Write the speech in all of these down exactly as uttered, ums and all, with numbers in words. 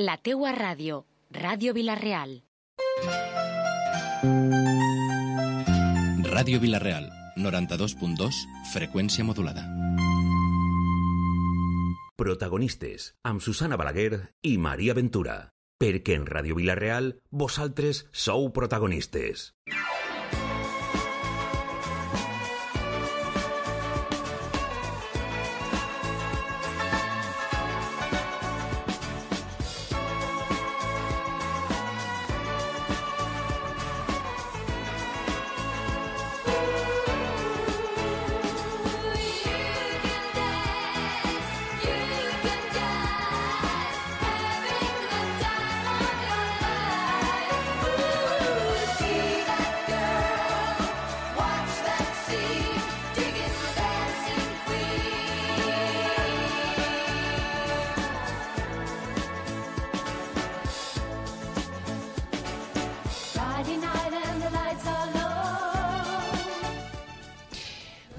La teua ràdio, Ràdio Vila-real. Ràdio Vila-real, noranta-dos punt dos, freqüència modulada. Protagonistes, amb Susana Balaguer i Maria Ventura. Perquè en Ràdio Vila-real, vosaltres sou protagonistes.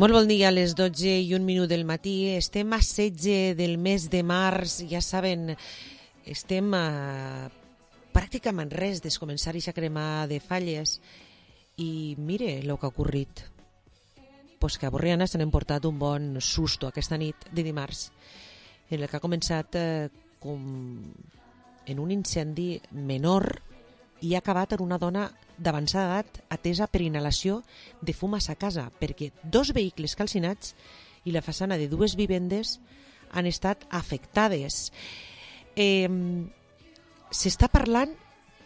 Molt bon dia, a les dotze i un minut del matí. Estem a setze del mes de març, ja saben, estem a pràcticament res de començar a cremar de falles. I mire el que ha ocorrit. Pues que a Borriana s'han emportat un bon susto aquesta nit de dimarts, en el que ha començat eh, com en un incendi menor i ha acabat en una dona d'avançada edat atesa per inhalació de fum a sa casa, perquè dos vehicles calcinats i la façana de dues vivendes han estat afectades. Eh, S'està parlant,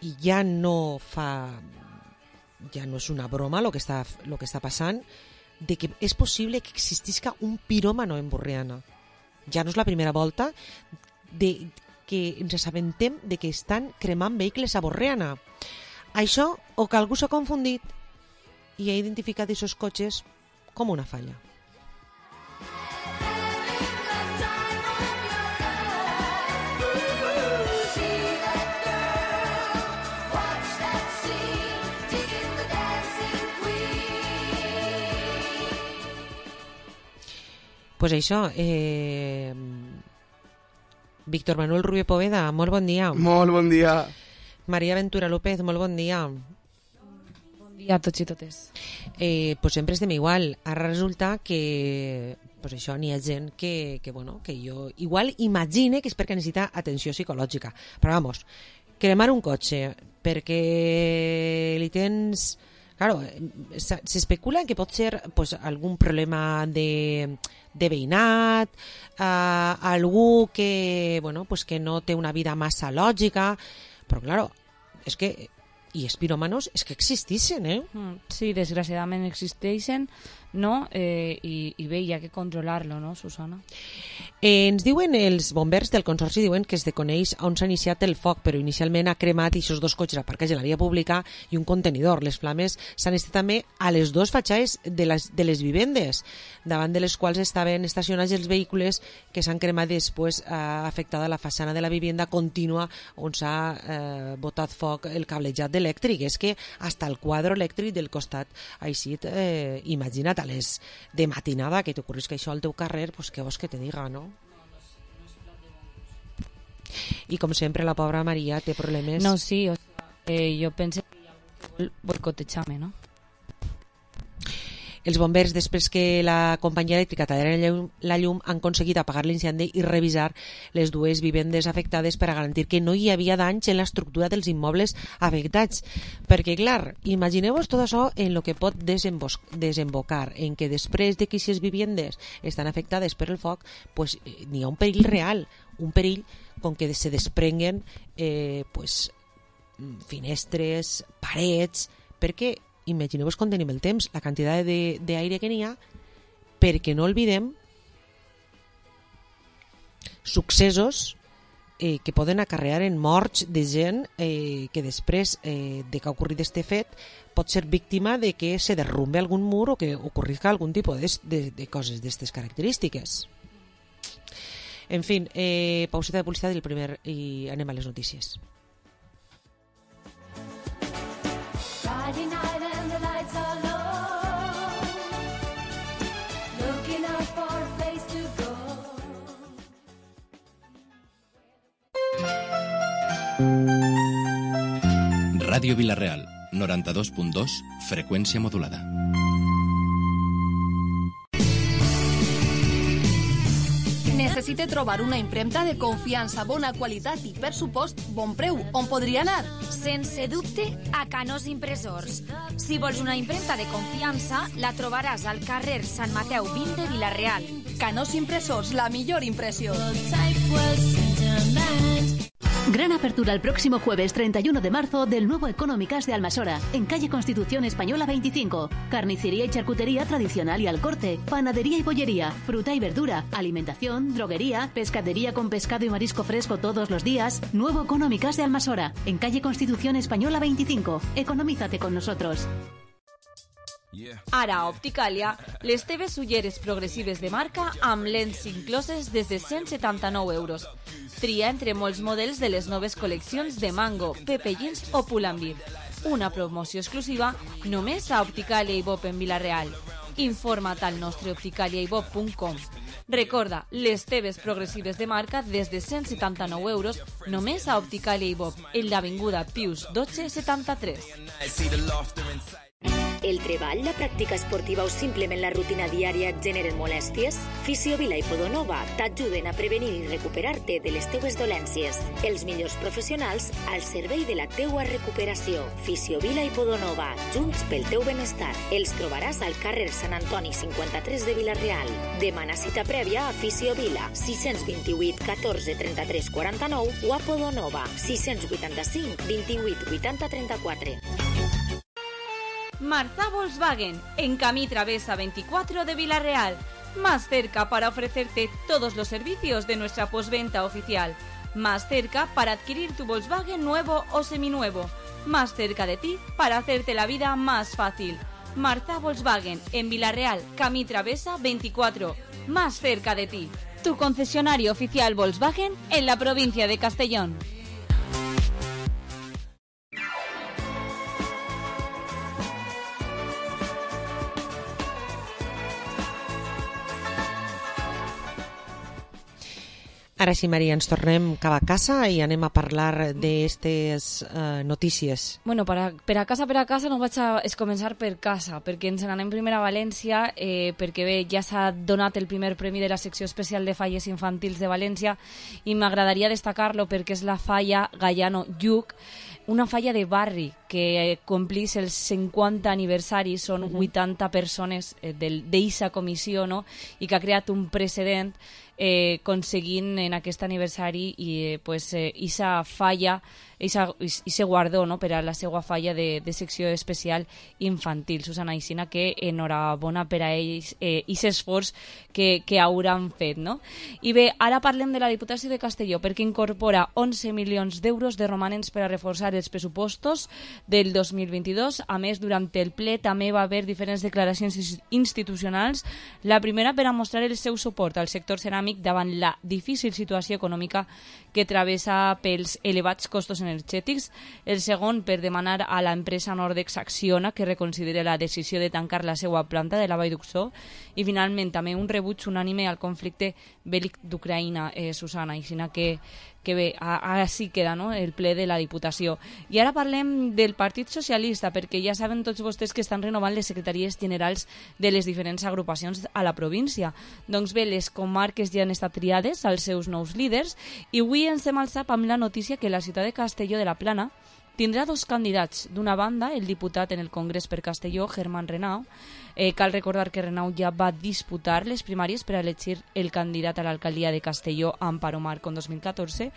i ja no fa, ja no és una broma el que està, lo que està passant, de que és possible que existisca un piròmano en Borriana. Ja no és la primera volta de que ens assabentem de que estan cremant vehicles a Borriana. Això, o que algú s'ha confundit i ha identificat aquests cotxes com una falla. Pues això, eh... Víctor Manuel Rubio Poveda, molt bon dia. Molt bon dia. Maria Ventura López, molt bon dia. Bon dia a tots i totes. Eh, pues sempre estem igual. Ara resulta que pues això n'hi ha gent que, que, bueno, que jo igual imagine que és perquè necessita atenció psicològica. Però vamos, cremar un cotxe perquè li tens... Claro, s'especula que pot ser pues, algun problema de, de veïnat, eh, algú que, bueno, pues, que no té una vida massa lògica, però claro, és que i els piròmanos és que existeixen, eh? Sí, desgraciadament existeixen, no? Eh, i, i bé, hi ha que controlar-lo, no, Susana? Eh, ens diuen els bombers del Consorci, diuen que es desconeix on s'ha iniciat el foc, però inicialment ha cremat aquests dos cotxes aparcats a la via pública i un contenidor. Les flames s'han estat també a les dues fatxades de les, de les vivendes, davant de les quals estaven estacionats els vehicles que s'han cremat després eh, afectada la façana de la vivenda contínua on s'ha eh, botat foc el cablejat elèctric. És que hasta el quadre elèctric del costat així, eh, imagina't a les de matinada que t'ocorris que això al teu carrer, pues què vols que te diga, no? I com sempre la pobra Maria té problemes. No, sí, o sea, eh, jo penso que hi ha algú que vol boicotejar-me, no? Els bombers, després que la companyia elèctrica tallera la llum, han aconseguit apagar l'incendi i revisar les dues vivendes afectades per a garantir que no hi havia danys en l'estructura dels immobles afectats. Perquè, clar, imagineu-vos tot això en el que pot desembocar, en que després de que aquestes vivendes estan afectades per el foc, pues, n'hi ha un perill real, un perill com que se desprenguen eh, pues, finestres, parets, perquè imagineu-vos com tenim el temps, la quantitat d'aire que n'hi ha, perquè no oblidem successos eh, que poden acarrear en morts de gent eh, que després eh, de que ha ocorrit este fet pot ser víctima de que se derrumbe algun mur o que ocorrisca algun tipus de, de, de coses d'aquestes característiques. En fi, eh, pauseta de publicitat i, el primer, i anem a les notícies. Ràdio Vila-real, noranta-dos punt dos, freqüència modulada. Necessite trobar una impremta de confiança, bona qualitat i, per supost, bon preu. On podria anar? Sense dubte, a Canós Impressors. Si vols una impremta de confiança, la trobaràs al carrer Sant Mateu vint de Vila-real. Canós Impressors, la millor impressió. Gran apertura el próximo jueves treinta y uno de marzo del nuevo Económicas de Almasora, en calle Constitución Española veinticinco. Carnicería y charcutería tradicional y al corte, panadería y bollería, fruta y verdura, alimentación, droguería, pescadería con pescado y marisco fresco todos los días. Nuevo Económicas de Almasora, en calle Constitución Española veinticinco. Economízate con nosotros. Ara a Opticalia, les teves ulleres progressives de marca amb lents incloses des de cent setanta-nou euros. Tria entre molts models de les noves col·leccions de Mango, Pepe Jeans o Pull&Bear. Una promoció exclusiva només a Opticalia i Bob en Vila-real. Informa't al nostre opticalia i bob punt com. Recorda, les teves progressives de marca des de cent setanta-nou euros només a Opticalia i Bob, en l'avinguda Pius dotze setanta-tres. El treball, la pràctica esportiva o simplement la rutina diària et generen molèsties? Fisiovila i Podonova t'ajuden a prevenir i recuperar-te de les teues dolències. Els millors professionals al servei de la teua recuperació. Fisiovila i Podonova, junts pel teu benestar. Els trobaràs al carrer Sant Antoni cinquanta-tres de Vila-real. Demana cita prèvia a Fisiovila, sis cents vint-i-vuit catorze trenta-tres quaranta-nou o a Podonova, sis cents vuitanta-cinc vint-i-vuit vuitanta trenta-quatre. Marza Volkswagen, en Camí Travesa veinticuatro de Vila-real. Más cerca para ofrecerte todos los servicios de nuestra postventa oficial. Más cerca para adquirir tu Volkswagen nuevo o seminuevo. Más cerca de ti para hacerte la vida más fácil. Marza Volkswagen, en Vila-real, Camí Travesa veinticuatro. Más cerca de ti. Tu concesionario oficial Volkswagen en la provincia de Castellón. Ara sí, Maria, ens tornem cap a casa i anem a parlar d'aquestes uh, notícies. Bueno, per a, per a casa, per a casa, no vaig a es començar per casa, perquè ens n'anem primer a València, eh, perquè bé, ja s'ha donat el primer premi de la secció especial de falles infantils de València i m'agradaria destacar-lo perquè és la falla Gallano Lluc, una falla de barri que complís el cinquanta aniversari, són uh-huh. vuitanta persones eh, d'eixa comissió, no? I que ha creat un precedent eh, aconseguint en aquest aniversari i eh, pues, eh, isa falla, isa, ise guardó, no? Per a la seva falla de, de secció especial infantil. Susana Aixina, que enhorabona per a ells eh, i l'esforç que, que hauran fet, no? I bé, ara parlem de la Diputació de Castelló, perquè incorpora onze milions d'euros de romanents per a reforçar els pressupostos del dos mil vint-i-dos. A més, durant el ple també va haver diferents declaracions institucionals. La primera per a mostrar el seu suport al sector ceràmic davant la difícil situació econòmica que travessa pels elevats costos energètics. El segon per demanar a l'empresa Nordex Acciona que reconsideri la decisió de tancar la seva planta de la Vall d'Uxó. I finalment també un rebuig unànime al conflicte bèl·lic d'Ucraïna, eh, Susana, i sinó que que bé, ara sí queda, no?, el ple de la Diputació. I ara parlem del Partit Socialista, perquè ja saben tots vostès que estan renovant les secretaries generals de les diferents agrupacions a la província. Doncs bé, les comarques ja han estat triades als seus nous líders i avui ens hem alçat amb la notícia que la ciutat de Castelló de la Plana tindrà dos candidats. D'una banda, el diputat en el Congrés per Castelló, Germán Renau. Eh, cal recordar que Renau ja va disputar les primàries per a elegir el candidat a l'alcaldia de Castelló, Amparo Marco, en dos mil catorze.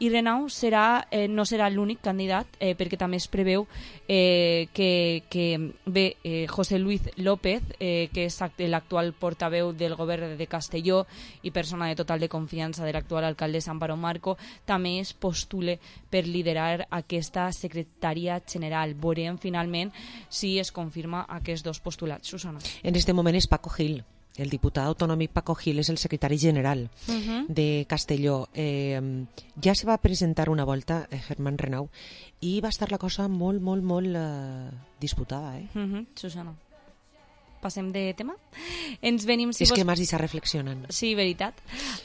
I Renau serà, eh, no serà l'únic candidat, eh, perquè també es preveu eh, que, que bé, eh, José Luis López, eh, que és l'actual portaveu del govern de Castelló i persona de total de confiança de l'actual alcaldessa Amparo Marco, també es postule per liderar aquesta secretaria general. Veurem finalment si es confirma aquests dos postulats. Susana. En este moment és Paco Gil. El diputat autonòmic Paco Gil és el secretari general uh-huh. de Castelló. Eh, ja se va presentar una volta eh, Germán Renau i va estar la cosa molt, molt, molt eh, disputada. Eh? Uh-huh. Susana. passem de tema. Ens venim, si és vos... que m'has dit reflexionant. Sí, veritat.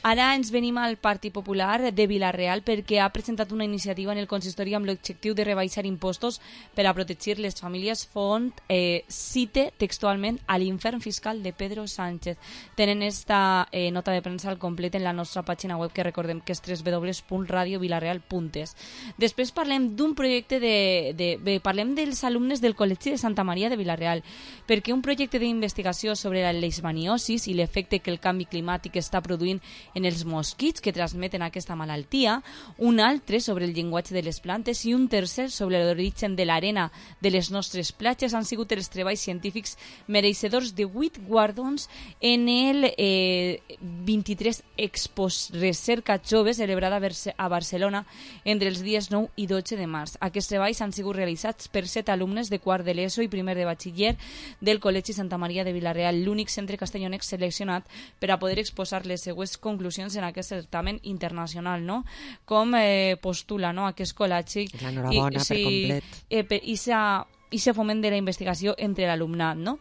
Ara ens venim al Partit Popular de Vila-real perquè ha presentat una iniciativa en el consistori amb l'objectiu de rebaixar impostos per a protegir les famílies. Font eh, cite textualment a l'infern fiscal de Pedro Sánchez. Tenen esta eh, nota de premsa al complet en la nostra pàgina web, que recordem que és w w w punt radio vilareal punt es. Després parlem d'un projecte de, de... Bé, parlem dels alumnes del Col·legi de Santa Maria de Vila-real, perquè un projecte d'investigació sobre la leishmaniosis i l'efecte que el canvi climàtic està produint en els mosquits que transmeten aquesta malaltia, un altre sobre el llenguatge de les plantes i un tercer sobre l'origen de l'arena de les nostres platges han sigut els treballs científics mereixedors de vuit guardons en el eh, vint-i-tres Expo Recerca Jove celebrada a Barcelona entre els dies nou i dotze de març. Aquests treballs han sigut realitzats per set alumnes de quart de l'ESO i primer de batxiller del Col·legi Santa Maria de Vila-real, l'únic centre castellonenc seleccionat per a poder exposar les següents conclusions en aquest certamen internacional, no? Com eh, postula, no?, aquest col·legi. L'enhorabona per complet. Eh, per, i s'ha i se foment de la investigació entre l'alumnat, no?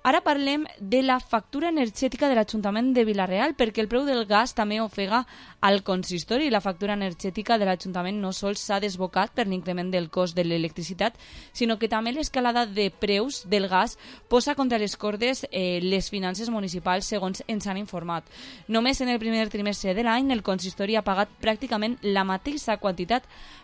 Ara parlem de la factura energètica de l'Ajuntament de Vila-real, perquè el preu del gas també ofega al consistori. La factura energètica de l'Ajuntament no sols s'ha desbocat per l'increment del cost de l'electricitat, sinó que també l'escalada de preus del gas posa contra les cordes eh, les finances municipals, segons ens han informat. Només en el primer trimestre de l'any el consistori ha pagat pràcticament la mateixa quantitat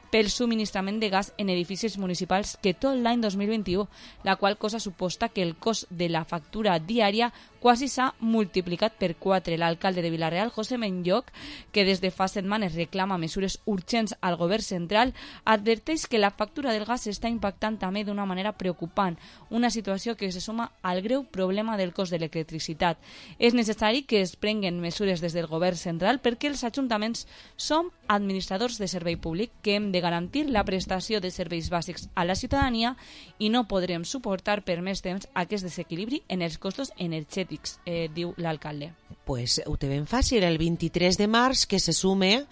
pel subministrament de gas en edificis municipals que tot l'any dos mil vint-i-u, la qual cosa suposta que el cost de la factura diària quasi s'ha multiplicat per quatre. L'alcalde de Vila-real, José Benlloch, que des de fa setmanes reclama mesures urgents al govern central, adverteix que la factura del gas està impactant també d'una manera preocupant, una situació que se suma al greu problema del cost de l'electricitat. És necessari que es prenguen mesures des del govern central perquè els ajuntaments som administradors de servei públic, que hem de garantir la prestació de serveis bàsics a la ciutadania i no podrem suportar per més temps aquest desequilibri en els costos energètics, eh, diu l'alcalde. Pues ho té ben fàcil, el vint-i-tres de març, que se sume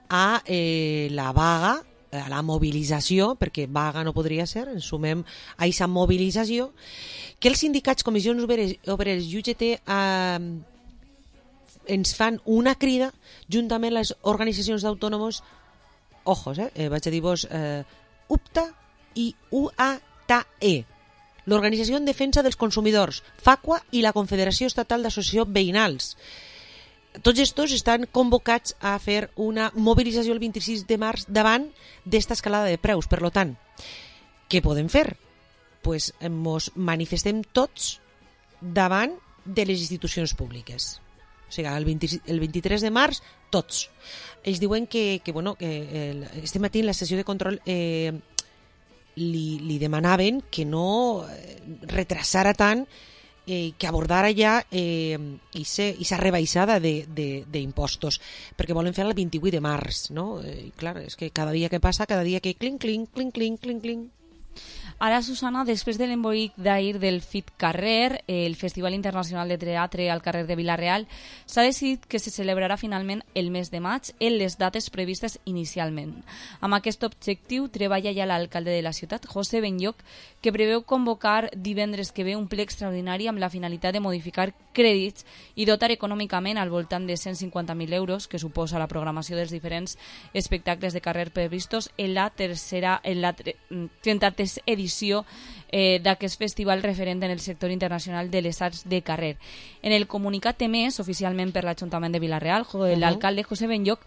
a eh, la vaga, a la mobilització, perquè vaga no podria ser, ens sumem a aquesta mobilització, que els sindicats, comissions obreres i U G T eh, ens fan una crida juntament a les organitzacions d'autònoms, ojos, eh, eh, vaig a dir-vos eh, U P T A i U A T E, l'Organització en Defensa dels Consumidors, FACUA i la Confederació Estatal d'Associacions Veïnals. Tots estos estan convocats a fer una mobilització el vint-i-sis de març davant d'esta escalada de preus. Per tant, què podem fer? Pues ens manifestem tots davant de les institucions públiques. O sigui, el, vint, el vint-i-tres de març, tots. Ells diuen que, que, bueno, que el, este matí en la sessió de control eh, li, li demanaven que no retrasara tant, eh, que abordara ja eh, aquesta rebaixada d'impostos, perquè volen fer el vint-i-vuit de març, no? I clar, és que cada dia que passa, cada dia que clink, clink, clink, clink, clink, clink. Ara, Susana, després de l'embolic d'ahir del Fit Carrer, el Festival Internacional de Teatre al carrer de Vila-real, s'ha decidit que se celebrarà finalment el mes de maig en les dates previstes inicialment. Amb aquest objectiu treballa ja l'alcalde de la ciutat, José Benlloch, que preveu convocar divendres que ve un ple extraordinari amb la finalitat de modificar crèdits i dotar econòmicament al voltant de cent cinquanta mil euros, que suposa la programació dels diferents espectacles de carrer previstos en la tercera, en la trenta-tercera edició eh, d'aquest festival referent en el sector internacional de les arts de carrer. En el comunicat emès oficialment per l'Ajuntament de Vila-real, l'alcalde José Benlloch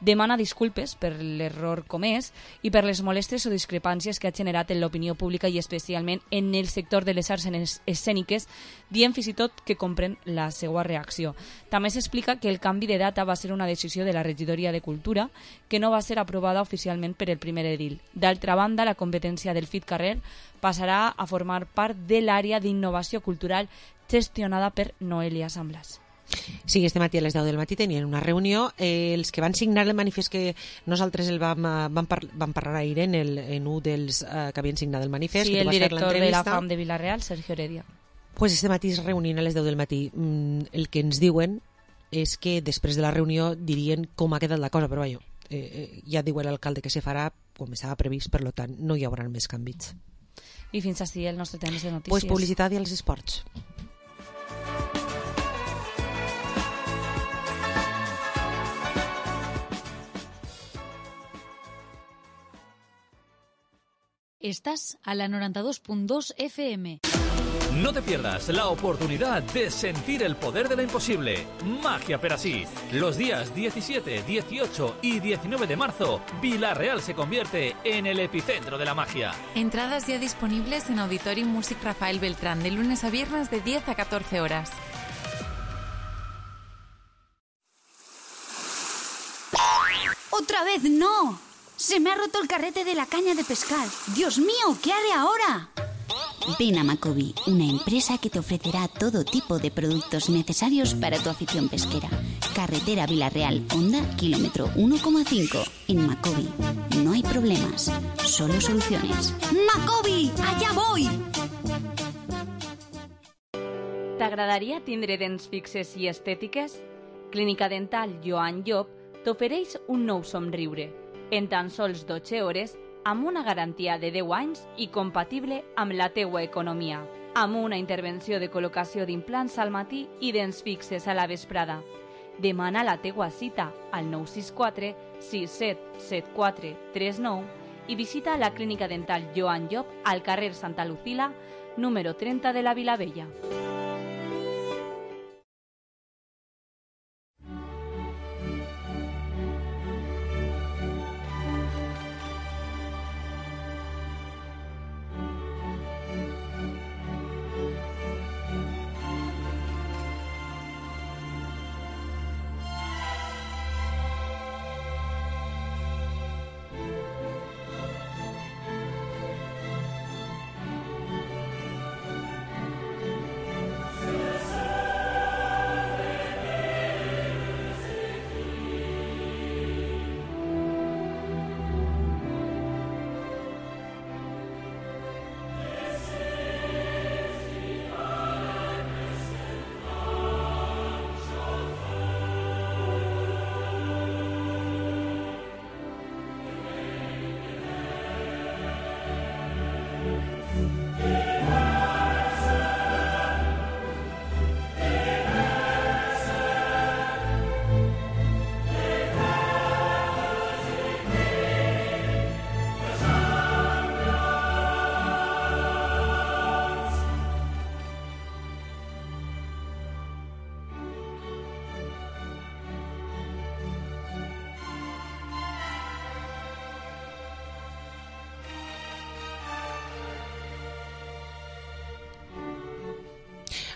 demana disculpes per l'error comès i per les molèsties o discrepàncies que ha generat en l'opinió pública i especialment en el sector de les arts escèniques, dient fins i tot que comprèn la seva reacció. També s'explica que el canvi de data va ser una decisió de la regidoria de Cultura que no va ser aprovada oficialment per el primer edil. D'altra banda, la competència del Fit Carrer passarà a formar part de l'àrea d'innovació cultural gestionada per Noelia Samblas. Sí, este matí a les deu del matí tenien una reunió. Eh, els que van signar el manifest, que nosaltres el vam, vam, par vam parlar ahir en, el, en un dels eh, que havien signat el manifest. Sí, que el director de la FAM de Vila-real, Sergio Heredia. Pues este matí es reunien a les deu del matí. Mm, el que ens diuen és que després de la reunió dirien com ha quedat la cosa, però vaja, eh, eh, ja diu l'alcalde que se farà com estava previst, per tant no hi haurà més canvis. I fins així el nostre temps de notícies. Pues publicitat i els esports. Estás a la noventa y dos punto dos F M. No te pierdas la oportunidad de sentir el poder de lo imposible. Magia Perasí. Los días diecisiete, dieciocho y diecinueve de marzo, Vila-real se convierte en el epicentro de la magia. Entradas ya disponibles en Auditorium Music Rafael Beltrán de lunes a viernes de diez a catorce horas. ¡Otra vez no! Se me ha roto el carrete de la caña de pescar. ¡Dios mío! ¿Qué haré ahora? Ven a Macobi, una empresa que te ofrecerá todo tipo de productos necesarios para tu afición pesquera. Carretera Vila-real, Honda, kilómetro uno coma cinco. En Macobi no hay problemas, solo soluciones. ¡Macobi! ¡Allá voy! T'agradaria tindre dents fixes i estètiques? Clínica Dental Joan Llop t'ofereix un nou somriure, en tan sols dotze hores, amb una garantia de deu anys i compatible amb la teua economia, amb una intervenció de col·locació d'implants al matí i dents fixes a la vesprada. Demana la teua cita al nou sis quatre sis set set quatre tres nou i visita la Clínica Dental Joan Llop al carrer Santa Lucila, número trenta de la Vilavella.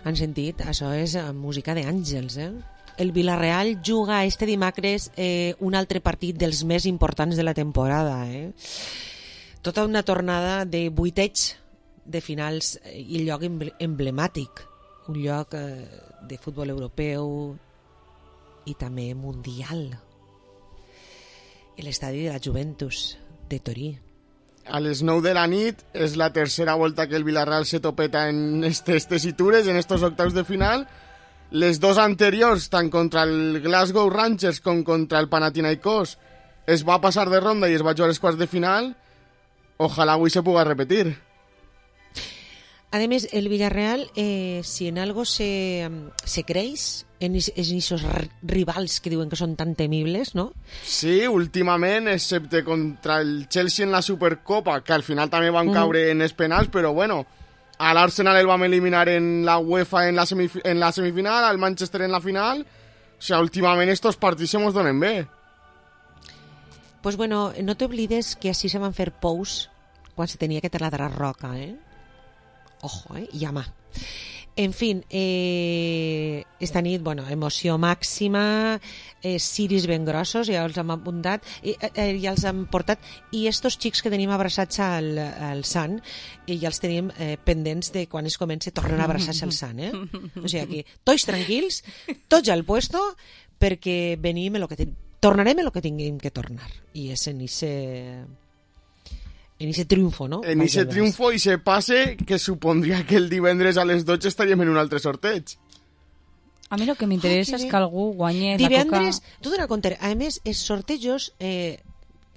Han sentit? Això és música d'àngels, eh? El Vila-real juga este dimecres eh, un altre partit dels més importants de la temporada, eh? Tota una tornada de vuiteig de finals i lloc emblemàtic, un lloc eh, de futbol europeu i també mundial. L'estadi de la Juventus de Torí. A les nou de la nit és la tercera volta que el Vila-real se topeta en estes tessitures, en estos octaus de final. Les dos anteriors, tant contra el Glasgow Rangers com contra el Panathinaikos, es va passar de ronda i es va jugar als quarts de final. Ojalá avui se puga repetir. A més, el Villarreal, eh, si en algo se, se creix, en esos rivals que diuen que són tan temibles, no? Sí, últimament, excepte contra el Chelsea en la Supercopa, que al final també van caure mm. en els penals, però bueno, a l'Arsenal el vam eliminar en la UEFA en la, semif- en la semifinal, al Manchester en la final, o sea, últimament estos partits se mos donen bé. Pues bueno, no t'oblides que així se van fer pous quan se tenia que taladrar roca, eh? Ojo, eh? Llama. En fin, eh, esta nit, bueno, emoció màxima, eh, ciris ben grossos, ja els hem apuntat, eh, eh, ja els hem portat, i estos xics que tenim abraçats al, al Sant, i ja els tenim eh, pendents de quan es comença, tornen a abraçar-se al Sant, eh? O sigui, aquí, tots tranquils, tots al puesto, perquè venim el que ten... tornarem el que tinguem que tornar, i és en ese... en ese triunfo, no? En ese triunfo i se passe que supondria que el divendres a les dotze estaríem en un altre sorteig. A mi el que m'interessa és que algú guanyi divendres, la coca. tu dona compte, a més, els sortejos eh,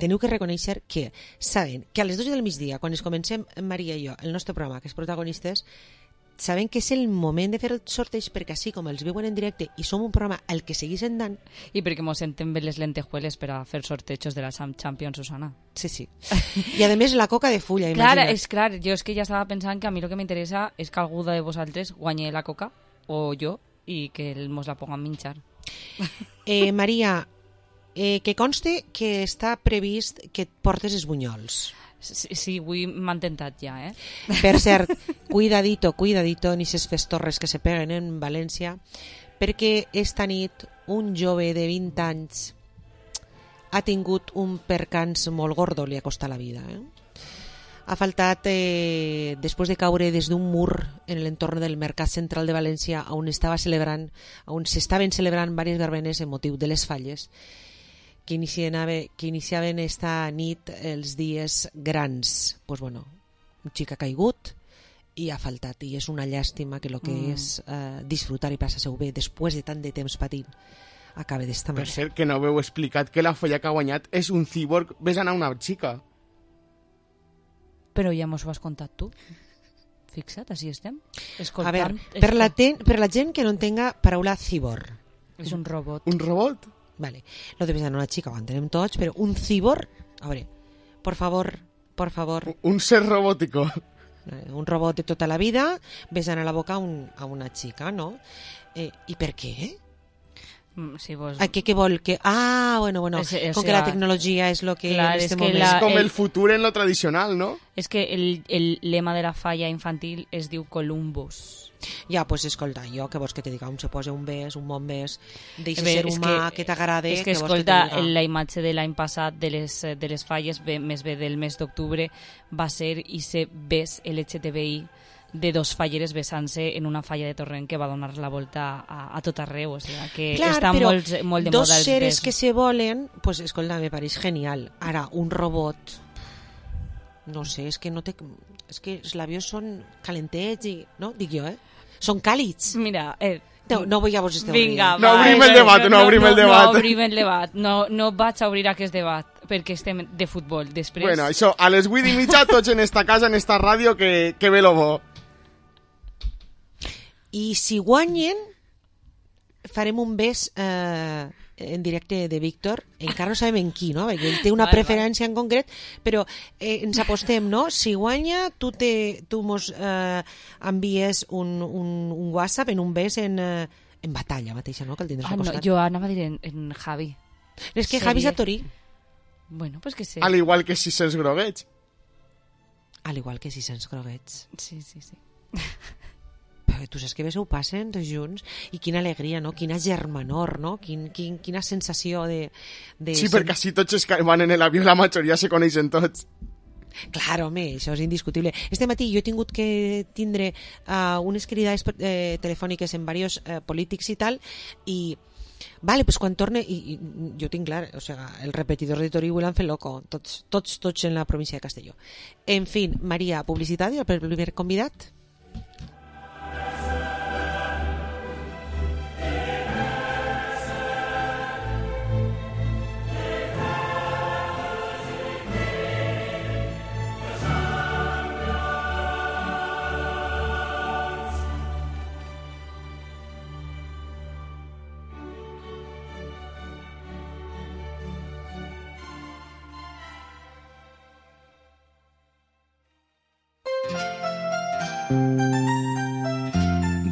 teniu que reconèixer que saben que a les dotze del migdia, quan es comencem Maria i jo, el nostre programa, que és protagonistes, sabem que és el moment de fer el sorteig perquè així com els veuen en directe i som un programa el que seguís endant. I perquè mos sentem bé les lentejueles per a fer sortejos de la Champions, Susana. Sí, sí. I a més la coca de fulla, clar, imagina't. és clar, jo és que ja estava pensant que a mi el que m'interessa és que algú de vosaltres guanyi la coca, o jo, i que mos la pongan minxar. Eh, Maria, eh, que conste que està previst que et portes els bunyols. Sí, sí, avui m'han tentat ja, eh? Per cert, cuidadito, cuidadito, ni ses festorres que se peguen en València, perquè esta nit un jove de vint anys ha tingut un percans molt gordo, li ha costat la vida. Eh? Ha faltat, eh, després de caure des d'un mur en l'entorn del Mercat Central de València, on estava celebrant, on s'estaven celebrant diverses verbenes en motiu de les falles, que iniciaven, que iniciaven esta nit els dies grans. Pues bueno, un xic ha caigut i ha faltat, i és una llàstima que el que mm. és eh, disfrutar i passar-se-ho bé després de tant de temps patint acabe d'esta manera. Per cert, que no heu explicat que la folla que ha guanyat és un cíborg besant a una xica. Però ja mos ho has contat tu. Fixa't, així estem. Escoltant, a veure, per la, ten, per la gent que no entenga paraula cíborg. És un robot. Un robot? Vale. Lo de besar a una chica ho entenem tots, però un cíborg, a veure, por favor, por favor. Un ser robótico. Un robot de tota la vida besant a la boca a, un, a una chica, no? Eh, I per què? Si vos... Ah, ¿qué, qué vol? Que... Ah, bueno, bueno, es, es con que la tecnología es lo que clar, en este es que momento... la, es com el, el futur en lo tradicional, ¿no? És que el, el lema de la falla infantil es diu Columbus. Ja, pues escolta, jo que vols que te diga, un se posa un bes, un bon bes, deixa ser humà, que, que t'agrada... És que, que escolta, que la imatge de l'any passat de les, de les falles, bé, més bé del mes d'octubre, va ser i ser bes L G T B I de dos falleres besant-se en una falla de Torrent que va donar la volta a, a tot arreu, o sigui, que clar, està molt, molt de moda. Dos seres que se volen, pues escolta, me pareix genial. Ara, un robot, no sé, és que no té... És que els labios són calentets i... No? Dic jo, eh? Són càlids. Mira, eh... No, no vull a vos estar Vinga, no obrim el debat, no, no obrim el debat. No obrim el debat, no, no vaig a obrir aquest debat, perquè estem de futbol. Després... Bueno, això, a les vuit i mitja, tots en esta casa, en esta ràdio, que, que ve lo bo. I si guanyen, farem un bes eh, en directe de Víctor, encara no sabem en qui, no? Perquè ell té una preferència en concret, però eh, ens apostem, no? Si guanya, tu, te, tu mos eh, envies un, un, un WhatsApp en un bes en, eh, en batalla mateixa, no? Que el tindràs ah, al costat. No, jo anava a dir en, en Javi. És que Javi és a Torí. Bueno, pues que sé. Al igual que si se'ls groguets. Al igual que si se'ls groguets. Sí, sí, sí. Però tu saps que bé s'ho passen tots junts i quina alegria, no? Quina germanor, no? Quin, quin, quina sensació de... de sí, perquè així tots els que van en l'avió la majoria se coneixen tots. Clar, home, això és indiscutible. Este matí jo he tingut que tindre uh, unes cridades eh, telefòniques en diversos eh, polítics i tal, i vale, pues quan torne, i, i jo tinc clar, o sea, el repetidor de Torí ho l'han fet loco, tots, tots, tots en la província de Castelló. En fin, Maria, publicitat i el primer convidat?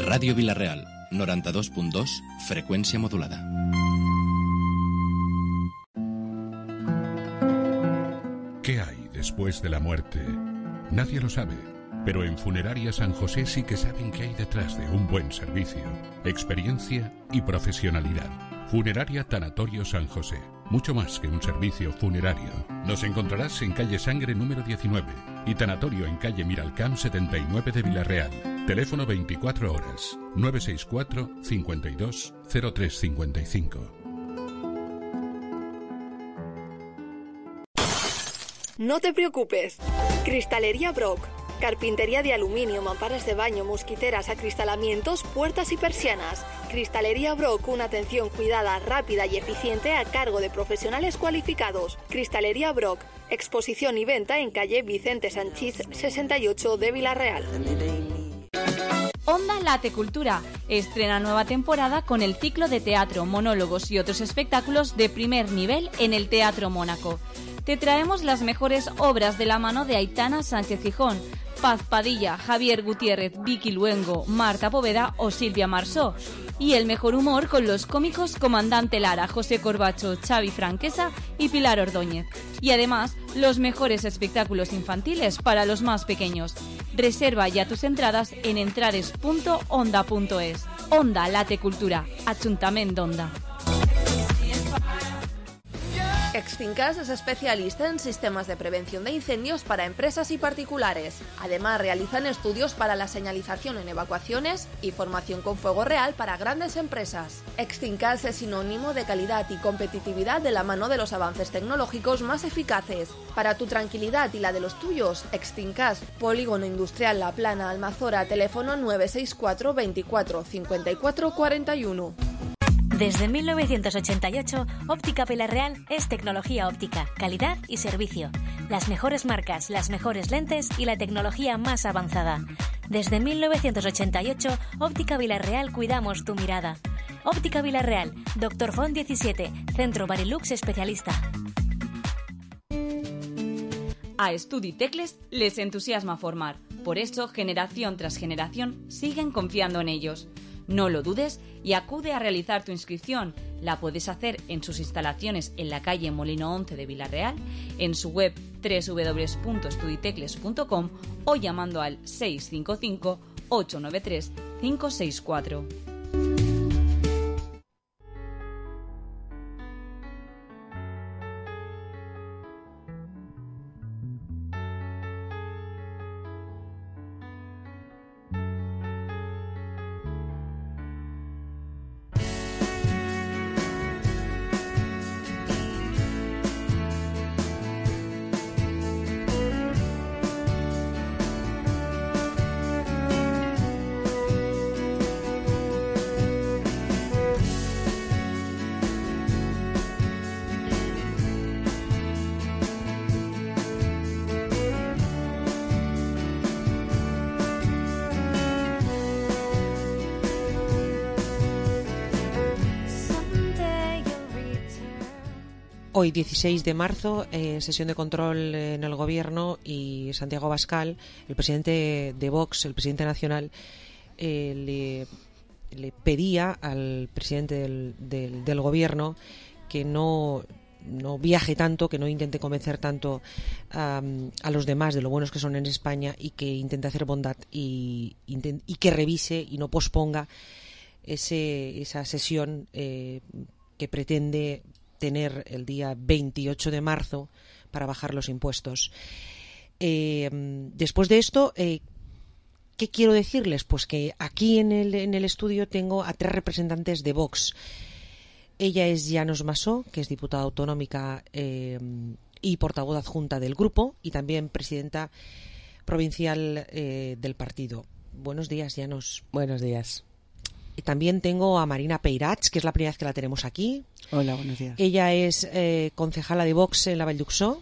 Radio Vilarreal, noranta-dos punt dos, frecuencia modulada. ¿Qué hay después de la muerte? Nadie lo sabe, pero en Funeraria San José sí que saben qué hay detrás de un buen servicio, experiencia y profesionalidad. Funeraria Tanatorio San José, mucho más que un servicio funerario. Nos encontrarás en calle Sangre número diecinueve y Tanatorio en calle Miralcamp setenta y nueve de Villarreal. Teléfono veinticuatro horas, nueve seis cuatro, cincuenta y dos, cero tres cincuenta y cinco. No te preocupes. Cristalería Brock. Carpintería de aluminio, mamparas de baño, mosquiteras, acristalamientos, puertas y persianas. Cristalería Brock, una atención cuidada, rápida y eficiente a cargo de profesionales cualificados. Cristalería Brock, exposición y venta en calle Vicente Sanchís sesenta y ocho de Villarreal. Onda Late Cultura estrena nueva temporada con el ciclo de teatro, monólogos y otros espectáculos de primer nivel en el Teatro Mónaco. Te traemos las mejores obras de la mano de Aitana Sánchez Gijón, Paz Padilla, Javier Gutiérrez, Vicky Luengo, Marta Poveda o Silvia Marsó. Y el mejor humor con los cómicos Comandante Lara, José Corbacho, Xavi Franquesa y Pilar Ordóñez. Y además, los mejores espectáculos infantiles para los más pequeños. Reserva ya tus entradas en entrades punto onda punto es. Onda Late Cultura, Ajuntament d'Onda. Extincas es especialista en sistemas de prevención de incendios para empresas y particulares. Además, realizan estudios para la señalización en evacuaciones y formación con fuego real para grandes empresas. Extincas es sinónimo de calidad y competitividad de la mano de los avances tecnológicos más eficaces. Para tu tranquilidad y la de los tuyos, Extincas, Polígono Industrial La Plana, Almazora, teléfono nueve seis cuatro veinticuatro cincuenta y cuatro cuarenta y uno. Desde mil novecientos ochenta y ocho, Óptica Vilarreal es tecnología óptica, calidad y servicio. Las mejores marcas, las mejores lentes y la tecnología más avanzada. Desde mil novecientos ochenta y ocho, Óptica Vilarreal cuidamos tu mirada. Óptica Vilarreal, Doctor Font diecisiete, Centro Barilux especialista. A Estudi Tecles les entusiasma formar. Por eso, generación tras generación, siguen confiando en ellos. No lo dudes y acude a realizar tu inscripción. La puedes hacer en sus instalaciones en la calle Molino once de Vilarreal, en su web doble u doble u doble u punto estuditecles punto com o llamando al seis cinco cinco ocho nueve tres cinco seis cuatro. Hoy, dieciséis de marzo, eh, sesión de control en el Gobierno y Santiago Abascal, el presidente de Vox, el presidente nacional, eh, le, le pedía al presidente del, del, del Gobierno que no, no viaje tanto, que no intente convencer tanto um, a los demás de lo buenos que son en España y que intente hacer bondad y, intent, y que revise y no posponga ese, esa sesión eh, que pretende tener el día veintiocho de marzo para bajar los impuestos. Eh, después de esto, eh, ¿qué quiero decirles? Pues que aquí en el, en el estudio tengo a tres representantes de Vox. Ella es Llanos Massó, que es diputada autonómica eh, y portavoz adjunta del grupo y también presidenta provincial eh, del partido. Buenos días, Llanos. Buenos días. Y también tengo a Marina Peirats, que es la primera vez que la tenemos aquí. Hola, buenos días. Ella es eh, concejala de Vox en la Vall d'Uxó.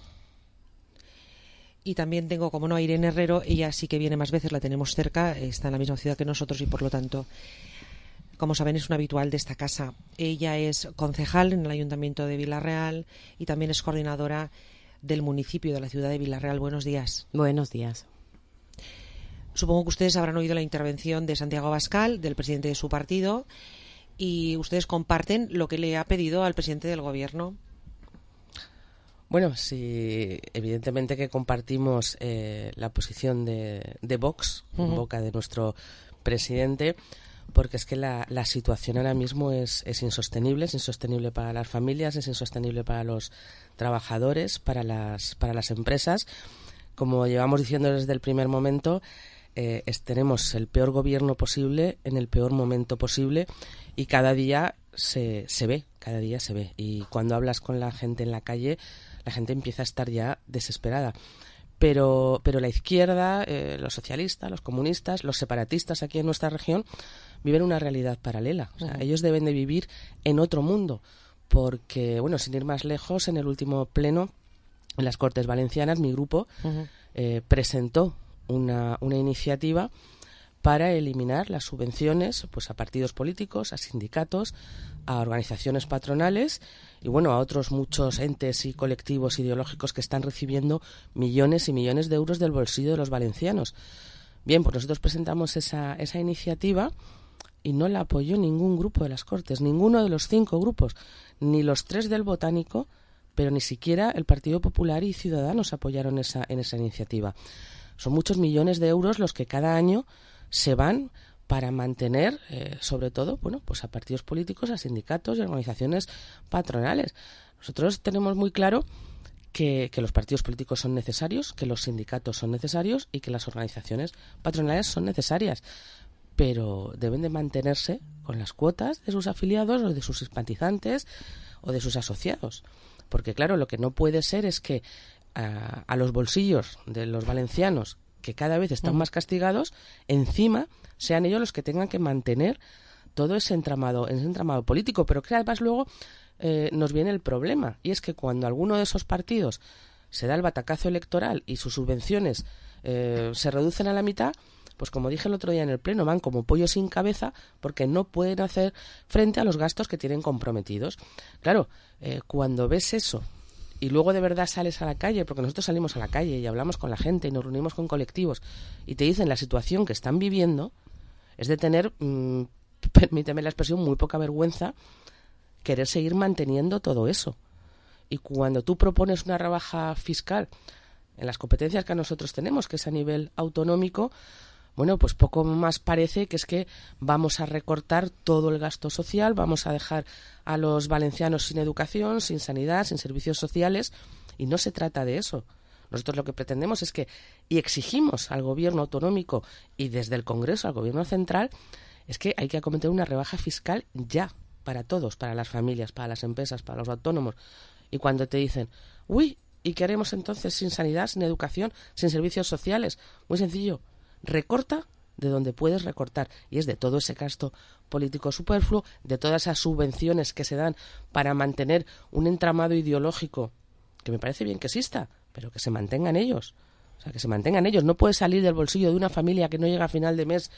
Y también tengo, como no, a Irene Herrero. Ella sí que viene más veces, la tenemos cerca, está en la misma ciudad que nosotros y por lo tanto, como saben, es una habitual de esta casa. Ella es concejal en el Ayuntamiento de Vilarreal y también es coordinadora del municipio de la ciudad de Vilarreal. Buenos días. Buenos días. Supongo que ustedes habrán oído la intervención de Santiago Abascal, del presidente de su partido, y ustedes comparten lo que le ha pedido al presidente del Gobierno. Bueno, sí, evidentemente que compartimos eh, la posición de, de Vox, uh-huh. en boca de nuestro presidente, porque es que la, la situación ahora mismo es, es insostenible, es insostenible para las familias, es insostenible para los trabajadores, para las, para las empresas. Como llevamos diciendo desde el primer momento, Eh, es, tenemos el peor gobierno posible en el peor momento posible y cada día se, se ve, cada día se ve. Y cuando hablas con la gente en la calle, la gente empieza a estar ya desesperada. Pero, pero la izquierda, eh, los socialistas, los comunistas, los separatistas aquí en nuestra región viven una realidad paralela. O sea, uh-huh. ellos deben de vivir en otro mundo porque, bueno, sin ir más lejos, en el último pleno en las Cortes Valencianas, mi grupo uh-huh. eh, presentó Una, una iniciativa para eliminar las subvenciones pues a partidos políticos, a sindicatos, a organizaciones patronales y bueno, a otros muchos entes y colectivos ideológicos que están recibiendo millones y millones de euros del bolsillo de los valencianos. Bien, pues nosotros presentamos esa, esa iniciativa y no la apoyó ningún grupo de las Cortes, ninguno de los cinco grupos, ni los tres del Botánico, pero ni siquiera el Partido Popular y Ciudadanos apoyaron esa, en esa iniciativa. Son muchos millones de euros los que cada año se van para mantener, eh, sobre todo, bueno, pues a partidos políticos, a sindicatos y organizaciones patronales. Nosotros tenemos muy claro que, que los partidos políticos son necesarios, que los sindicatos son necesarios y que las organizaciones patronales son necesarias, pero deben de mantenerse con las cuotas de sus afiliados o de sus simpatizantes o de sus asociados. Porque, claro, lo que no puede ser es que a, a los bolsillos de los valencianos, que cada vez están más castigados, encima sean ellos los que tengan que mantener todo ese entramado, ese entramado político. Pero que además luego eh, nos viene el problema, y es que cuando alguno de esos partidos se da el batacazo electoral y sus subvenciones eh, se reducen a la mitad, pues como dije el otro día en el Pleno, van como pollo sin cabeza porque no pueden hacer frente a los gastos que tienen comprometidos. Claro, eh, cuando ves eso y luego de verdad sales a la calle, porque nosotros salimos a la calle y hablamos con la gente y nos reunimos con colectivos y te dicen la situación que están viviendo, es de tener, mmm, permíteme la expresión, muy poca vergüenza querer seguir manteniendo todo eso. Y cuando tú propones una rebaja fiscal en las competencias que nosotros tenemos, que es a nivel autonómico, bueno, pues poco más parece que es que vamos a recortar todo el gasto social, vamos a dejar a los valencianos sin educación, sin sanidad, sin servicios sociales, y no se trata de eso. Nosotros lo que pretendemos es que, y exigimos al gobierno autonómico y desde el Congreso al gobierno central, es que hay que acometer una rebaja fiscal ya, para todos, para las familias, para las empresas, para los autónomos. Y cuando te dicen, uy, ¿y qué haremos entonces sin sanidad, sin educación, sin servicios sociales? Muy sencillo. Recorta de donde puedes recortar, y es de todo ese gasto político superfluo, de todas esas subvenciones que se dan para mantener un entramado ideológico que me parece bien que exista, pero que se mantengan ellos, o sea, que se mantengan ellos. No puede salir del bolsillo de una familia que no llega a final de mes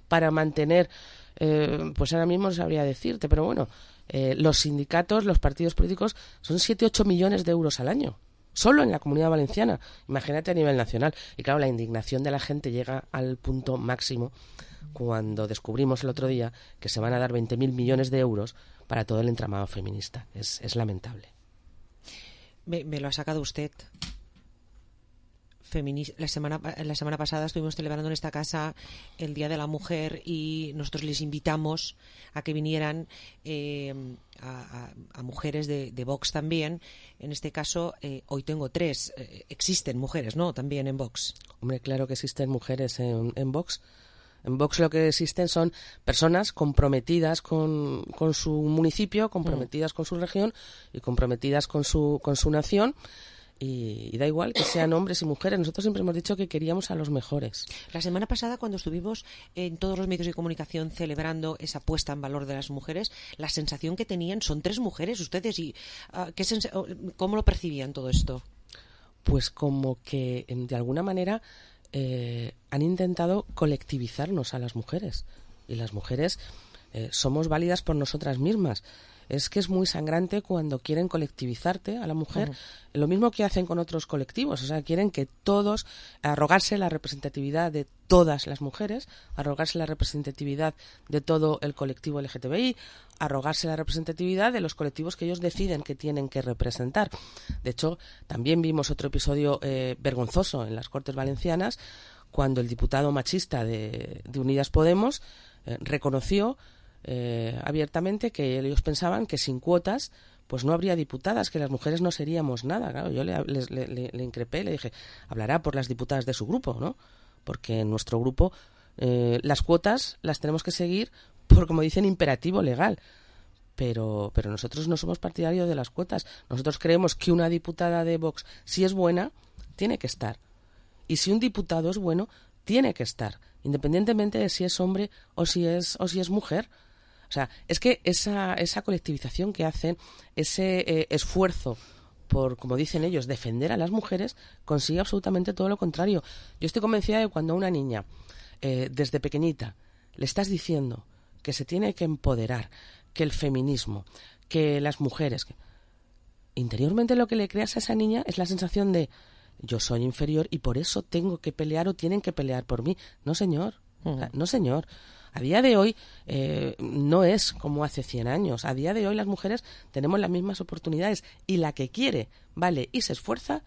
para mantener, eh, pues ahora mismo no sabría decirte, pero bueno, eh, los sindicatos, los partidos políticos son siete, ocho millones de euros al año. Solo en la Comunidad Valenciana, imagínate a nivel nacional. Y claro, la indignación de la gente llega al punto máximo cuando descubrimos el otro día que se van a dar veinte mil millones de euros para todo el entramado feminista. Es, es lamentable. Me, me lo ha sacado usted. Femini- la semana la semana pasada estuvimos celebrando en esta casa el Día de la Mujer y nosotros les invitamos a que vinieran eh, a, a, a mujeres de, de Vox también. En este caso, eh, hoy tengo tres. Eh, existen mujeres, ¿no? También en Vox. Hombre, claro que existen mujeres en, en Vox. En Vox lo que existen son personas comprometidas con, con su municipio, comprometidas mm. con su región y comprometidas con su, con su nación. Y, y da igual que sean hombres y mujeres. Nosotros siempre hemos dicho que queríamos a los mejores. La semana pasada, cuando estuvimos en todos los medios de comunicación celebrando esa puesta en valor de las mujeres, la sensación que tenían, son tres mujeres ustedes, y uh, ¿qué sens- ¿cómo lo percibían todo esto? Pues como que, de alguna manera, eh, han intentado colectivizarnos a las mujeres. Y las mujeres eh, somos válidas por nosotras mismas. Es que es muy sangrante cuando quieren colectivizarte a la mujer, uh-huh. Lo mismo que hacen con otros colectivos, o sea, quieren que todos, arrogarse la representatividad de todas las mujeres, arrogarse la representatividad de todo el colectivo L G T B I, arrogarse la representatividad de los colectivos que ellos deciden que tienen que representar. De hecho, también vimos otro episodio eh, vergonzoso en las Cortes Valencianas, cuando el diputado machista de, de Unidas Podemos eh, reconoció Eh, abiertamente que ellos pensaban que sin cuotas pues no habría diputadas, que las mujeres no seríamos nada. Claro, yo le, le, le, le increpé, le dije, hablará por las diputadas de su grupo, ¿no? Porque en nuestro grupo eh, las cuotas las tenemos que seguir por, como dicen, imperativo legal. Pero, pero nosotros no somos partidarios de las cuotas. Nosotros creemos que una diputada de Vox, si es buena, tiene que estar. Y si un diputado es bueno, tiene que estar, independientemente de si es hombre o si es, o si es mujer. O sea, es que esa, esa colectivización que hacen, ese eh, esfuerzo por, como dicen ellos, defender a las mujeres, consigue absolutamente todo lo contrario. Yo estoy convencida de que cuando una niña eh, desde pequeñita le estás diciendo que se tiene que empoderar, que el feminismo, que las mujeres... Que... Interiormente lo que le creas a esa niña es la sensación de yo soy inferior y por eso tengo que pelear o tienen que pelear por mí. No, señor. Uh-huh. O sea, no, señor. A día de hoy eh, no es como hace cien años. A día de hoy las mujeres tenemos las mismas oportunidades y la que quiere, vale, y se esfuerza,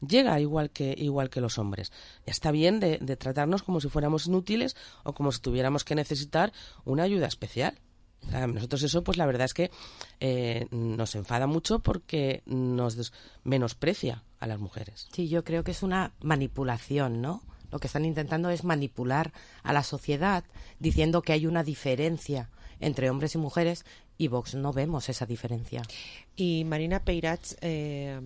llega igual que igual que los hombres. Ya está bien de, de tratarnos como si fuéramos inútiles o como si tuviéramos que necesitar una ayuda especial. O sea, nosotros eso, pues la verdad es que eh, nos enfada mucho porque nos des- menosprecia a las mujeres. Sí, yo creo que es una manipulación, ¿no? Lo que están intentando es manipular a la sociedad diciendo que hay una diferencia entre hombres y mujeres y Vox no vemos esa diferencia. Y Marina Peirats, eh,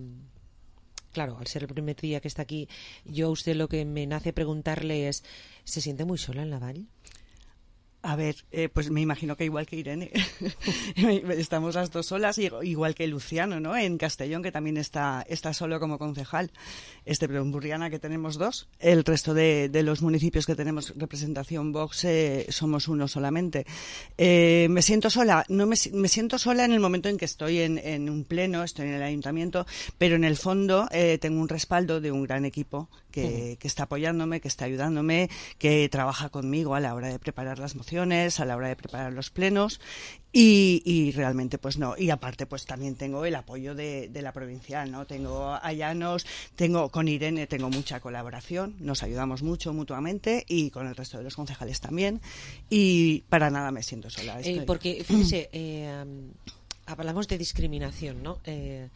claro, al ser el primer día que está aquí, yo a usted lo que me nace preguntarle es, ¿se siente muy sola en la Vall? A ver, eh, pues me imagino que igual que Irene, estamos las dos solas, igual que Luciano, ¿no? En Castellón, que también está, está solo como concejal. Este, pero en Burriana, que tenemos dos. El resto de, de los municipios que tenemos representación Vox eh, somos uno solamente. Eh, me siento sola, no me, me siento sola en el momento en que estoy en, en un pleno, estoy en el ayuntamiento, pero en el fondo eh, tengo un respaldo de un gran equipo que, uh-huh. que está apoyándome, que está ayudándome, que trabaja conmigo a la hora de preparar las mociones, a la hora de preparar los plenos y, y realmente pues no, y aparte pues también tengo el apoyo de, de la provincial, ¿no? Tengo a Llanos, tengo con Irene, tengo mucha colaboración, nos ayudamos mucho mutuamente y con el resto de los concejales también y para nada me siento sola. Estoy... Eh, porque fíjese, eh, hablamos de discriminación, ¿no? Eh,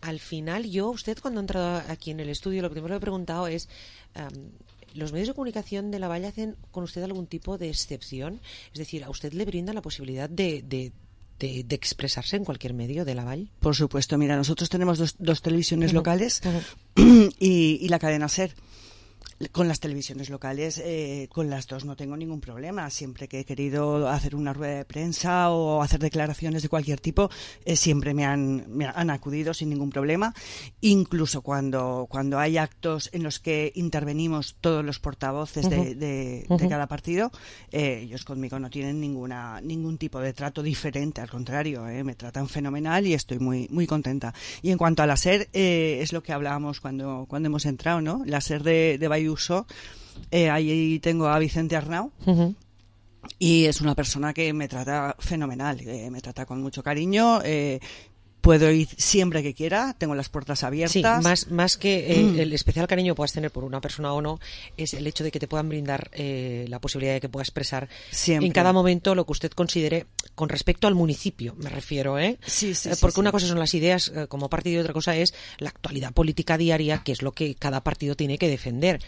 al final yo, usted cuando ha entrado aquí en el estudio, lo primero que he preguntado es... Um, ¿los medios de comunicación de la Vall hacen con usted algún tipo de excepción? Es decir, ¿a usted le brinda la posibilidad de, de, de, de expresarse en cualquier medio de la Vall? Por supuesto, mira, nosotros tenemos dos, dos televisiones uh-huh. locales uh-huh. y, y la cadena SER. Con las televisiones locales, eh, con las dos no tengo ningún problema. Siempre que he querido hacer una rueda de prensa o hacer declaraciones de cualquier tipo, eh, siempre me han, me han acudido sin ningún problema. Incluso cuando, cuando hay actos en los que intervenimos todos los portavoces uh-huh. de, de, uh-huh. de cada partido, eh, ellos conmigo no tienen ninguna ningún tipo de trato diferente. Al contrario, eh, me tratan fenomenal y estoy muy muy contenta. Y en cuanto a la SER, eh, es lo que hablábamos cuando, cuando hemos entrado, ¿no? La SER de, de Bayuso. Eh, ahí tengo a Vicente Arnau uh-huh. y es una persona que me trata fenomenal, eh, me trata con mucho cariño. Eh, puedo ir siempre que quiera, tengo las puertas abiertas. Sí, más, más que eh, mm. el especial cariño que puedas tener por una persona o no, es el hecho de que te puedan brindar eh, la posibilidad de que pueda expresar siempre. En cada momento lo que usted considere con respecto al municipio, me refiero, ¿eh? Sí, sí, eh, porque sí, una sí. cosa son las ideas eh, como partido y otra cosa es la actualidad política diaria, que es lo que cada partido tiene que defender.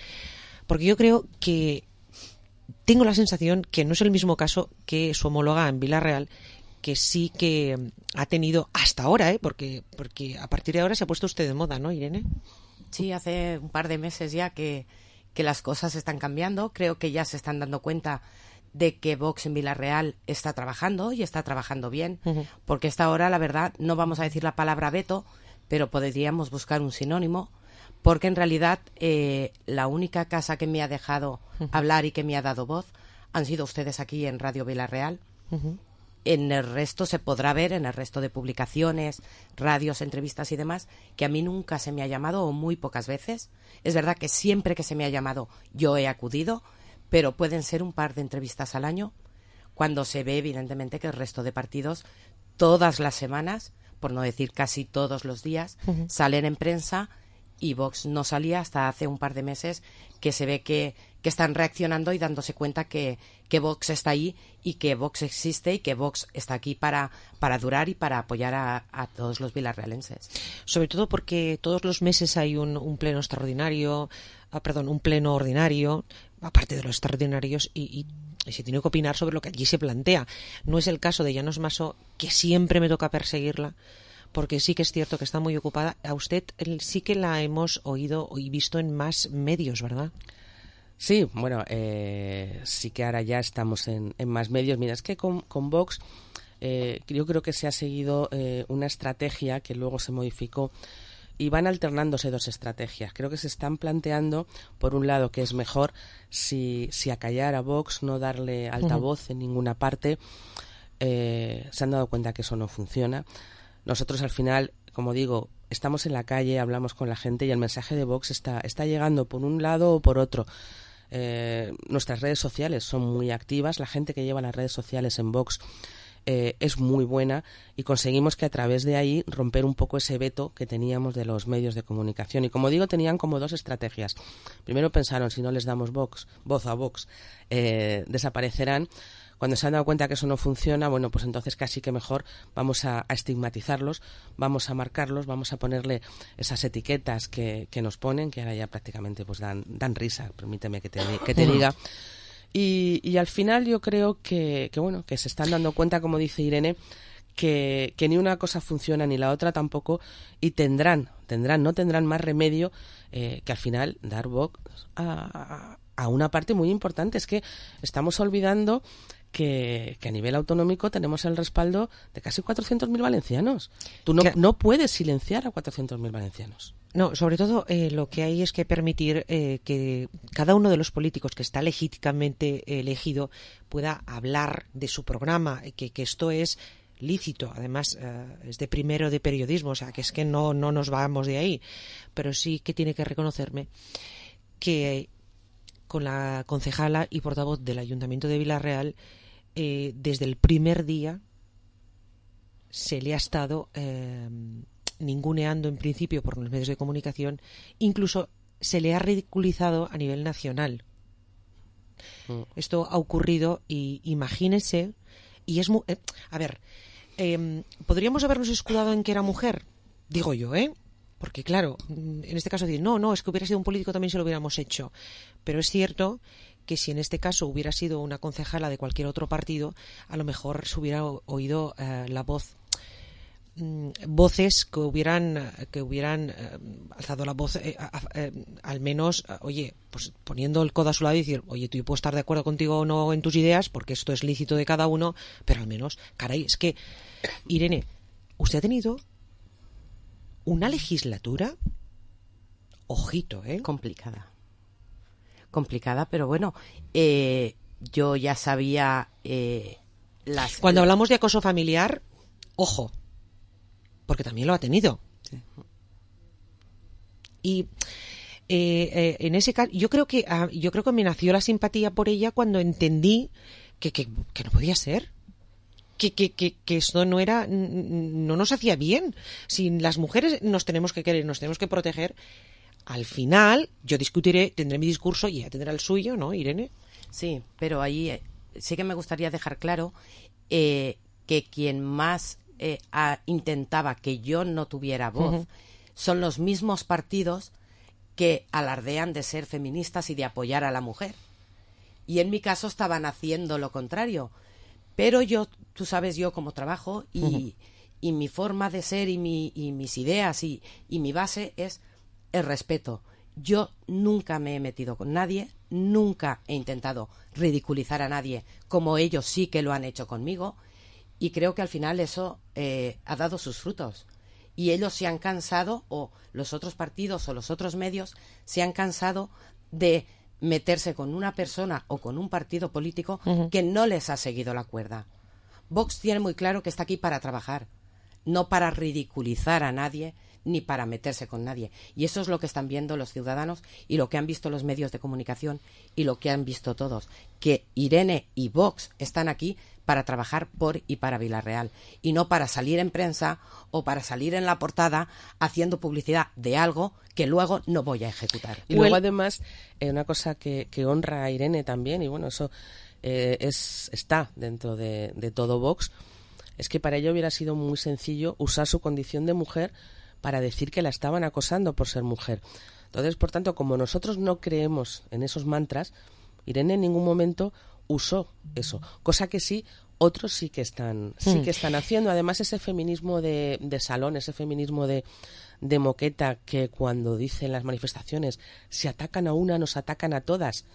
Porque yo creo que tengo la sensación que no es el mismo caso que su homóloga en Vila-real, que sí que ha tenido hasta ahora, ¿eh? porque, porque a partir de ahora se ha puesto usted de moda, ¿no, Irene? Sí, hace un par de meses ya que, que las cosas están cambiando. Creo que ya se están dando cuenta de que Vox en Vila-real está trabajando y está trabajando bien, uh-huh. porque hasta ahora, la verdad, no vamos a decir la palabra veto, pero podríamos buscar un sinónimo, porque en realidad eh, la única casa que me ha dejado uh-huh. hablar y que me ha dado voz han sido ustedes aquí en Radio Vila-real. Uh-huh. En el resto se podrá ver, en el resto de publicaciones, radios, entrevistas y demás, que a mí nunca se me ha llamado o muy pocas veces. Es verdad que siempre que se me ha llamado yo he acudido, pero pueden ser un par de entrevistas al año, cuando se ve evidentemente que el resto de partidos todas las semanas, por no decir casi todos los días, uh-huh. salen en prensa y Vox no salía hasta hace un par de meses, que se ve que, que están reaccionando y dándose cuenta que, que Vox está ahí y que Vox existe y que Vox está aquí para, para durar y para apoyar a, a todos los vilarrealenses. Sobre todo porque todos los meses hay un, un pleno extraordinario, ah, perdón, un pleno ordinario, aparte de los extraordinarios, y, y, y se tiene que opinar sobre lo que allí se plantea. No es el caso de Llanos Maso, que siempre me toca perseguirla, porque sí que es cierto que está muy ocupada. A usted sí que la hemos oído y visto en más medios, ¿verdad? Sí, bueno, eh, sí que ahora ya estamos en, en más medios. Mira, es que con, con Vox eh, yo creo que se ha seguido eh, una estrategia que luego se modificó y van alternándose dos estrategias. Creo que se están planteando, por un lado, que es mejor si, si acallar a Vox, no darle altavoz uh-huh. en ninguna parte. Eh, se han dado cuenta que eso no funciona. Nosotros al final, como digo, estamos en la calle, hablamos con la gente y el mensaje de Vox está, está llegando por un lado o por otro. Eh, nuestras redes sociales son muy activas, la gente que lleva las redes sociales en Vox Eh, es muy buena y conseguimos que a través de ahí romper un poco ese veto que teníamos de los medios de comunicación. Y como digo, tenían como dos estrategias. Primero pensaron, si no les damos Vox, voz a Vox, eh, desaparecerán. Cuando se han dado cuenta que eso no funciona, bueno, pues entonces casi que mejor vamos a, a estigmatizarlos, vamos a marcarlos, vamos a ponerle esas etiquetas que, que nos ponen, que ahora ya prácticamente pues dan, dan risa, permíteme que te, que te diga. Y, y al final yo creo que, que bueno que se están dando cuenta, como dice Irene, que, que ni una cosa funciona ni la otra tampoco, y tendrán, tendrán, no tendrán más remedio eh, que al final dar voz a, a una parte muy importante. Es que estamos olvidando que, que a nivel autonómico tenemos el respaldo de casi cuatrocientos mil valencianos. Tú no, no puedes silenciar a cuatrocientos mil valencianos. No, sobre todo eh, lo que hay es que permitir eh, que cada uno de los políticos que está legítimamente elegido pueda hablar de su programa, que, que esto es lícito, además eh, es de primero de periodismo, o sea, que es que no, no nos vamos de ahí, pero sí que tiene que reconocerme que con la concejala y portavoz del Ayuntamiento de Vila-real, eh, desde el primer día se le ha estado Eh, ninguneando en principio por los medios de comunicación, incluso se le ha ridiculizado a nivel nacional. Mm. Esto ha ocurrido y imagínese, y es muy, eh, a ver, eh, podríamos habernos escudado en que era mujer, digo yo, ¿eh? Porque claro, en este caso decir, no, no, es que hubiera sido un político también se lo hubiéramos hecho, pero es cierto que si en este caso hubiera sido una concejala de cualquier otro partido, a lo mejor se hubiera oído eh, la voz voces que hubieran que hubieran eh, alzado la voz eh, eh, al menos, eh, oye, pues poniendo el codo a su lado y decir, oye, tú yo puedo estar de acuerdo contigo o no en tus ideas, porque esto es lícito de cada uno, pero al menos, caray, es que, Irene, usted ha tenido una legislatura, ojito, ¿eh? Complicada. Complicada, pero bueno, eh, yo ya sabía eh, las... Cuando hablamos de acoso familiar, ojo, porque también lo ha tenido. Sí. Y eh, eh, en ese caso, yo creo que uh, yo creo que me nació la simpatía por ella cuando entendí que, que, que no podía ser. Que, que, que, que esto no era, no nos hacía bien. Si las mujeres nos tenemos que querer, nos tenemos que proteger, al final yo discutiré, tendré mi discurso y ella tendrá el suyo, ¿no, Irene? Sí, pero ahí eh, sí que me gustaría dejar claro eh, que quien más Eh, a, intentaba que yo no tuviera voz, uh-huh. son los mismos partidos que alardean de ser feministas y de apoyar a la mujer. Y en mi caso estaban haciendo lo contrario. Pero yo, tú sabes yo cómo trabajo y, uh-huh. y mi forma de ser y, mi, y mis ideas y, y mi base es el respeto. Yo nunca me he metido con nadie, nunca he intentado ridiculizar a nadie como ellos sí que lo han hecho conmigo. Y creo que al final eso eh, ha dado sus frutos. Y ellos se han cansado, o los otros partidos o los otros medios, se han cansado de meterse con una persona o con un partido político uh-huh. que no les ha seguido la cuerda. Vox tiene muy claro que está aquí para trabajar, no para ridiculizar a nadie ni para meterse con nadie. Y eso es lo que están viendo los ciudadanos y lo que han visto los medios de comunicación y lo que han visto todos. Que Irene y Vox están aquí para trabajar por y para Vila-real y no para salir en prensa o para salir en la portada haciendo publicidad de algo que luego no voy a ejecutar. Y luego además eh, una cosa que, que honra a Irene también, y bueno, eso eh, es está dentro de, de todo Vox, es que para ella hubiera sido muy sencillo usar su condición de mujer para decir que la estaban acosando por ser mujer. Entonces, por tanto, como nosotros no creemos en esos mantras, Irene en ningún momento usó eso, cosa que sí otros sí que están sí que están haciendo. Además, ese feminismo de, de salón, ese feminismo de, de moqueta, que cuando dicen las manifestaciones si atacan a una nos atacan a todas,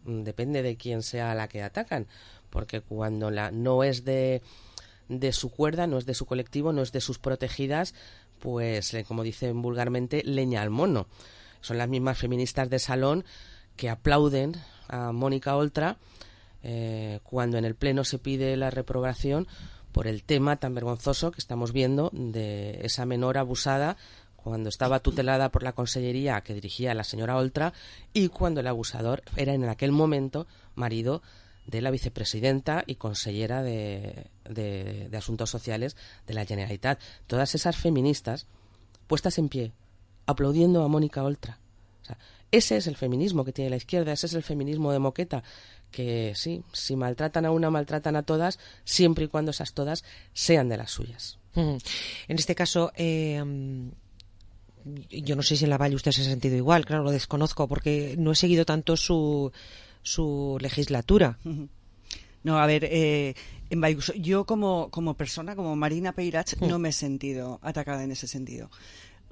depende de quién sea la que atacan, porque cuando la no es de de su cuerda, no es de su colectivo, no es de sus protegidas, pues, como dicen vulgarmente, leña al mono. Son las mismas feministas de salón que aplauden a Mónica Oltra eh, cuando en el Pleno se pide la reprobación por el tema tan vergonzoso que estamos viendo de esa menor abusada cuando estaba tutelada por la consellería que dirigía la señora Oltra y cuando el abusador era en aquel momento marido de la vicepresidenta y consellera de, de, de Asuntos Sociales de la Generalitat. Todas esas feministas puestas en pie, aplaudiendo a Mónica Oltra. O sea, ese es el feminismo que tiene la izquierda, ese es el feminismo de moqueta, que sí, si maltratan a una, maltratan a todas, siempre y cuando esas todas sean de las suyas. En este caso, eh, yo no sé si en la Valle usted se ha sentido igual, claro, lo desconozco, porque no he seguido tanto su, su legislatura. No, a ver, eh, en Valluso, yo como, como persona, como Marina Peirach, no me he sentido atacada en ese sentido.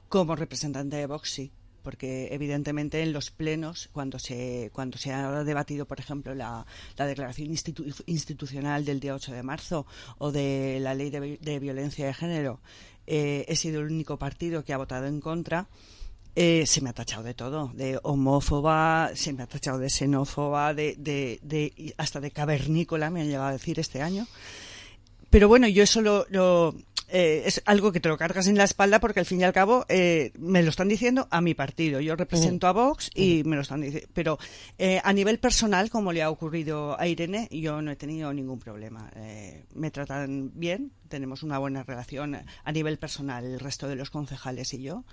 Como representante de Vox, sí. Porque evidentemente en los plenos, cuando se cuando se ha debatido, por ejemplo, la, la declaración institu institucional del día ocho de marzo o de la ley de, de violencia de género, eh, he sido el único partido que ha votado en contra. Eh, se me ha tachado de todo, de homófoba, se me ha tachado de xenófoba, de, de, de hasta de cavernícola me han llegado a decir este año. Pero bueno, yo eso lo... lo Eh, es algo que te lo cargas en la espalda porque al fin y al cabo eh, me lo están diciendo a mi partido. Yo represento uh-huh. a Vox y uh-huh. me lo están diciendo. Pero eh, a nivel personal, como le ha ocurrido a Irene, yo no he tenido ningún problema. Eh, me tratan bien, tenemos una buena relación a nivel personal el resto de los concejales y yo,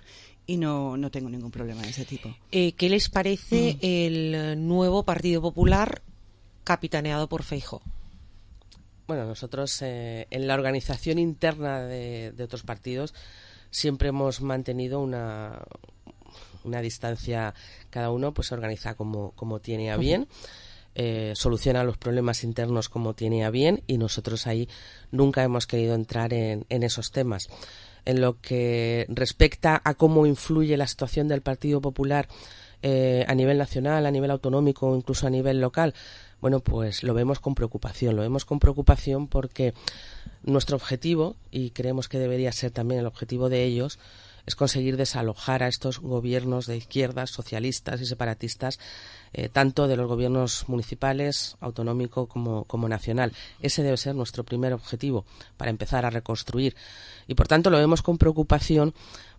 y no, no tengo ningún problema de ese tipo. Eh, ¿Qué les parece uh-huh. el nuevo Partido Popular capitaneado por Feijóo? Bueno, nosotros eh, en la organización interna de, de otros partidos siempre hemos mantenido una, una distancia, cada uno pues se organiza como, como tiene a bien, eh, soluciona los problemas internos como tiene a bien y nosotros ahí nunca hemos querido entrar en, en esos temas. En lo que respecta a cómo influye la situación del Partido Popular eh, a nivel nacional, a nivel autonómico o incluso a nivel local, bueno, pues lo vemos con preocupación, lo vemos con preocupación porque nuestro objetivo, y creemos que debería ser también el objetivo de ellos, es conseguir desalojar a estos gobiernos de izquierdas, socialistas y separatistas, eh, tanto de los gobiernos municipales, autonómico como, como nacional. Ese debe ser nuestro primer objetivo para empezar a reconstruir. Y por tanto lo vemos con preocupación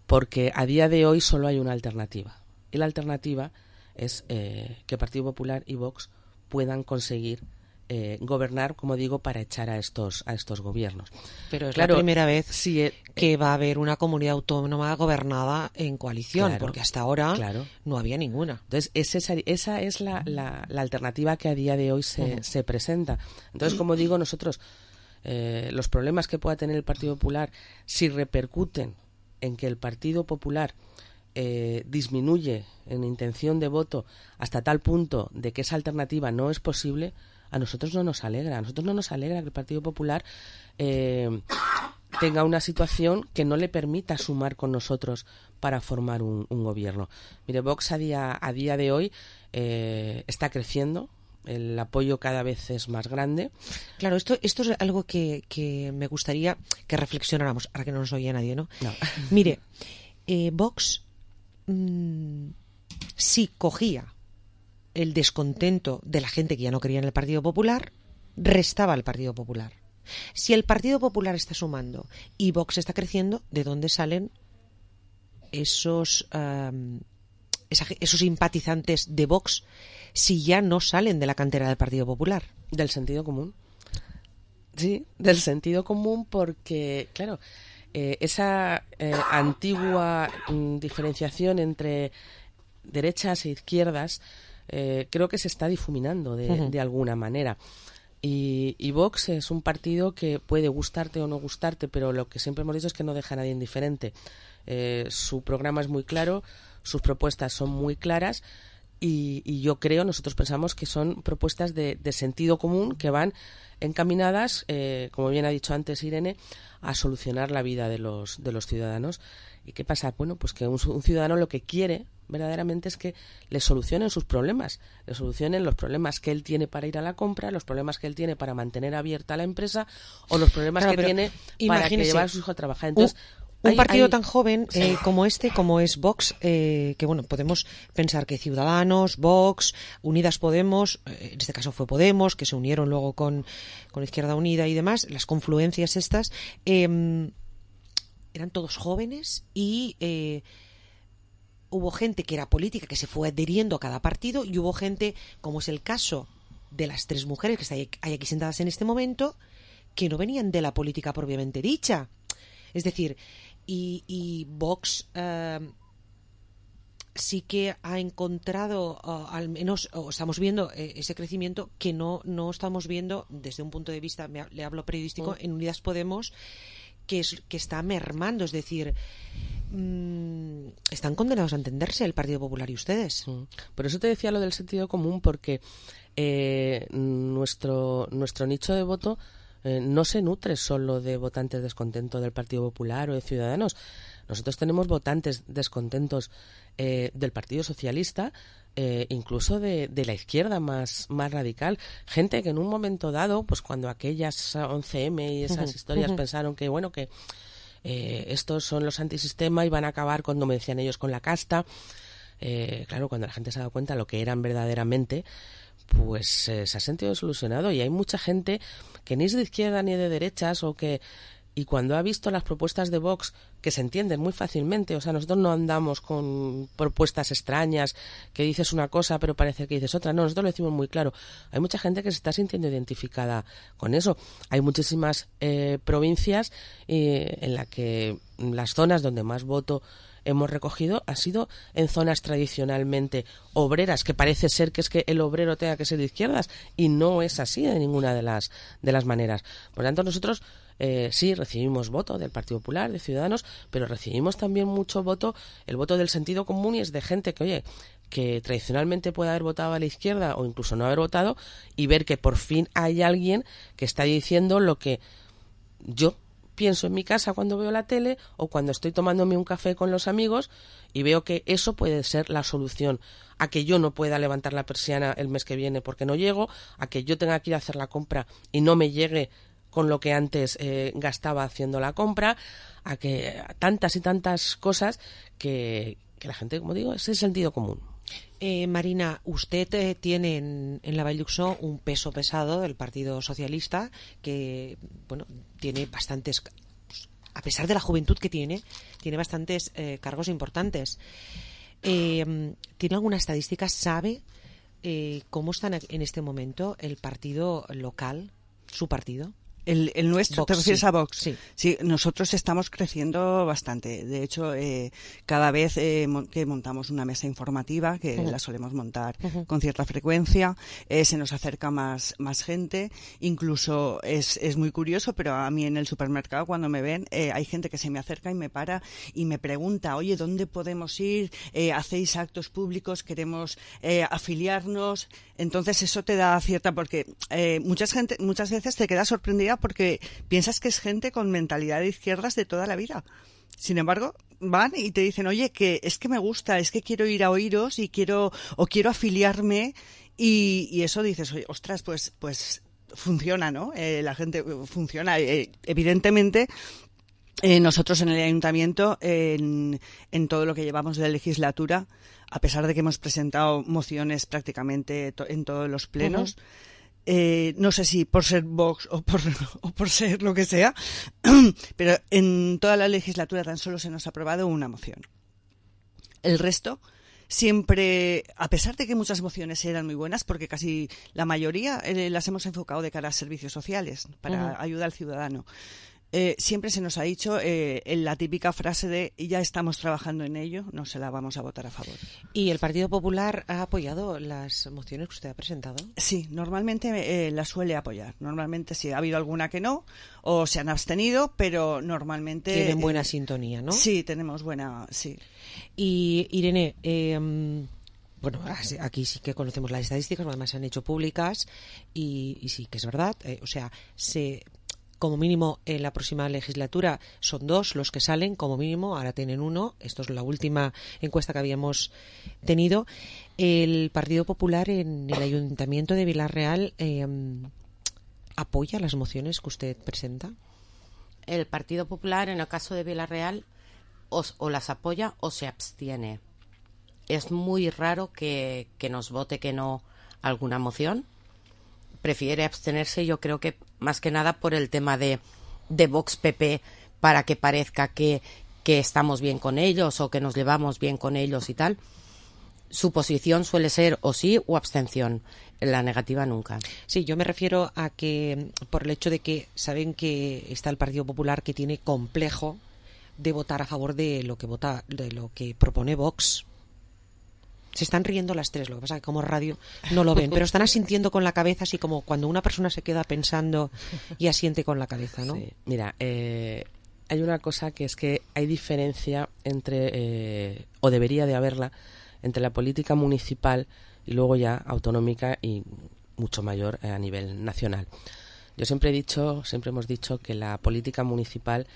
porque a día de hoy solo hay una alternativa. Y la alternativa es eh, que Partido Popular y Vox puedan conseguir eh, gobernar, como digo, para echar a estos a estos gobiernos. Pero es claro, la primera vez sí, eh, que va a haber una comunidad autónoma gobernada en coalición, claro, porque hasta ahora claro. no había ninguna. Entonces, esa, esa es la, la, la alternativa que a día de hoy se, uh-huh. se presenta. Entonces, como digo, nosotros, eh, los problemas que pueda tener el Partido Popular, si repercuten en que el Partido Popular Eh, disminuye en intención de voto hasta tal punto de que esa alternativa no es posible, a nosotros no nos alegra. A nosotros no nos alegra que el Partido Popular eh, tenga una situación que no le permita sumar con nosotros para formar un, un gobierno. Mire, Vox a día, a día de hoy eh, está creciendo, el apoyo cada vez es más grande. Claro, esto, esto es algo que, que me gustaría que reflexionáramos, ahora que no nos oye nadie, ¿no? No. Mire, eh, Vox si cogía el descontento de la gente que ya no creía en el Partido Popular, restaba al Partido Popular. Si el Partido Popular está sumando y Vox está creciendo, ¿de dónde salen esos, um, esa, esos simpatizantes de Vox si ya no salen de la cantera del Partido Popular? Del sentido común. Sí, del sentido común porque, claro, Eh, esa eh, antigua mm, diferenciación entre derechas e izquierdas eh, creo que se está difuminando de, uh-huh. de alguna manera. Y, y Vox es un partido que puede gustarte o no gustarte, pero lo que siempre hemos dicho es que no deja a nadie indiferente. Eh, su programa es muy claro, sus propuestas son muy claras y, y yo creo, nosotros pensamos que son propuestas de, de sentido común que van encaminadas, eh, como bien ha dicho antes Irene, a solucionar la vida de los de los ciudadanos. ¿Y qué pasa? Bueno, pues que un, un ciudadano lo que quiere verdaderamente es que le solucionen sus problemas, le solucionen los problemas que él tiene para ir a la compra, los problemas que él tiene para mantener abierta la empresa o los problemas claro, que tiene para que llevar a sus hijos a trabajar. Entonces, Un hay, partido hay... tan joven eh, como este, como es Vox, eh, que bueno, podemos pensar que Ciudadanos, Vox, Unidas Podemos, eh, en este caso fue Podemos, que se unieron luego con, con Izquierda Unida y demás, las confluencias estas, eh, eran todos jóvenes y eh, hubo gente que era política, que se fue adheriendo a cada partido, y hubo gente, como es el caso de las tres mujeres que hay aquí sentadas en este momento, que no venían de la política propiamente dicha. Es decir, y, y Vox eh, sí que ha encontrado, uh, al menos, o estamos viendo eh, ese crecimiento que no, no estamos viendo desde un punto de vista, me, le hablo periodístico, oh. en Unidas Podemos, que, es, que está mermando. Es decir, mmm, están condenados a entenderse el Partido Popular y ustedes. Mm. Por eso te decía lo del sentido común, porque eh, nuestro, nuestro nicho de voto Eh, no se nutre solo de votantes descontentos del Partido Popular o de Ciudadanos. Nosotros tenemos votantes descontentos eh, del Partido Socialista, eh, incluso de, de la izquierda más, más radical. Gente que en un momento dado, pues cuando aquellas once eme y esas uh-huh, historias uh-huh. pensaron que, bueno, que eh, estos son los antisistema y van a acabar, cuando me decían ellos, con la casta. Eh, claro, cuando la gente se ha dado cuenta de lo que eran verdaderamente, pues eh, se ha sentido desilusionado, y hay mucha gente que ni es de izquierda ni de derechas, o que, y cuando ha visto las propuestas de Vox, que se entienden muy fácilmente, o sea, nosotros no andamos con propuestas extrañas que dices una cosa pero parece que dices otra, no, nosotros lo decimos muy claro. Hay mucha gente que se está sintiendo identificada con eso. Hay muchísimas eh, provincias eh, en las que las zonas donde más voto hemos recogido ha sido en zonas tradicionalmente obreras, que parece ser que es que el obrero tenga que ser de izquierdas, y no es así de ninguna de las de las maneras. Por lo tanto, nosotros eh, sí recibimos voto del Partido Popular, de Ciudadanos, pero recibimos también mucho voto, el voto del sentido común, y es de gente que, oye, que tradicionalmente puede haber votado a la izquierda o incluso no haber votado, y ver que por fin hay alguien que está diciendo lo que yo pienso en mi casa cuando veo la tele, o cuando estoy tomándome un café con los amigos, y veo que eso puede ser la solución a que yo no pueda levantar la persiana el mes que viene porque no llego, a que yo tenga que ir a hacer la compra y no me llegue con lo que antes eh, gastaba haciendo la compra, a que a tantas y tantas cosas que, que la gente, como digo, es el sentido común. Eh, Marina, usted eh, tiene en, en la Vall d'Uixó un peso pesado del Partido Socialista, que, bueno, tiene bastantes, a pesar de la juventud que tiene, tiene bastantes eh, cargos importantes. Eh, ¿Tiene alguna estadística? ¿Sabe eh, cómo está en este momento el partido local, su partido? El, el nuestro, Vox, ¿te refieres sí. a Vox? Sí. Sí, nosotros estamos creciendo bastante. De hecho, eh, cada vez eh, mon- que montamos una mesa informativa, que uh-huh. la solemos montar uh-huh. con cierta frecuencia, eh, se nos acerca más, más gente. Incluso es, es muy curioso, pero a mí en el supermercado, cuando me ven, eh, hay gente que se me acerca y me para y me pregunta, oye, ¿dónde podemos ir? Eh, ¿Hacéis actos públicos? ¿Queremos eh, afiliarnos? Entonces eso te da cierta, porque eh, muchas gente, muchas veces te quedas sorprendida porque piensas que es gente con mentalidad de izquierdas de toda la vida. Sin embargo, van y te dicen, oye, que es que me gusta, es que quiero ir a oíros y quiero, o quiero afiliarme, y, y eso dices, oye, ostras, pues, pues funciona, ¿no? Eh, la gente funciona. Eh, evidentemente, Eh, nosotros en el ayuntamiento, en, en todo lo que llevamos de legislatura, a pesar de que hemos presentado mociones prácticamente to- en todos los plenos, uh-huh. eh, no sé si por ser Vox o por, o por ser lo que sea, pero en toda la legislatura tan solo se nos ha aprobado una moción. El resto siempre, a pesar de que muchas mociones eran muy buenas, porque casi la mayoría eh, las hemos enfocado de cara a servicios sociales, para uh-huh. ayuda al ciudadano. Eh, siempre se nos ha dicho eh, la típica frase de ya estamos trabajando en ello, no se la vamos a votar a favor. ¿Y el Partido Popular ha apoyado las mociones que usted ha presentado? Sí, normalmente eh, las suele apoyar. Normalmente sí, ha habido alguna que no, o se han abstenido, pero normalmente... Tienen buena eh, sintonía, ¿no? Sí, tenemos buena... sí. Y Irene... Eh, Bueno, aquí sí que conocemos las estadísticas, además se han hecho públicas, y, y sí que es verdad, eh, o sea, se... como mínimo en la próxima legislatura son dos los que salen, como mínimo, ahora tienen uno, esto es la última encuesta que habíamos tenido. El Partido Popular en el Ayuntamiento de Vila-real eh, ¿apoya las mociones que usted presenta? El Partido Popular, en el caso de Vila-real, o, o las apoya o se abstiene. Es muy raro que, que nos vote que no alguna moción. Prefiere abstenerse, yo creo que más que nada por el tema de, de Vox P P, para que parezca que, que estamos bien con ellos o que nos llevamos bien con ellos y tal. Su posición suele ser o sí o abstención. La negativa nunca. Sí, yo me refiero a que por el hecho de que saben que está el Partido Popular, que tiene complejo de votar a favor de lo que vota, de lo que propone Vox. Se están riendo las tres, lo que pasa es que como radio no lo ven, pero están asintiendo con la cabeza, así como cuando una persona se queda pensando y asiente con la cabeza, ¿no? Sí. Mira, eh, hay una cosa que es que hay diferencia entre, eh, o debería de haberla, entre la política municipal y luego ya autonómica y mucho mayor a nivel nacional. Yo siempre he dicho, siempre hemos dicho que la política municipal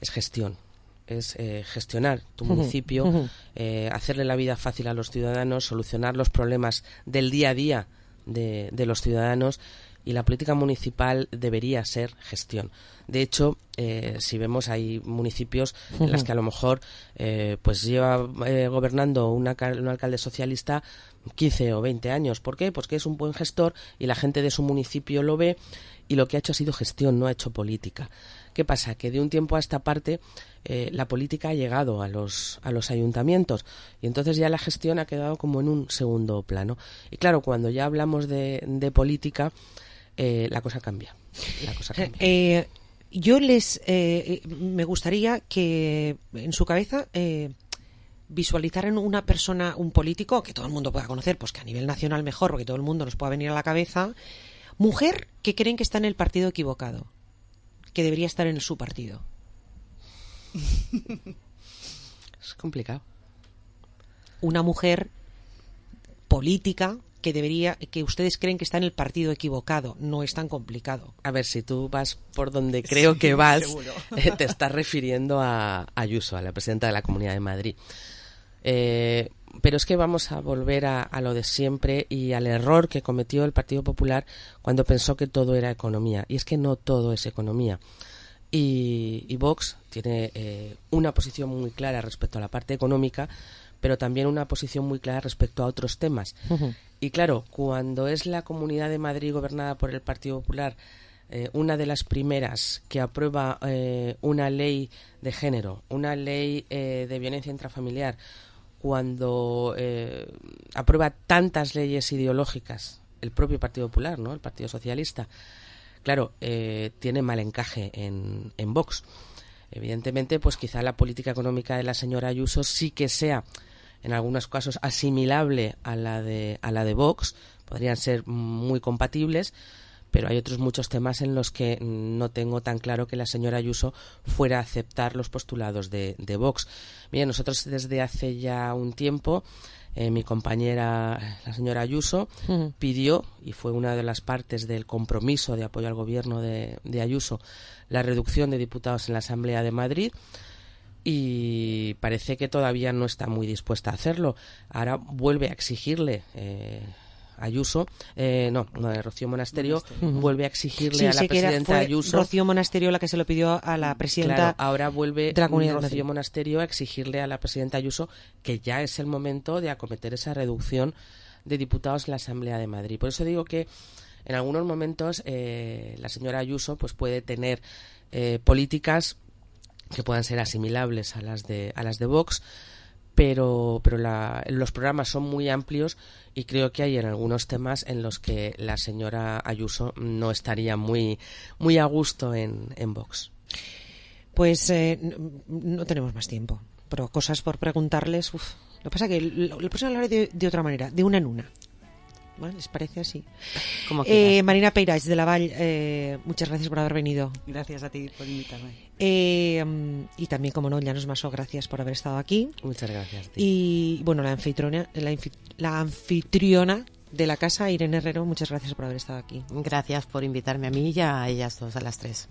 es gestión, es eh, gestionar tu municipio, uh-huh. eh, hacerle la vida fácil a los ciudadanos, solucionar los problemas del día a día de, de los ciudadanos, y la política municipal debería ser gestión. De hecho, eh, si vemos, hay municipios uh-huh. en los que a lo mejor eh, pues lleva eh, gobernando una, un alcalde socialista quince o veinte años. ¿Por qué? Pues que es un buen gestor y la gente de su municipio lo ve, y lo que ha hecho ha sido gestión, no ha hecho política. ¿Qué pasa? Que de un tiempo a esta parte eh, la política ha llegado a los, a los ayuntamientos, y entonces ya la gestión ha quedado como en un segundo plano. Y claro, cuando ya hablamos de, de política, eh, la cosa cambia. La cosa cambia. Eh, yo les eh, me gustaría que en su cabeza eh, visualizaran una persona, un político que todo el mundo pueda conocer, pues que a nivel nacional mejor, porque todo el mundo nos pueda venir a la cabeza, mujer que creen que está en el partido equivocado, que debería estar en su partido. Es complicado. Una mujer política que debería, que ustedes creen que está en el partido equivocado. No es tan complicado. A ver, si tú vas por donde creo sí, que vas, eh, te estás refiriendo a Ayuso, a la presidenta de la Comunidad de Madrid. Eh, pero es que vamos a volver a, a lo de siempre y al error que cometió el Partido Popular cuando pensó que todo era economía. Y es que no todo es economía. Y, y Vox tiene eh, una posición muy clara respecto a la parte económica, pero también una posición muy clara respecto a otros temas. Uh-huh. Y claro, cuando es la Comunidad de Madrid gobernada por el Partido Popular eh, una de las primeras que aprueba eh, una ley de género, una ley eh, de violencia intrafamiliar, cuando eh, aprueba tantas leyes ideológicas, el propio Partido Popular, ¿no? El Partido Socialista, claro, eh, tiene mal encaje en, en Vox. Evidentemente, pues quizá la política económica de la señora Ayuso sí que sea, en algunos casos, asimilable a la de a la de Vox, podrían ser muy compatibles, pero hay otros muchos temas en los que no tengo tan claro que la señora Ayuso fuera a aceptar los postulados de, de Vox. Mira, nosotros desde hace ya un tiempo, eh, mi compañera, la señora Ayuso, uh-huh. pidió, y fue una de las partes del compromiso de apoyo al gobierno de, de Ayuso, la reducción de diputados en la Asamblea de Madrid, y parece que todavía no está muy dispuesta a hacerlo. Ahora vuelve a exigirle eh, Ayuso, eh, no, no, Rocío Monasterio, uh-huh. vuelve a exigirle sí, a la presidenta fue Ayuso. Rocío Monasterio la que se lo pidió a la presidenta. Claro, ahora vuelve de la Comunidad Rocío de Madrid. Monasterio a exigirle a la presidenta Ayuso que ya es el momento de acometer esa reducción de diputados en la Asamblea de Madrid. Por eso digo que en algunos momentos eh, la señora Ayuso pues puede tener eh, políticas que puedan ser asimilables a las de a las de Vox, pero pero la, los programas son muy amplios y creo que hay en algunos temas en los que la señora Ayuso no estaría muy muy a gusto en, en Vox. Pues eh, no, no tenemos más tiempo, pero cosas por preguntarles. Uf. Lo que pasa es que lo, lo próximo hablaré de, de otra manera, de una en una. ¿Vale? ¿Les parece así? Como eh, Marina Peirach, de la Vall, eh, muchas gracias por haber venido. Gracias a ti por invitarme. Eh, y también, como no, Llanos Massó, gracias por haber estado aquí. Muchas gracias. Tío. Y bueno, la anfitriona, la, infi, la anfitriona de la casa, Irene Herrero, muchas gracias por haber estado aquí. Gracias por invitarme a mí y a ellas dos, a las tres.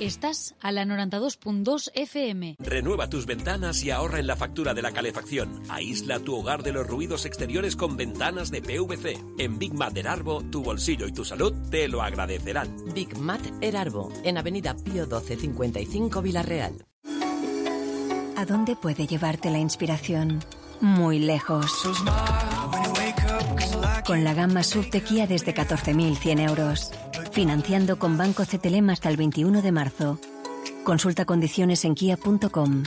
Estás a la noventa y dos punto dos F M. Renueva tus ventanas y ahorra en la factura de la calefacción. Aísla tu hogar de los ruidos exteriores con ventanas de P V C. En Big Mat Erarbo, tu bolsillo y tu salud te lo agradecerán. Big Mat Erarbo, en Avenida Pío doce cincuenta y cinco, Villarreal. ¿A dónde puede llevarte la inspiración? Muy lejos. Con la gama S U V de Kia desde catorce mil cien euros. Financiando con Banco C T L M hasta el veintiuno de marzo. Consulta condiciones en kia punto com.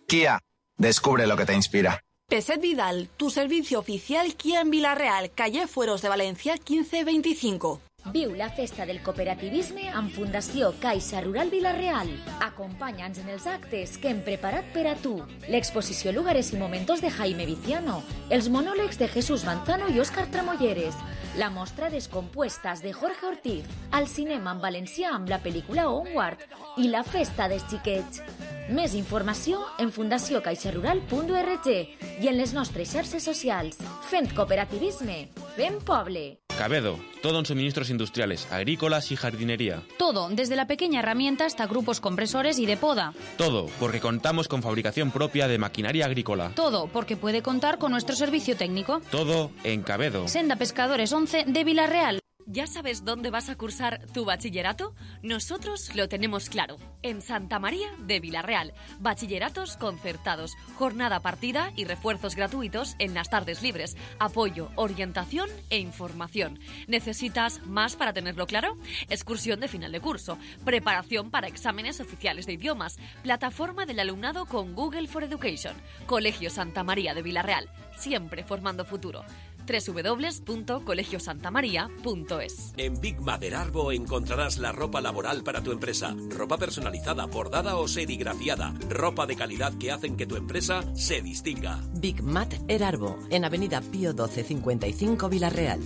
Kia, descubre lo que te inspira. Peset Vidal, tu servicio oficial Kia en Villarreal, calle Fueros de Valencia quince veinticinco. Viu la festa del cooperativisme amb Fundació Caixa Rural Vila-real. Acompanya'ns en els actes que hem preparat per a tu. L'exposició Lugares y Momentos de Jaime Viciano, els monòlegs de Jesús Manzano i Òscar Tramolleres, la mostra Descompuestas de Jorge Ortiz, al cinema en valencià amb la pel·lícula Onward i la festa dels xiquets. Més informació en fundació caixa rural punt org i en les nostres xarxes socials. Fent cooperativisme, fent poble. Cabedo, todo en suministros industriales, agrícolas y jardinería. Todo, desde la pequeña herramienta hasta grupos compresores y de poda. Todo, porque contamos con fabricación propia de maquinaria agrícola. Todo, porque puede contar con nuestro servicio técnico. Todo en Cabedo. Senda Pescadores once de Villarreal. ¿Ya sabes dónde vas a cursar tu bachillerato? Nosotros lo tenemos claro. En Santa María de Villarreal. Bachilleratos concertados, jornada partida y refuerzos gratuitos en las tardes libres. Apoyo, orientación e información. ¿Necesitas más para tenerlo claro? Excursión de final de curso. Preparación para exámenes oficiales de idiomas. Plataforma del alumnado con Google for Education. Colegio Santa María de Villarreal. Siempre formando futuro. doble u doble u doble u punto colegio santa maría punto es. En Big Mat Erarbo encontrarás la ropa laboral para tu empresa. Ropa personalizada, bordada o serigrafiada. Ropa de calidad que hacen que tu empresa se distinga. Big Mat Erarbo, en Avenida Pío doce cincuenta y cinco, Villarreal.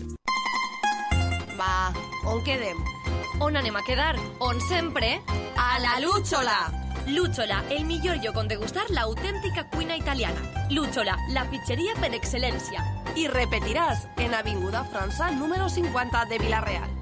Va, on quedem? On anem a quedar? On sempre? A la Lúchola! Lúchola, el millor lloc on degustar l'autèntica cuina italiana. Lúchola, la pizzeria per excel·lència. I repetiràs en Avinguda França número cincuenta de Villarreal.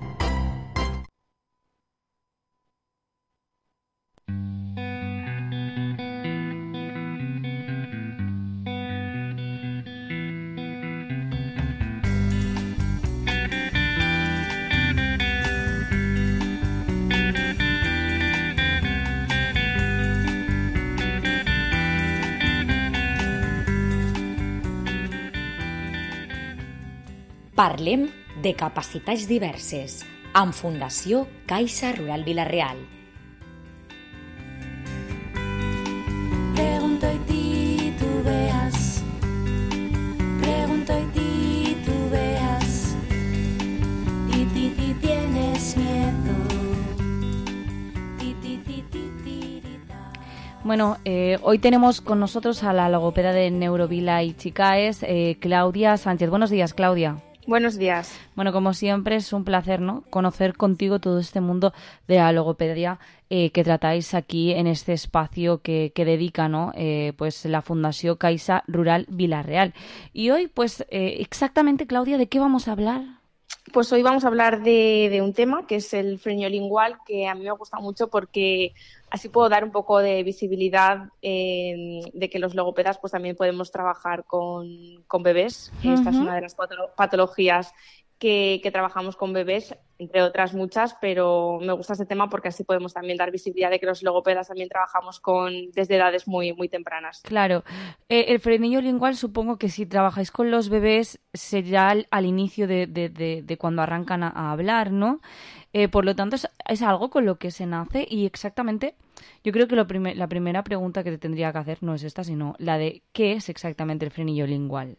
Parlem de capacitats diverses amb Fundació Caixa Rural Vila-real. Pregunto y titubeas, pregunto y titubeas, ti ti ti tienes miedo. Ti, ti, ti, ti, ti, ti, ta. Bueno, eh, hoy tenemos con nosotros a la logopeda de Neurovila y Chicaes, eh, Claudia Sánchez. Buenos días, Claudia. Buenos días. Bueno, como siempre es un placer, ¿no?, conocer contigo todo este mundo de la logopedia eh, que tratáis aquí en este espacio que, que dedica, ¿no?, eh, pues la Fundació Caixa Rural Vila-real. Y hoy, pues, eh, exactamente, Claudia, ¿de qué vamos a hablar? Pues hoy vamos a hablar de, de un tema que es el frenio lingual, que a mí me gusta mucho porque así puedo dar un poco de visibilidad eh, de que los logopedas pues también podemos trabajar con, con bebés. Uh-huh. Esta es una de las patologías que, que trabajamos con bebés, entre otras muchas, pero me gusta este tema porque así podemos también dar visibilidad de que los logopedas también trabajamos con desde edades muy, muy tempranas. Claro. Eh, el frenillo lingual, supongo que si trabajáis con los bebés será al, al inicio de, de, de, de cuando arrancan a, a hablar, ¿no? Eh, por lo tanto, es, es algo con lo que se nace y exactamente, yo creo que lo prime- la primera pregunta que te tendría que hacer no es esta, sino la de ¿qué es exactamente el frenillo lingual?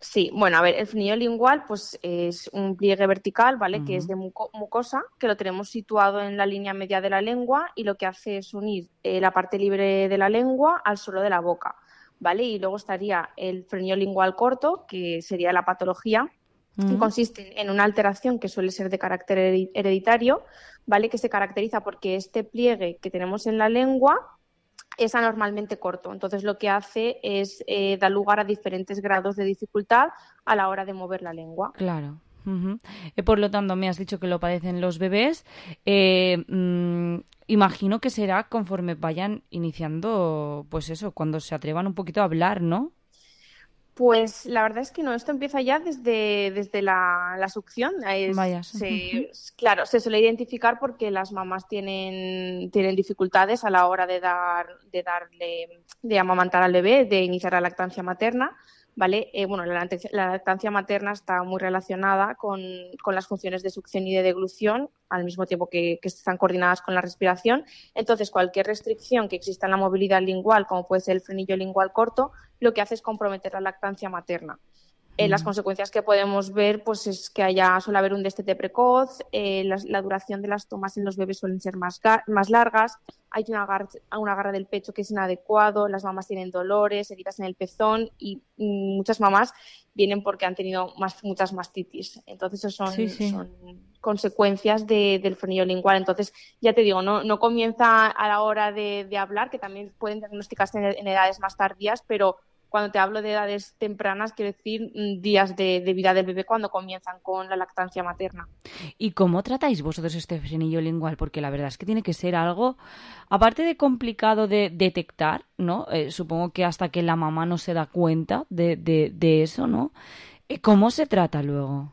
Sí, bueno, a ver, el frenillo lingual pues es un pliegue vertical, ¿vale? Uh-huh. Que es de muco- mucosa, que lo tenemos situado en la línea media de la lengua y lo que hace es unir eh, la parte libre de la lengua al suelo de la boca, ¿vale? Y luego estaría el frenillo lingual corto, que sería la patología, uh-huh. que consiste en una alteración que suele ser de carácter hereditario, ¿vale? Que se caracteriza porque este pliegue que tenemos en la lengua es anormalmente corto. Entonces lo que hace es eh, dar lugar a diferentes grados de dificultad a la hora de mover la lengua. Claro. Uh-huh. Eh, por lo tanto, me has dicho que lo padecen los bebés. Eh, mmm, imagino que será conforme vayan iniciando, pues eso, cuando se atrevan un poquito a hablar, ¿no? Pues la verdad es que no, esto empieza ya desde, desde la, la succión. Es, Vaya. Se, claro, se suele identificar porque las mamás tienen, tienen dificultades a la hora de dar, de darle, de amamantar al bebé, de iniciar la lactancia materna. ¿Vale? Eh, bueno, la lactancia, la lactancia materna está muy relacionada con, con las funciones de succión y de deglución, al mismo tiempo que, que están coordinadas con la respiración. Entonces, cualquier restricción que exista en la movilidad lingual, como puede ser el frenillo lingual corto, lo que hace es comprometer la lactancia materna. Eh, las consecuencias que podemos ver pues es que haya, suele haber un destete precoz, eh, la, la duración de las tomas en los bebés suelen ser más, más largas, hay un agarre, un agarre del pecho que es inadecuado, las mamás tienen dolores, heridas en el pezón y mm, muchas mamás vienen porque han tenido más, muchas mastitis. Entonces, eso son, sí, sí. son consecuencias de, del frenillo lingual. Entonces, ya te digo, no, no comienza a la hora de, de hablar, que también pueden diagnosticarse en, en edades más tardías, pero cuando te hablo de edades tempranas, quiero decir días de, de vida del bebé cuando comienzan con la lactancia materna. ¿Y cómo tratáis vosotros este frenillo lingual? Porque la verdad es que tiene que ser algo, aparte de complicado de detectar, ¿no? Eh, supongo que hasta que la mamá no se da cuenta de, de, de eso, ¿no? ¿Cómo se trata luego?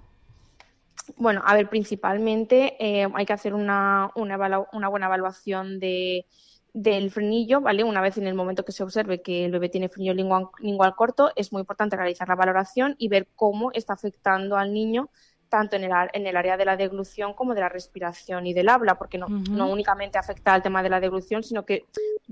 Bueno, a ver, principalmente eh, hay que hacer una, una, evalu- una buena evaluación de... del frenillo, ¿vale? Una vez en el momento que se observe que el bebé tiene frenillo lingual, lingual corto, es muy importante realizar la valoración y ver cómo está afectando al niño tanto en el, en el área de la deglución como de la respiración y del habla, porque no, uh-huh. no únicamente afecta al tema de la deglución, sino que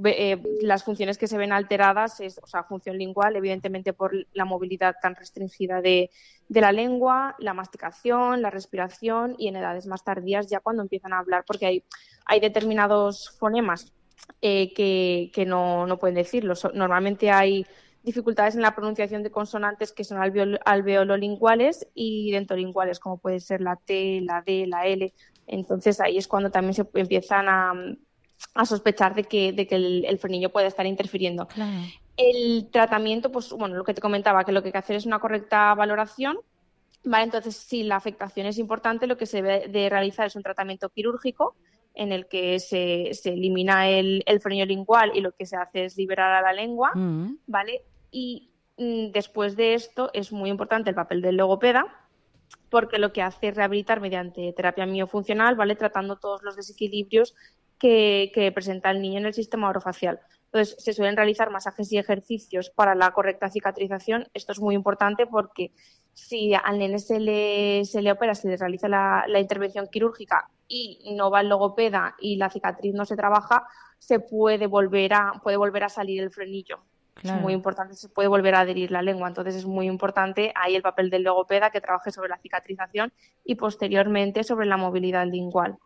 eh, las funciones que se ven alteradas es, o sea, función lingual, evidentemente por la movilidad tan restringida de, de la lengua, la masticación, la respiración y en edades más tardías ya cuando empiezan a hablar, porque hay, hay determinados fonemas Eh, que, que no, no pueden decirlo. So, normalmente hay dificultades en la pronunciación de consonantes que son alveolo, alveololinguales y dentolinguales, como puede ser la T, la D, la L. Entonces ahí es cuando también se empiezan a, a sospechar de que, de que el, el frenillo puede estar interfiriendo. Claro. El tratamiento, pues bueno, lo que te comentaba, que lo que hay que hacer es una correcta valoración. Vale, entonces, si la afectación es importante, lo que se debe de realizar es un tratamiento quirúrgico en el que se, se elimina el, el frenillo lingual y lo que se hace es liberar a la lengua, mm. ¿vale? Y mm, después de esto es muy importante el papel del logopeda, porque lo que hace es rehabilitar mediante terapia miofuncional, ¿vale? Tratando todos los desequilibrios que, que presenta el niño en el sistema orofacial. Entonces, se suelen realizar masajes y ejercicios para la correcta cicatrización. Esto es muy importante porque si al nene se le, se le opera, se le realiza la, la intervención quirúrgica y no va el logopeda y la cicatriz no se trabaja, se puede volver a, puede volver a salir el frenillo. Claro. Es muy importante, se puede volver a adherir la lengua. Entonces es muy importante ahí el papel del logopeda que trabaje sobre la cicatrización y posteriormente sobre la movilidad lingual.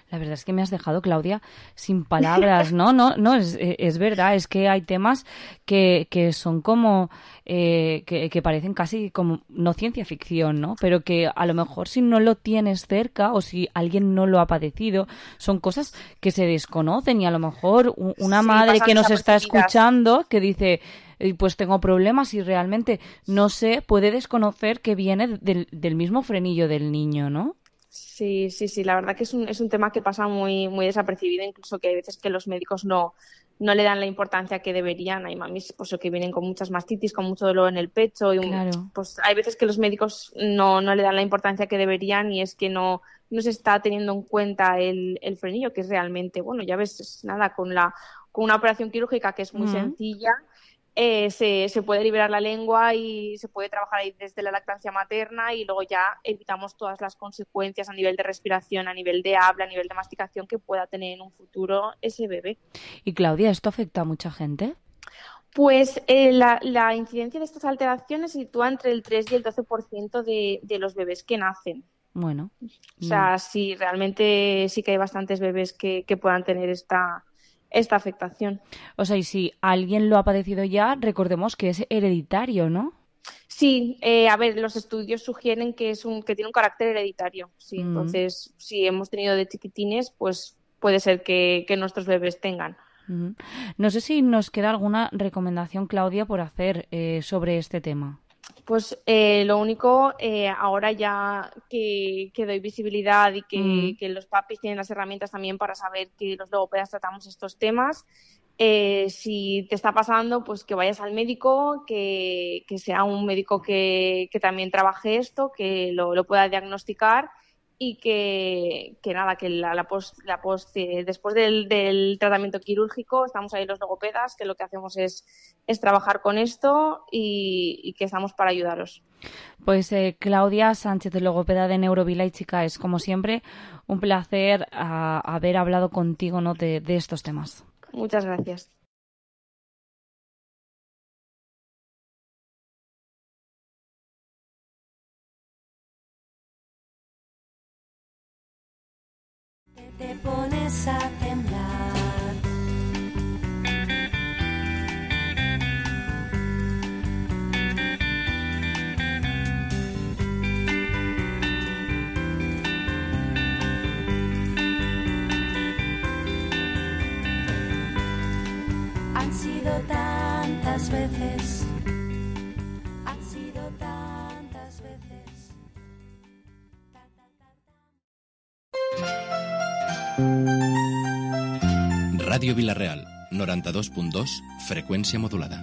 La verdad es que me has dejado, Claudia, sin palabras, ¿no? No, no es, es verdad, es que hay temas que, que son como, eh, que, que parecen casi como, no ciencia ficción, ¿no? Pero que a lo mejor si no lo tienes cerca o si alguien no lo ha padecido, son cosas que se desconocen y a lo mejor una sí, madre que nos está escuchando que dice, pues tengo problemas y realmente no sé, puede desconocer que viene del, del mismo frenillo del niño, ¿no? Sí, sí, sí, la verdad que es un, es un tema que pasa muy, muy desapercibido, incluso que hay veces que los médicos no, no le dan la importancia que deberían. Hay mamis pues, que vienen con muchas mastitis, con mucho dolor en el pecho, y claro. pues hay veces que los médicos no, no le dan la importancia que deberían y es que no, no se está teniendo en cuenta el, el frenillo, que es realmente, bueno, ya ves, es nada, con, la, con una operación quirúrgica que es muy uh-huh. sencilla. Eh, se, se puede liberar la lengua y se puede trabajar ahí desde la lactancia materna y luego ya evitamos todas las consecuencias a nivel de respiración, a nivel de habla, a nivel de masticación que pueda tener en un futuro ese bebé. Y Claudia, ¿esto afecta a mucha gente? Pues eh, la, la incidencia de estas alteraciones se sitúa entre el tres y el doce por ciento de, de los bebés que nacen. Bueno. O sea, sí, realmente sí que hay bastantes bebés que, que puedan tener esta... esta afectación. O sea, y si alguien lo ha padecido ya, recordemos que es hereditario, ¿no? Sí, eh, a ver, los estudios sugieren que es un que tiene un carácter hereditario. Sí, mm. Entonces, si hemos tenido de chiquitines, pues puede ser que, que nuestros bebés tengan. Mm. No sé si nos queda alguna recomendación, Claudia, por hacer eh, sobre este tema. Pues eh, lo único, eh, ahora ya que, que doy visibilidad y que, mm. que los papis tienen las herramientas también para saber que los logopedas tratamos estos temas, eh, si te está pasando, pues que vayas al médico, que, que sea un médico que, que también trabaje esto, que lo, lo pueda diagnosticar y que, que nada, que la, la post, la post eh, después del, del tratamiento quirúrgico estamos ahí los logopedas, que lo que hacemos es, es trabajar con esto y, y que estamos para ayudaros. Pues eh, Claudia Sánchez, logopeda de Neurovila y Chica, es como siempre un placer a, haber hablado contigo, ¿no?, de, de estos temas. Muchas gracias. Te pones a temblar. Han sido tantas veces. Han sido tantas veces. Ràdio Vila-real, noranta-dos punt dos, frecuencia modulada.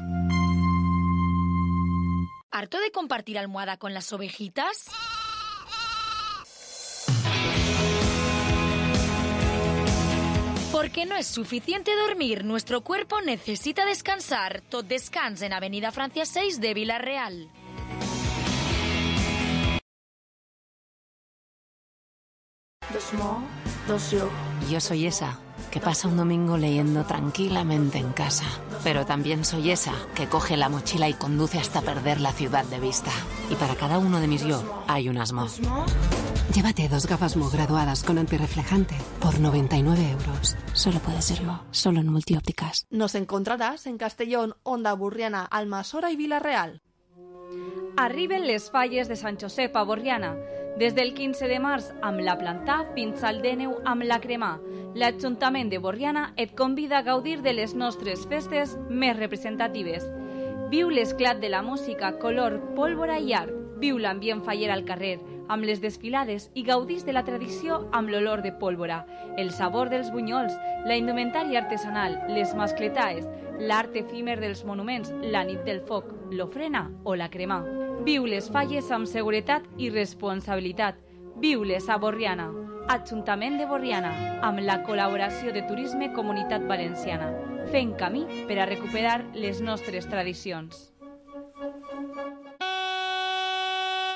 ¿Harto de compartir almohada con las ovejitas? Porque no es suficiente dormir, nuestro cuerpo necesita descansar. Tot Descans en Avenida Francia seis de Vila-real. Dos mo, dos yo. Yo soy esa que pasa un domingo leyendo tranquilamente en casa. Pero también soy esa que coge la mochila y conduce hasta perder la ciudad de vista. Y para cada uno de mis yo hay un asmo. Llévate dos gafas Mo graduadas con antirreflejante por noventa y nueve euros. Solo puede ser Mo, solo en Multiópticas. Nos encontrarás en Castellón, Onda Burriana, Almassora y Vila-real. Arriben les falles de Sant Josep a Borriana. Des del quinze de març amb la Plantà fins al Dèneu amb la Cremà. L'Ajuntament de Borriana et convida a gaudir de les nostres festes més representatives. Viu l'esclat de la música, color, pólvora i art. Viu l'ambient faller al carrer, amb les desfilades i gaudís de la tradició amb l'olor de pólvora, el sabor dels bunyols, la indumentària artesanal, les mascletaes, l'art efímer dels monuments, la nit del foc, l'ofrena o la cremà. Viu les falles amb seguretat i responsabilitat. Viu-les a Borriana. Ajuntament de Borriana, amb la col·laboració de Turisme Comunitat Valenciana. Fent camí per a recuperar les nostres tradicions.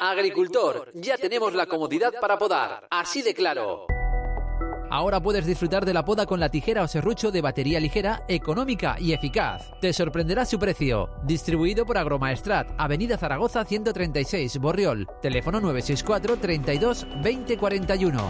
Agricultor, ya tenemos la comodidad para podar, así de claro. Ahora puedes disfrutar de la poda con la tijera o serrucho de batería ligera, económica y eficaz. Te sorprenderá su precio. Distribuido por Agromaestrat, Avenida Zaragoza ciento treinta y seis, Borriol. Teléfono nueve seis cuatro, treinta y dos, veinte cuarenta y uno.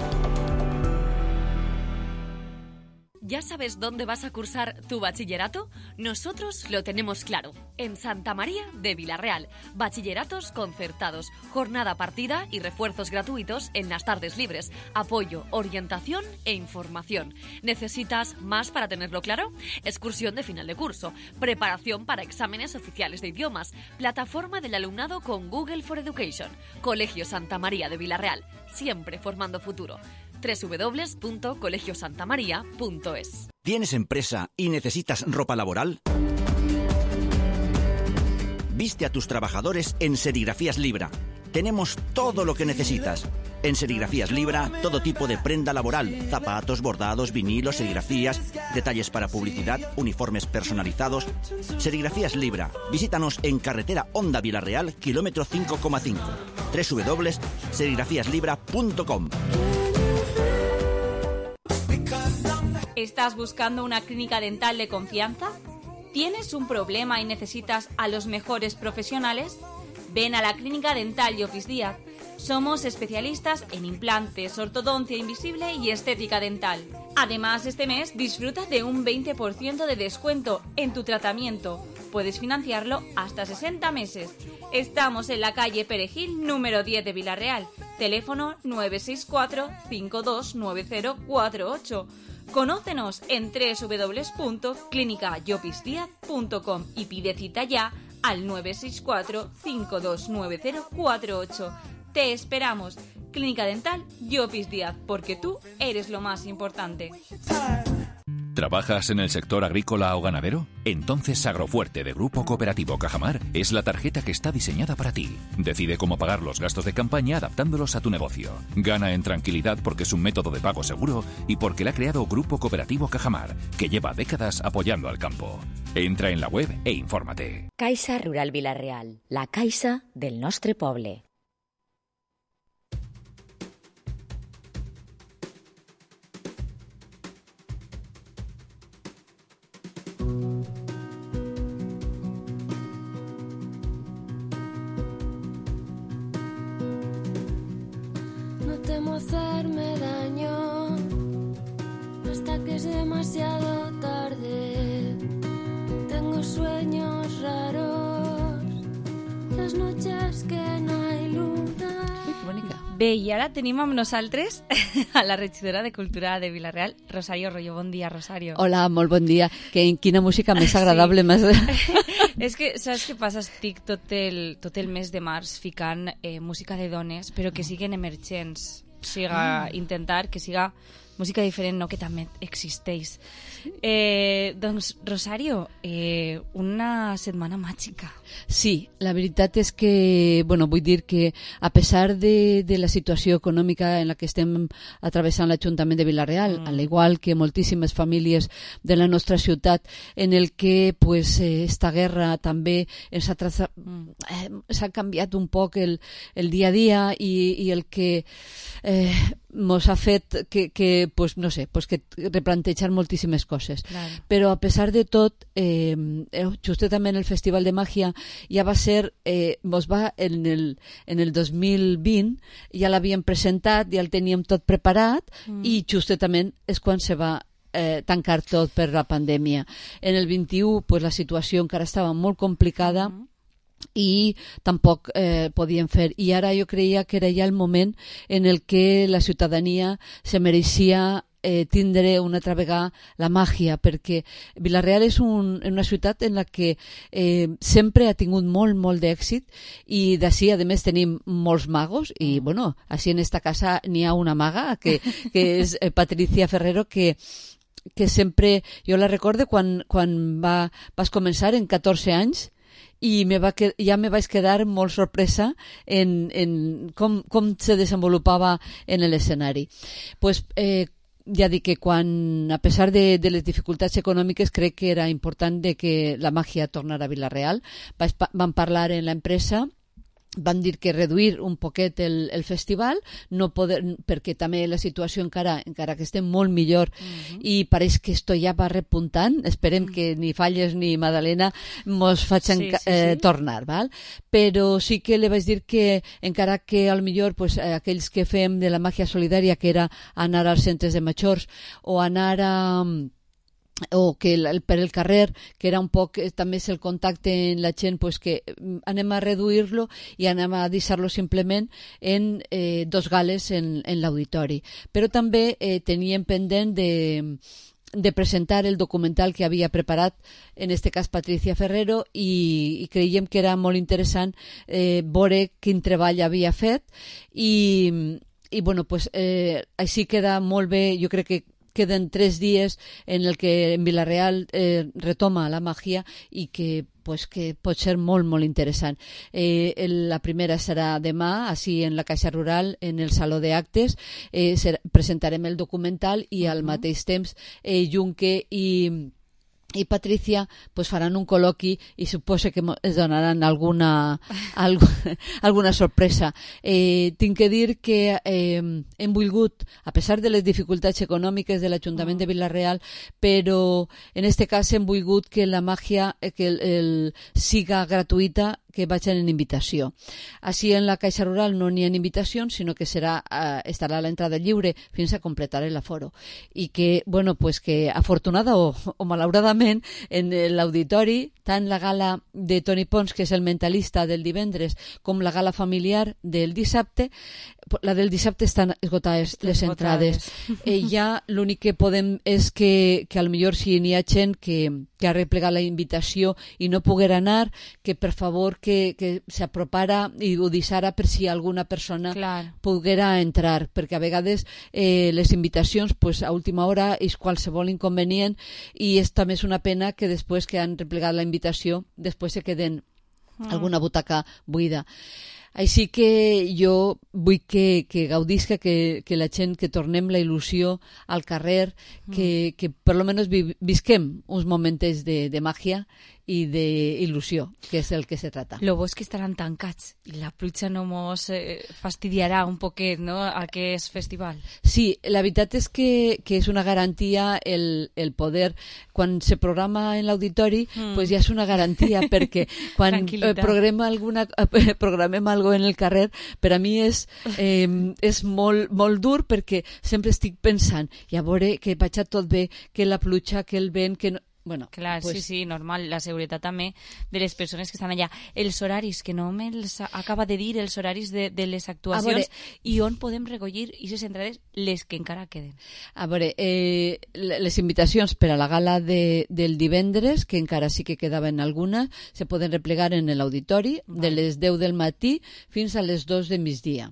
¿Ya sabes dónde vas a cursar tu bachillerato? Nosotros lo tenemos claro. En Santa María de Vila-real. Bachilleratos concertados, jornada partida y refuerzos gratuitos en las tardes libres. Apoyo, orientación e información. ¿Necesitas más para tenerlo claro? Excursión de final de curso, preparación para exámenes oficiales de idiomas, plataforma del alumnado con Google for Education. Colegio Santa María de Vila-real. Siempre formando futuro. doble u doble u doble u punto colegio santa maría punto es. ¿Tienes empresa y necesitas ropa laboral? Viste a tus trabajadores en Serigrafías Libra. Tenemos todo lo que necesitas. En Serigrafías Libra, todo tipo de prenda laboral, zapatos, bordados, vinilos, serigrafías, detalles para publicidad, uniformes personalizados. Serigrafías Libra. Visítanos en carretera Onda Vila-real, kilómetro cinco coma cinco. doble u doble u doble u punto serigrafías libra punto com. ¿Estás buscando una clínica dental de confianza? ¿Tienes un problema y necesitas a los mejores profesionales? Ven a la Clínica Dental Llopis Díaz. Somos especialistas en implantes, ortodoncia invisible y estética dental. Además, este mes disfruta de un veinte por ciento de descuento en tu tratamiento. Puedes financiarlo hasta sesenta meses. Estamos en la calle Perejil, número diez de Vila-real. Teléfono nueve seis cuatro, cinco dos nueve cero cuatro ocho. Conócenos en doble u doble u doble u punto clínica llopis díaz punto com y pide cita ya al nueve seis cuatro, cinco dos nueve cero cuatro ocho. Te esperamos. Clínica Dental Llopis Díaz, porque tú eres lo más importante. ¿Trabajas en el sector agrícola o ganadero? Entonces Agrofuerte de Grupo Cooperativo Cajamar es la tarjeta que está diseñada para ti. Decide cómo pagar los gastos de campaña adaptándolos a tu negocio. Gana en tranquilidad porque es un método de pago seguro y porque la ha creado Grupo Cooperativo Cajamar, que lleva décadas apoyando al campo. Entra en la web e infórmate. Caixa Rural Vila-real, la caixa del nostre poble. No temo hacerme daño hasta que es demasiado tarde. Tengo sueños raros, las noches que no hay luna. Bé, i ara tenim amb nosaltres a la regidora de Cultura de Vila-real, Rosario Rollo. Bon dia, Rosario. Hola, molt bon dia. Que, quina música més agradable. Sí. Més... És que, saps què passa? Estic tot el, tot el mes de març ficant eh, música de dones, però que siguin emergents. O sigui, ah. intentar que siga música diferent, no, que també existeix. Eh, doncs, Rosario, eh, una setmana màgica. Sí, la veritat és que, bueno, vull dir que a pesar de, de la situació econòmica en la que estem atravessant l'Ajuntament de Vila-real, mm. al igual que moltíssimes famílies de la nostra ciutat, en el que pues, eh, esta guerra també ens ha traza... mm. eh, s'ha canviat un poc el, el dia a dia i, i el que eh, mos ha fet que, que pues, no sé, pues que replantejar moltíssimes coses. Claro. Però a pesar de tot, eh, justament el Festival de Màgia ja va ser, eh, mos va en el, en el dos mil vint, ja l'havíem presentat, ja el teníem tot preparat mm. i justament és quan se va eh, tancar tot per la pandèmia. En el vint-i-u pues, la situació encara estava molt complicada mm. i tampoc eh, podien fer. I ara jo creia que era ja el moment en el que la ciutadania se mereixia eh, tindre una altra vegada la màgia, perquè Vila-real és un, una ciutat en la que eh, sempre ha tingut molt, molt d'èxit i d'ací, a més, tenim molts magos i, bueno, així en esta casa n'hi ha una maga que, que és eh, Patricia Ferrero, que que sempre, jo la recorde quan, quan va, vas començar en catorze anys i me va que, ja me vaig quedar molt sorpresa en, en com, com se desenvolupava en l'escenari. Pues, eh, ja dic que quan, a pesar de, de les dificultats econòmiques, crec que era important de que la màgia tornara a Vila-real. Vaig, van parlar en l'empresa, van dir que reduir un poquet el, el festival, no poder, perquè també la situació encara, encara que estem molt millor uh-huh. i pareix que esto ja va repuntant. Esperem uh-huh. que ni Falles ni Madalena mos facin sí, sí, eh, sí. tornar, val? Però sí que li vaig dir que encara que al millor pues, eh, aquells que fem de la màgia solidària, que era anar als centres de majors o anar a o que el, per el carrer, que era un poc també és el contacte en la gent, pues que anem a reduir-lo i anem a deixar-lo simplement en eh, dos gales en, en l'auditori. Però també eh, teníem pendent de de presentar el documental que havia preparat, en este cas Patricia Ferrero, i, i creiem que era molt interessant eh, veure quin treball havia fet i, i bueno, pues, eh, així queda molt bé. Jo crec que queden tres dies en el que en Vila-real eh, retoma la màgia i que, pues, que pot ser molt, molt interessant. Eh, el, la primera serà demà, així en la Caixa Rural, en el Saló d'Actes. Eh, ser, presentarem el documental i al uh-huh. mateix temps eh, Junque i i Patricia pues, faran un col·loqui i suposo que es donaran alguna, alg alguna sorpresa. Eh, tinc que dir que eh, hem volgut, a pesar de les dificultats econòmiques de l'Ajuntament de Vila-real, però en este cas hem volgut que la màgia que el, el, siga gratuïta, que vagin en invitació. Així en la Caixa Rural no n'hi ha invitacions, sinó que serà, eh, estarà a l'entrada lliure fins a completar l'aforo. I que, bueno, pues que afortunada o, o malauradament, en l'auditori, tant la gala de Toni Pons, que és el mentalista del divendres, com la gala familiar del dissabte, la del dissabte estan esgotades les entrades. Eh, ja l'únic que podem és que, que potser si n'hi ha gent que, que ha replegat la invitació i no poguera anar, que per favor que, que s'apropara i ho deixara per si alguna persona Clar. poguera entrar, perquè a vegades eh, les invitacions pues, a última hora és qualsevol inconvenient i és també és una pena que després que han replegat la invitació després se queden mm. alguna butaca buida. Així que jo vull que, que gaudisca, que, que la gent, que tornem la il·lusió al carrer, que, que per lo menos vi, visquem uns moments de, de màgia i d'il·lusió, que és el que se trata. Lo bo és que estaran tancats i la pluja no mos eh, fastidiarà un poquet, no?, aquest festival. Sí, la veritat és que, que és una garantia el, el poder, quan se programa en l'auditori, mm. pues ja és una garantia, perquè quan eh, programem alguna eh, programem algo en el carrer, per a mi és, eh, és molt, molt dur, perquè sempre estic pensant, i a veure que vaig tot bé, que la pluja, que el vent, que no... Bueno, clar, pues... sí, sí, normal, la seguretat també de les persones que estan allà. Els horaris, que no me'ls acaba de dir, els horaris de, de les actuacions, veure... i on podem recollir aquestes entrades, les que encara queden. A veure, eh, les invitacions per a la gala de, del divendres, que encara sí que quedaven algunes, se poden replegar en l'auditori de les deu del matí fins a les dos de migdia.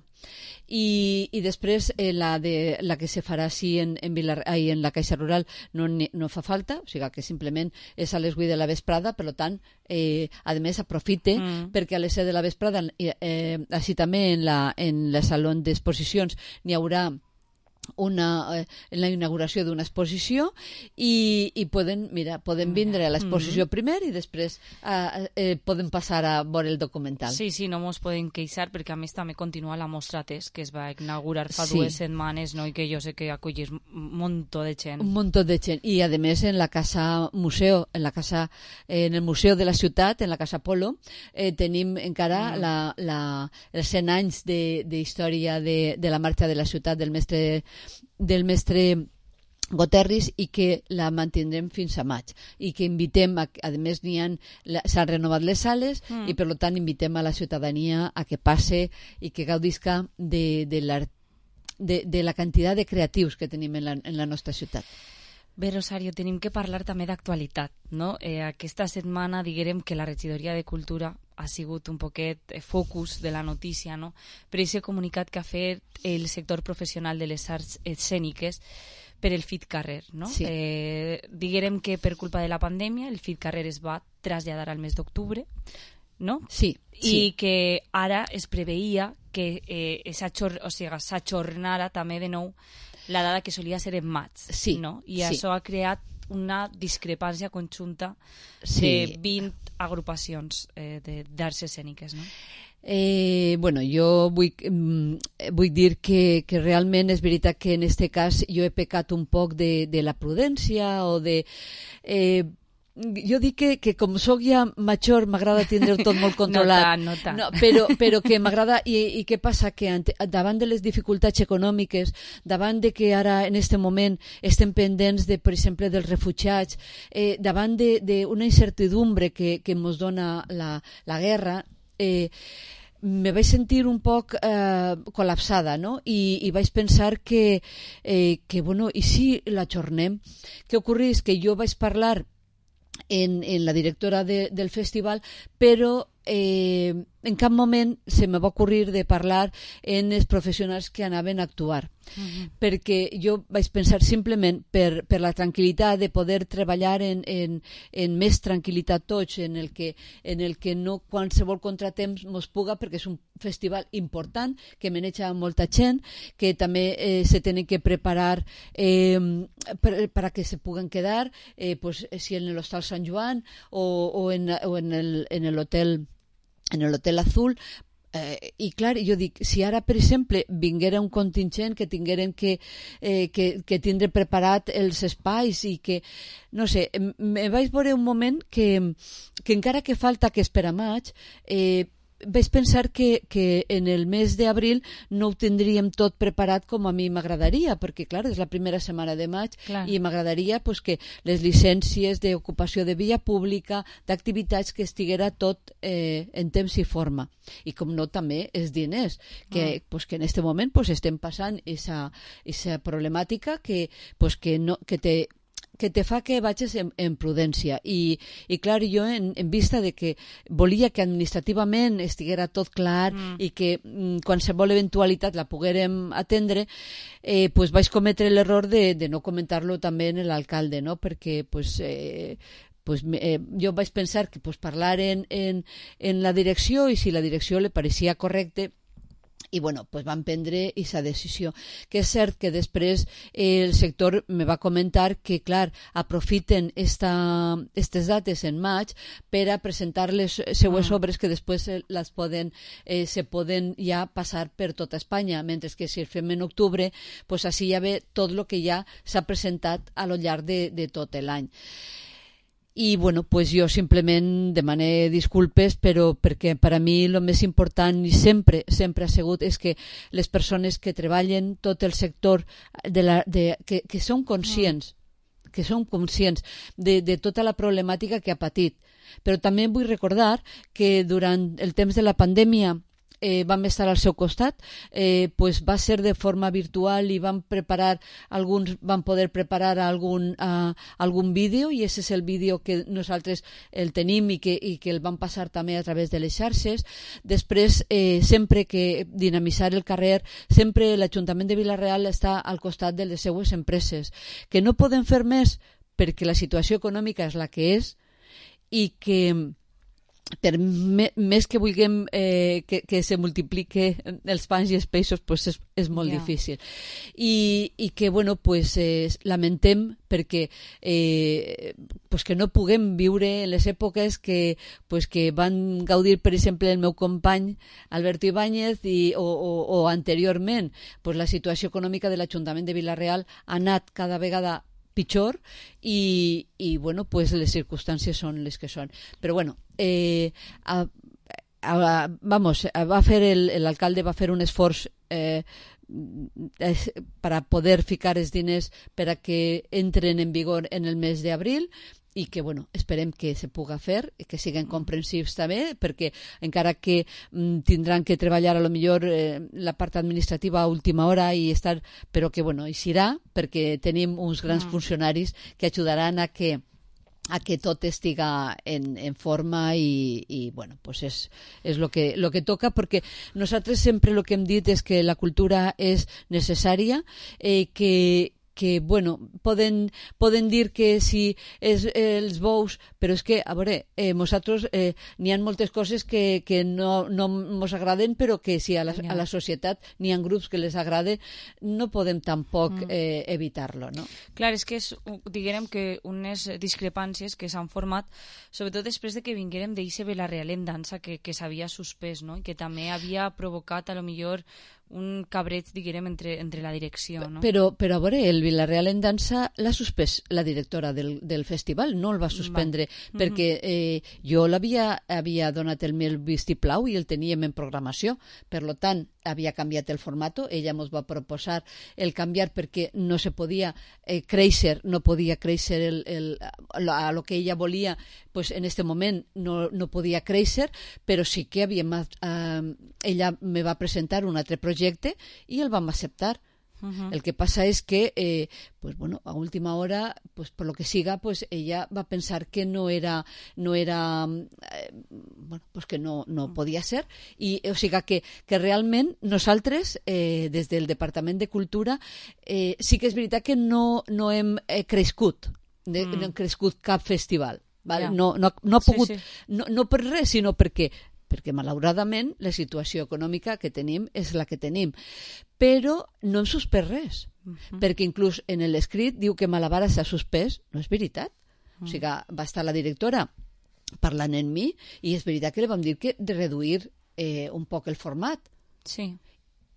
I, i després eh, la, de, la que se farà així en, en, Vilar, ai, en la Caixa Rural no, no fa falta, o sigui que simplement és a les vuit de la vesprada, per tant, eh, a més aprofite mm. perquè a les set de la vesprada, eh, així també en la, en la saló d'exposicions n'hi haurà una, eh, en la inauguració d'una exposició i, i poden, mira, poden vindre a l'exposició mm. primer i després eh, eh, poden passar a veure el documental. Sí, sí, no mos poden queixar perquè a més també continua la mostra test que es va inaugurar fa sí. dues setmanes, no? I que jo sé que acollís un muntó de gent. Un muntó de gent. I a més en la casa museu, en la casa, eh, en el museu de la ciutat, en la casa Polo, eh, tenim encara mm. la, la, els cent anys d'història de, de, de la marxa de la ciutat del mestre del mestre Goterris i que la mantindrem fins a maig i que invitem, a, a més n'hi han s'han renovat les sales mm. i per tant invitem a la ciutadania a que passe i que gaudisca de, de, la, de, de la quantitat de creatius que tenim en la, en la nostra ciutat. Bé, Rosario, tenim que parlar també d'actualitat, no? Eh, aquesta setmana diguem que la regidoria de Cultura ha sigut un poquet focus de la notícia, no? Per aquest comunicat que ha fet el sector professional de les arts escèniques per el Fit Carrer, no? Sí. Eh, diguem que per culpa de la pandèmia el Fit Carrer es va traslladar al mes d'octubre, no? Sí, sí. I que ara es preveia que eh, s'ajornara també de nou la dada que solia ser en maig, sí, no? I sí. això ha creat una discrepància conjunta sí. de vint agrupacions eh, d'arts escèniques, no? Eh, bueno, jo vull, vull dir que, que realment és veritat que en aquest cas jo he pecat un poc de, de la prudència o de... Eh, jo dic que, que com soc ja major m'agrada tindre tot molt controlat. No tant, no tant. No, però, però que m'agrada, i, i què passa? Que ante, davant de les dificultats econòmiques, davant de que ara en aquest moment estem pendents, de, per exemple, dels refugiats, eh, davant d'una incertidumbre que, que ens dona la, la guerra, eh, me vaig sentir un poc eh, col·lapsada, no? I, i vaig pensar que, eh, que bueno, i si l'ajornem? Què ocorreix? Que jo vaig parlar En, en la directora de, del festival, però eh, en cap moment se me va ocurrir de parlar en els professionals que anaven a actuar. Uh-huh. Perquè jo vaig pensar simplement per, per la tranquil·litat de poder treballar en, en, en més tranquil·litat tots, en el que, en el que no qualsevol contratemps mos puga, perquè és un festival important, que maneja molta gent, que també eh, se tenen que preparar eh, per, para que se puguen quedar, eh, pues, si en l'Hostal Sant Joan o, o en, o en el, en el hotel en el Hotel Azul, Eh, I clar, jo dic, si ara, per exemple, vinguera un contingent que tingueren que, eh, que, que tindre preparat els espais i que, no sé, me vaig veure un moment que, que encara que falta que és per a maig, eh, vaig pensar que, que en el mes d'abril no ho tindríem tot preparat com a mi m'agradaria, perquè clar, és la primera setmana de maig clar. I m'agradaria pues, que les llicències d'ocupació de via pública, d'activitats, que estiguera tot eh, en temps i forma. I com no també els diners, que, ah. pues, que en aquest moment pues, estem passant aquesta problemàtica que, pues, que, no, que té que te fa que vagis en, en prudència i, i clar, jo en, en vista de que volia que administrativament estiguera tot clar mm. i que mm, qualsevol eventualitat la poguérem atendre, eh, pues vaig cometre l'error de, de no comentar-lo també en l'alcalde, no? Perquè pues, eh, pues, eh, jo vaig pensar que pues, parlar en, en, en la direcció i si la direcció li pareixia correcte i bueno, pues van prendre aquesta decisió. Que és cert que després eh, el sector me va comentar que, clar, aprofiten aquestes dates en maig per a presentar les seues ah. obres que després les poden, eh, se poden ja passar per tota Espanya, mentre que si el fem en octubre, pues així ja ve tot el que ja s'ha presentat a lo llarg de, de tot l'any. I bueno, pues jo simplement demané disculpes, però perquè per a mi el més important i sempre sempre ha sigut és que les persones que treballen tot el sector de la, de, que, que són conscients que són conscients de, de tota la problemàtica que ha patit. Però també vull recordar que durant el temps de la pandèmia Eh, vam estar al seu costat, eh, pues va ser de forma virtual i vam preparar alguns, vam poder preparar algun, uh, algun vídeo i ese és el vídeo que nosaltres el tenim i que, i que el vam passar també a través de les xarxes. Després, eh, sempre que dinamitzar el carrer, sempre l'Ajuntament de Vila-real està al costat de les seues empreses, que no poden fer més perquè la situació econòmica és la que és i que per més que vulguem eh, que, que se multiplique els pans i els peixos, pues és, és molt yeah. difícil. I, i que, bueno, pues, eh, lamentem perquè eh, pues que no puguem viure en les èpoques que, pues, que van gaudir, per exemple, el meu company Alberto Ibáñez i, o, o, o anteriorment, pues, la situació econòmica de l'Ajuntament de Vila-real ha anat cada vegada pitjor i, i bueno, pues les circumstàncies són les que són. Però bueno, eh, a, a, vamos, va fer el, l'alcalde va fer un esforç eh, per a poder ficar els diners per a que entren en vigor en el mes d'abril i que, bueno, esperem que se puga fer i que siguin comprensius també, perquè encara que mm, tindran que treballar a lo millor eh, la part administrativa a última hora i estar, però que, bueno, hi serà, perquè tenim uns grans mm. funcionaris que ajudaran a que a que tot estiga en, en forma i, i bueno, pues és, és lo que, lo que toca, perquè nosaltres sempre el que hem dit és que la cultura és necessària, eh, que que, bueno, poden, poden dir que si és eh, els bous, però és que, a veure, eh, nosaltres eh, n'hi ha moltes coses que, que no, no ens agraden, però que si a la, a la societat n'hi ha grups que les agrade, no podem tampoc mm. eh, evitar-lo, no? Clar, és que és, diguem que unes discrepàncies que s'han format, sobretot després de que vinguérem d'Ixe Vila-real en dansa, que, que s'havia suspès, no? I que també havia provocat, a lo millor, un cabreig, diguem, entre, entre la direcció, no? Però, però a veure, el Vila-real en dansa l'ha suspès la directora del, del festival, no el va suspendre, va. perquè eh, jo l'havia havia donat el meu vistiplau i el teníem en programació, per lo tant, havia canviat el formato, ella ens va proposar el canviar perquè no se podia eh, créixer, no podia créixer el, el, a lo que ella volia, pues en este moment no, no podia créixer, però sí que havia, eh, ella me va presentar un altre projecte i el vam acceptar. Uh-huh. El que passa és que eh, pues, bueno, a última hora, pues, por lo que siga, pues, ella va pensar que no era, no era eh, bueno, pues que no, no podia ser, i o sigui que, que realment nosaltres eh, des del Departament de Cultura eh, sí que és veritat que no, no hem eh, crescut de, mm. no hem crescut cap festival, val? Yeah. no, no, no ha pogut, sí, sí. No, no per res, sinó perquè perquè malauradament la situació econòmica que tenim és la que tenim, però no hem suspès res, uh-huh. perquè inclús en l'escrit diu que Malavara s'ha suspès, no és veritat, uh-huh. o sigui, va estar la directora parlant amb mi i és veritat que li vam dir que de reduir eh, un poc el format. Sí.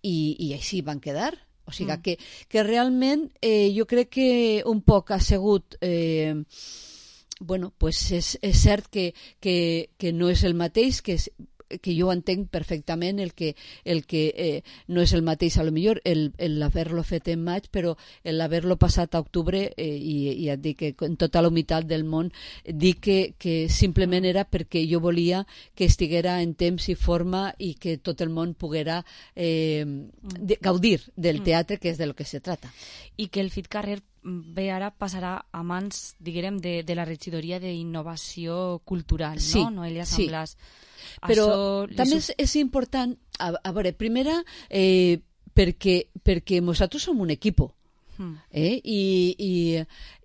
I, i així van quedar. O sigui Mm. que, que realment eh, jo crec que un poc ha sigut... Eh, bueno, pues és, és cert que, que, que no és el mateix, que és, que jo entenc perfectament el que, el que eh, no és el mateix, a lo millor el, el haver-lo fet en maig, però el haver-lo passat a octubre, eh, i, i et dic que en tota la humitat del món, dic que, que simplement era perquè jo volia que estiguera en temps i forma i que tot el món poguera eh, de, gaudir del teatre, que és de lo que se trata. I que el Fit Carrer bé ara passarà a mans, diguem, de, de la regidoria d'Innovació Cultural, sí, no? Noelia Samblàs. Sí. Però Això també és, és, és important, a, a veure, primera, eh, perquè, perquè nosaltres som un equipo. Mm. Eh? I, i,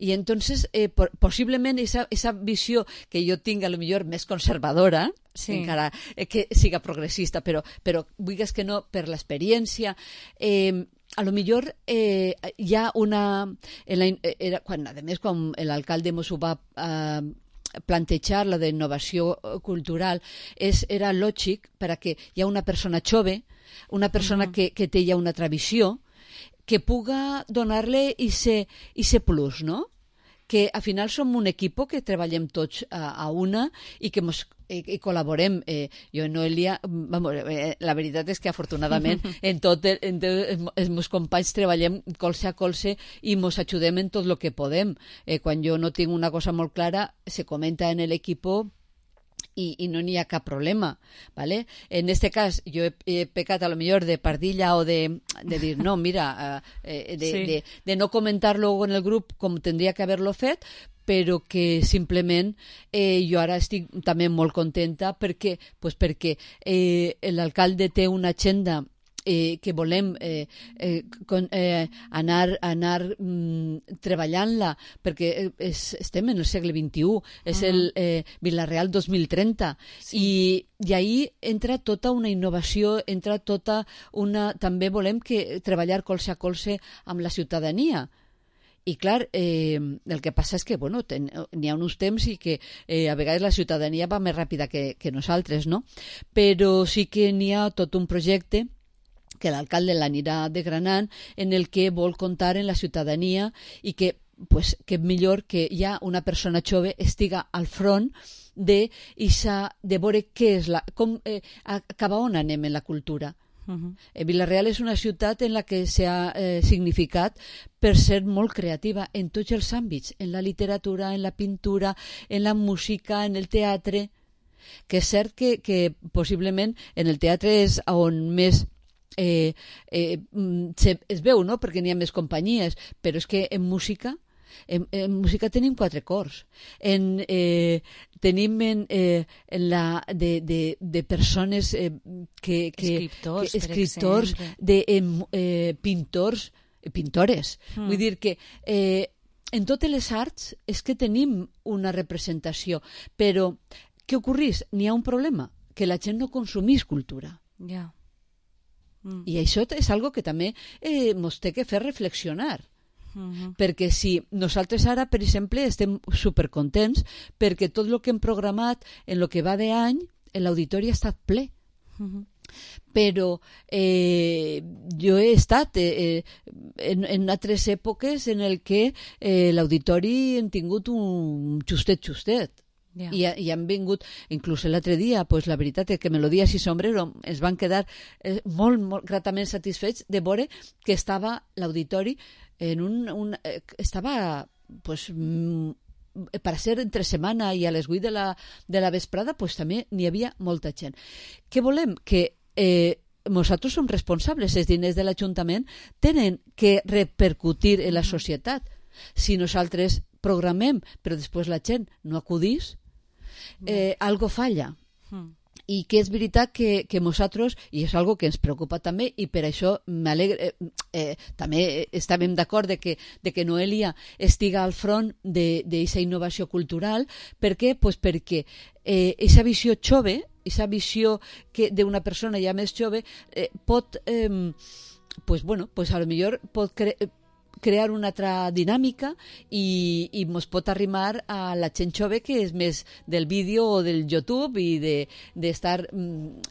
i entonces eh, por, possiblement esa, esa visió que jo tinc a lo millor més conservadora, sí. encara eh, que siga progressista, però, però vulguis que no, per l'experiència, eh, a lo millor eh, hi ha una... En la, era, quan, a més, quan l'alcalde mos ho va eh, plantejar, la d'innovació cultural, és, era lògic perquè hi ha una persona jove, una persona uh-huh. que, que té ja una tradició, que puga donar-li ese plus, no? Que al final som un equip que treballem tots a, a una i que mos, i, i col·laborem. Eh, jo i Noelia, vamos, eh, la veritat és que afortunadament en tot el, en tot els meus companys treballem colze a colze i mos ajudem en tot el que podem. Eh, quan jo no tinc una cosa molt clara, se comenta en l'equip i, i no n'hi ha cap problema, ¿vale? En este cas jo he, he pecat a lo millor de pardilla o de, de dir no, mira, eh, de, sí. de, de no comentar-lo en el grup com tindria que haver-lo fet, però que simplement eh, jo ara estic també molt contenta perquè, pues perquè eh, l'alcalde té una agenda Eh, que volem eh, eh, con, eh, anar, anar mm, treballant-la perquè és, estem en el segle vint-i-u, és uh-huh. el eh, Vila-real dos mil trenta, sí. i, i ahí entra tota una innovació, entra tota una... També volem que treballar colze a colze amb la ciutadania. I clar, eh, el que passa és que bueno, ten, n'hi ha uns temps i que eh, a vegades la ciutadania va més ràpida que, que nosaltres, no? Però sí que n'hi ha tot un projecte que l'alcalde l'anirà desgranant, en el que vol comptar en la ciutadania i que, pues, que millor que ja una persona jove estiga al front de, isa, de veure què és la, com, eh, a, cap a on anem en la cultura. Uh-huh. eh, Vila-real és una ciutat en la que s'ha eh, significat per ser molt creativa en tots els àmbits, en la literatura, en la pintura, en la música, en el teatre, que és cert que, que possiblement en el teatre és on més Eh, eh, se, es veu, no?, perquè n'hi ha més companyies, però és que en música en, en música tenim quatre cors, en, eh, tenim en, eh, en la de, de, de persones eh, que, que, escriptors, que, escriptors de eh, eh, pintors pintores, mm. vull dir que eh, en totes les arts és que tenim una representació, però què ocorrís? N'hi ha un problema, que la gent no consumís cultura. Ja. Yeah. Mm. I això és algo que també eh, ens té que fer reflexionar. Uh-huh. Perquè si nosaltres ara, per exemple, estem supercontents perquè tot el que hem programat en el que va d'any, l'auditori ha estat ple. Uh-huh. Però eh, jo he estat eh, en, en altres èpoques en el que eh, l'auditori hem tingut un justet-justet. Yeah. I, i han vingut, inclús l'altre dia, pues, la veritat és que Melodies i Sombrero ens van quedar eh, molt, molt gratament satisfets de veure que estava l'auditori en un... un eh, estava, pues, mm, per ser entre setmana i a les vuit de la, de la vesprada, pues, també n'hi havia molta gent. Què volem? Que eh, nosaltres som responsables, els diners de l'Ajuntament tenen que repercutir en la societat. Si nosaltres programem, però després la gent no acudís, eh, algo falla. Mm. I que és veritat que, que nosaltres, i és algo que ens preocupa també, i per això m'alegre, eh, eh, també estàvem d'acord de que, de que Noelia estiga al front d'aquesta innovació cultural. Per què? Pues perquè aquesta eh, visió jove, aquesta visió d'una persona ja més jove, eh, pot, eh, pues, bueno, pues a lo millor pot crear crear una altra dinàmica i, i mos pot arrimar a la gent jove que és més del vídeo o del YouTube i d'estar de,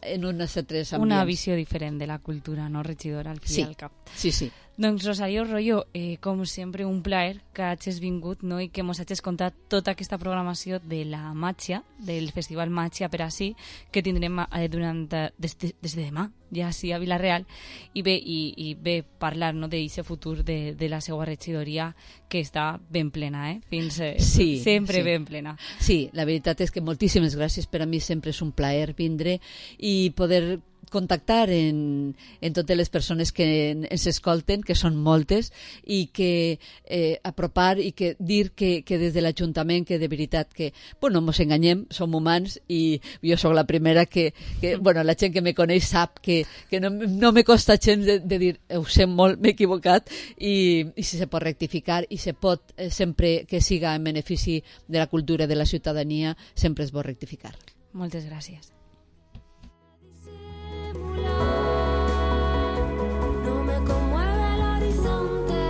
en unes altres ambients. Una visió diferent de la cultura, no, regidora, al fi sí, i al cap. Sí, sí. Doncs Rosario Royo, eh, com sempre un plaer que hagis vingut, no? I que mos hagis contat tota aquesta programació de la Màgia, del Festival Màgia per ací, que tindrem eh, durant, des, de, des de demà, ja sí, a Vila-real, i bé, i, i bé parlar, no, d'aquest futur de, de la seva regidoria, que està ben plena, eh? Fins eh, sí, sempre sí. ben plena. Sí, la veritat és que moltíssimes gràcies, per a mi sempre és un plaer vindre i poder contactar en, en totes les persones que ens escolten, que són moltes, i que eh, apropar i que dir que, que des de l'Ajuntament, que de veritat que, bueno, mos enganyem, som humans i jo sóc la primera que, que bueno, la gent que me coneix sap que, que no, no me costa gens de, de dir ho sé molt, m'he equivocat i, i si se pot rectificar i se pot, eh, sempre que siga en benefici de la cultura de la ciutadania, sempre es pot rectificar. Moltes gràcies. No me conmueve el horizonte,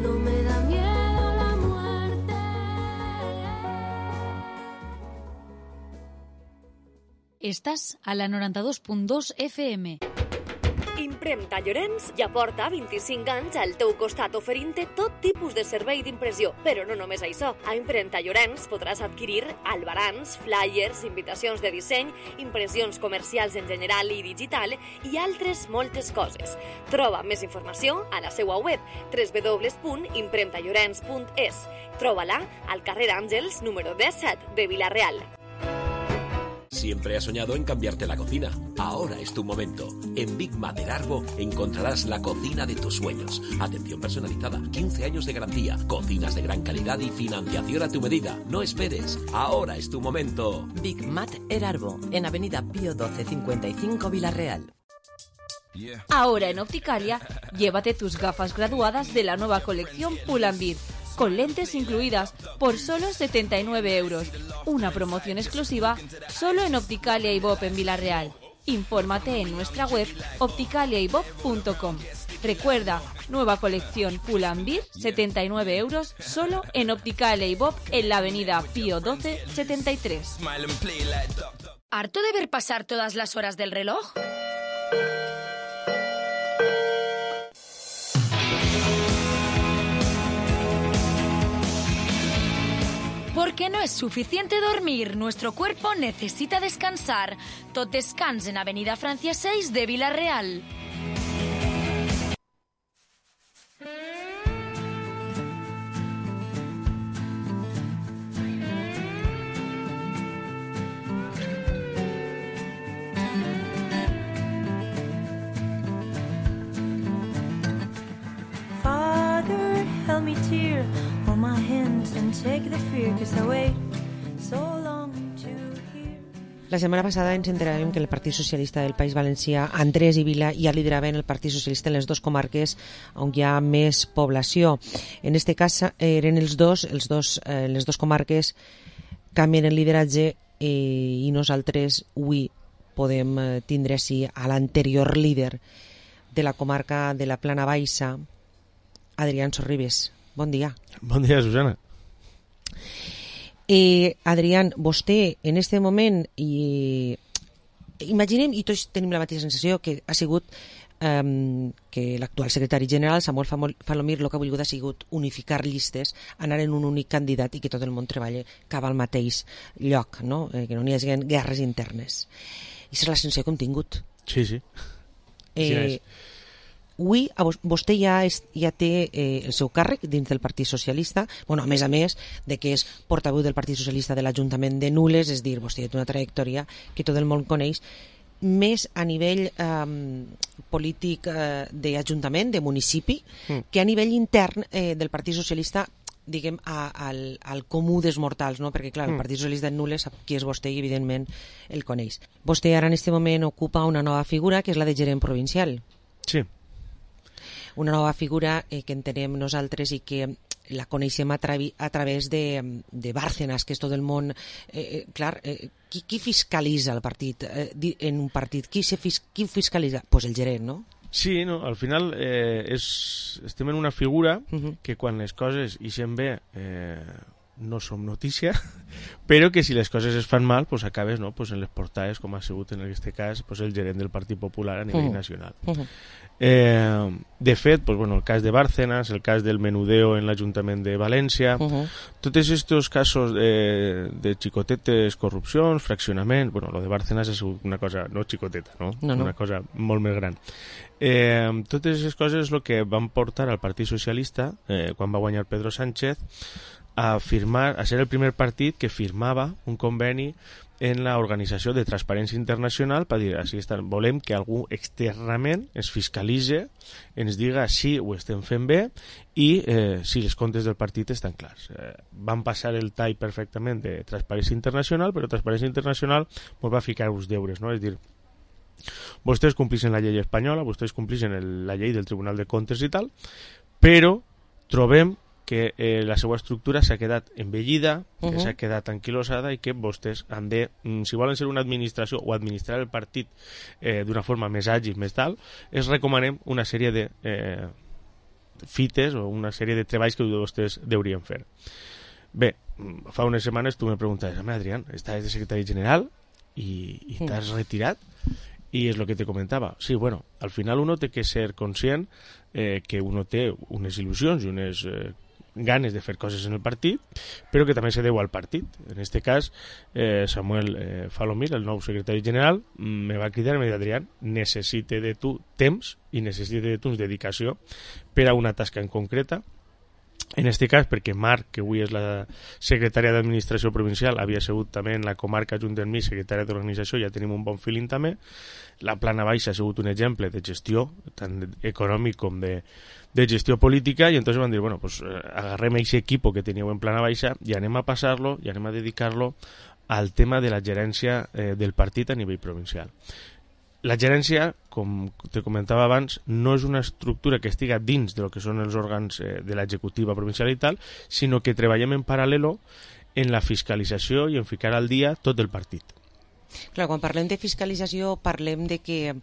no me da miedo la muerte. Estàs a la noranta-dos punt dos F M. Impremta Llorenç ja porta vint-i-cinc anys al teu costat oferint-te tot tipus de servei d'impressió. Però no només això. A Impremta Llorenç podràs adquirir albarans, flyers, invitacions de disseny, impressions comercials en general i digital i altres moltes coses. Troba més informació a la seva web w w w punt impremta llorenç punt es. Troba-la al carrer Àngels, número disset de Vila-real. Siempre has soñado en cambiarte la cocina. Ahora es tu momento. En Big Mac Arbo encontrarás la cocina de tus sueños. Atención personalizada, quince años de garantía, cocinas de gran calidad y financiación a tu medida. No esperes. Ahora es tu momento. Big Mac Arbo, en Avenida Pío doce cincuenta y cinco Vila-real. Ahora en Opticalia, llévate tus gafas graduadas de la nueva colección Pull&Bear, con lentes incluidas por solo setenta y nueve euros. Una promoción exclusiva solo en Opticalia y Bob en Vila-real. Infórmate en nuestra web opticalia y bob punto com. Recuerda, nueva colección Pull&Bear, setenta y nueve euros, solo en Opticalia y Bob en la avenida Pío doce setenta y tres. ¿Harto de ver pasar todas las horas del reloj? Porque no es suficiente dormir, nuestro cuerpo necesita descansar. Tot Descans en Avenida Francia seis de Vila-real. Father, help me tear all my hands and take the fear, 'cause I wait so long to hear. La setmana passada ens enteràvem que el Partit Socialista del País Valencià, Andrés i Vila, ja lideraven el Partit Socialista en les dues comarques on hi ha més població. En aquest cas eren els dos, els dos eh, les dues comarques canvien el lideratge eh, i nosaltres avui podem eh, tindre així a l'anterior líder de la comarca de la Plana Baixa, Adrián Sorribes. Bon dia. Bon dia, Susana. Eh, Adrián, vostè en este moment, i imaginem, i tots tenim la mateixa sensació, que ha sigut um, que l'actual secretari general, Samuel Falomir, el que ha volgut ha sigut unificar llistes, anar en un únic candidat i que tot el món treballa cap al mateix lloc, no? Eh, que no n'hi hagi guerres internes. I és la sensació que hem tingut. Sí, sí. Eh, Avui vostè ja, és, ja té eh, el seu càrrec dins del Partit Socialista, bueno, a més a més de que és portaveu del Partit Socialista de l'Ajuntament de Nules, és dir, vostè té una trajectòria que tot el món coneix, més a nivell eh, polític eh, d'Ajuntament, de municipi, mm. que a nivell intern eh, del Partit Socialista, diguem, a, al, al comú dels mortals, no? Perquè, clar, el Partit Socialista de Nules sap qui és vostè i, evidentment, el coneix. Vostè ara, en aquest moment, ocupa una nova figura, que és la de gerent provincial. Sí. Una nova figura eh, que entenem nosaltres i que la coneixem a, travi, a través de, de Bárcenas, que és tot el món... Eh, clar, eh, qui, qui fiscalitza el partit eh, en un partit? Qui, se fis, qui fiscalitza? Pues el gerent, no? Sí, no, al final eh, és, estem en una figura uh-huh. que quan les coses ixen bé eh, no som notícia, però que si les coses es fan mal, pues acabes no, pues en les portades, com ha sigut en aquest cas pues el gerent del Partit Popular a nivell uh-huh. nacional. Uh-huh. Eh, de fet, pues, bueno, el cas de Bárcenas, el cas del menudeo en l'Ajuntament de València, uh-huh. tots aquests casos de, de xicotetes, corrupcions, fraccionament, bueno, lo de Bárcenas és una cosa no xicoteta, no? No, no. Una cosa molt més gran. Eh, totes aquestes coses és el que van portar al Partit Socialista, eh, quan va guanyar Pedro Sánchez, a firmar, a ser el primer partit que firmava un conveni en l'Organització de Transparència Internacional per dir, així està, volem que algú externament es fiscalitze, ens diga si ho estem fent bé i eh, si els comptes del partit estan clars. Eh, van passar el tall perfectament de Transparència Internacional, però Transparència Internacional ens va ficar uns deures, no? És dir, vostès complixen la llei espanyola, vostès complixen el, la llei del Tribunal de Comptes i tal, però trobem que eh, la seva estructura s'ha quedat envellida, uh-huh. que s'ha quedat anquilosada i que vostès han de, si volen ser una administració o administrar el partit eh, d'una forma més àgil, més tal, es recomanem una sèrie de eh, fites o una sèrie de treballs que vostès deurien fer. Bé, fa unes setmanes tu me preguntaves, home, Adrián, estàs de secretari general i, i t'has retirat? I és el que te comentava. Sí, bueno, al final uno té que ser conscient eh, que uno té unes il·lusions i unes eh, ganes de fer coses en el partit, però que també se deu al partit. En aquest cas, eh, Samuel eh, Falomir, el nou secretari general, me va cridar i me va dir, Adrián, necessite de tu temps i necessite de tu dedicació per a una tasca en concreta. En aquest cas, perquè Marc, que avui és la secretària d'Administració Provincial, havia sigut també en la comarca junt amb mi secretària d'Organització, ja tenim un bon feeling també. La plana baixa ha sigut un exemple de gestió, tant econòmic com de, de gestió política, i entonces van dir, bueno, pues agarrem aquest equip que teníeu en plana baixa i anem a passar-lo, i anem a dedicar-lo al tema de la gerència eh, del partit a nivell provincial. La gerència, com te comentava abans, no és una estructura que estiga dins de lo que són els òrgans eh, de l'executiva provincial i tal, sinó que treballem en paral·lelo en la fiscalització i en ficar al dia tot el partit. Clar, quan parlem de fiscalització parlem de que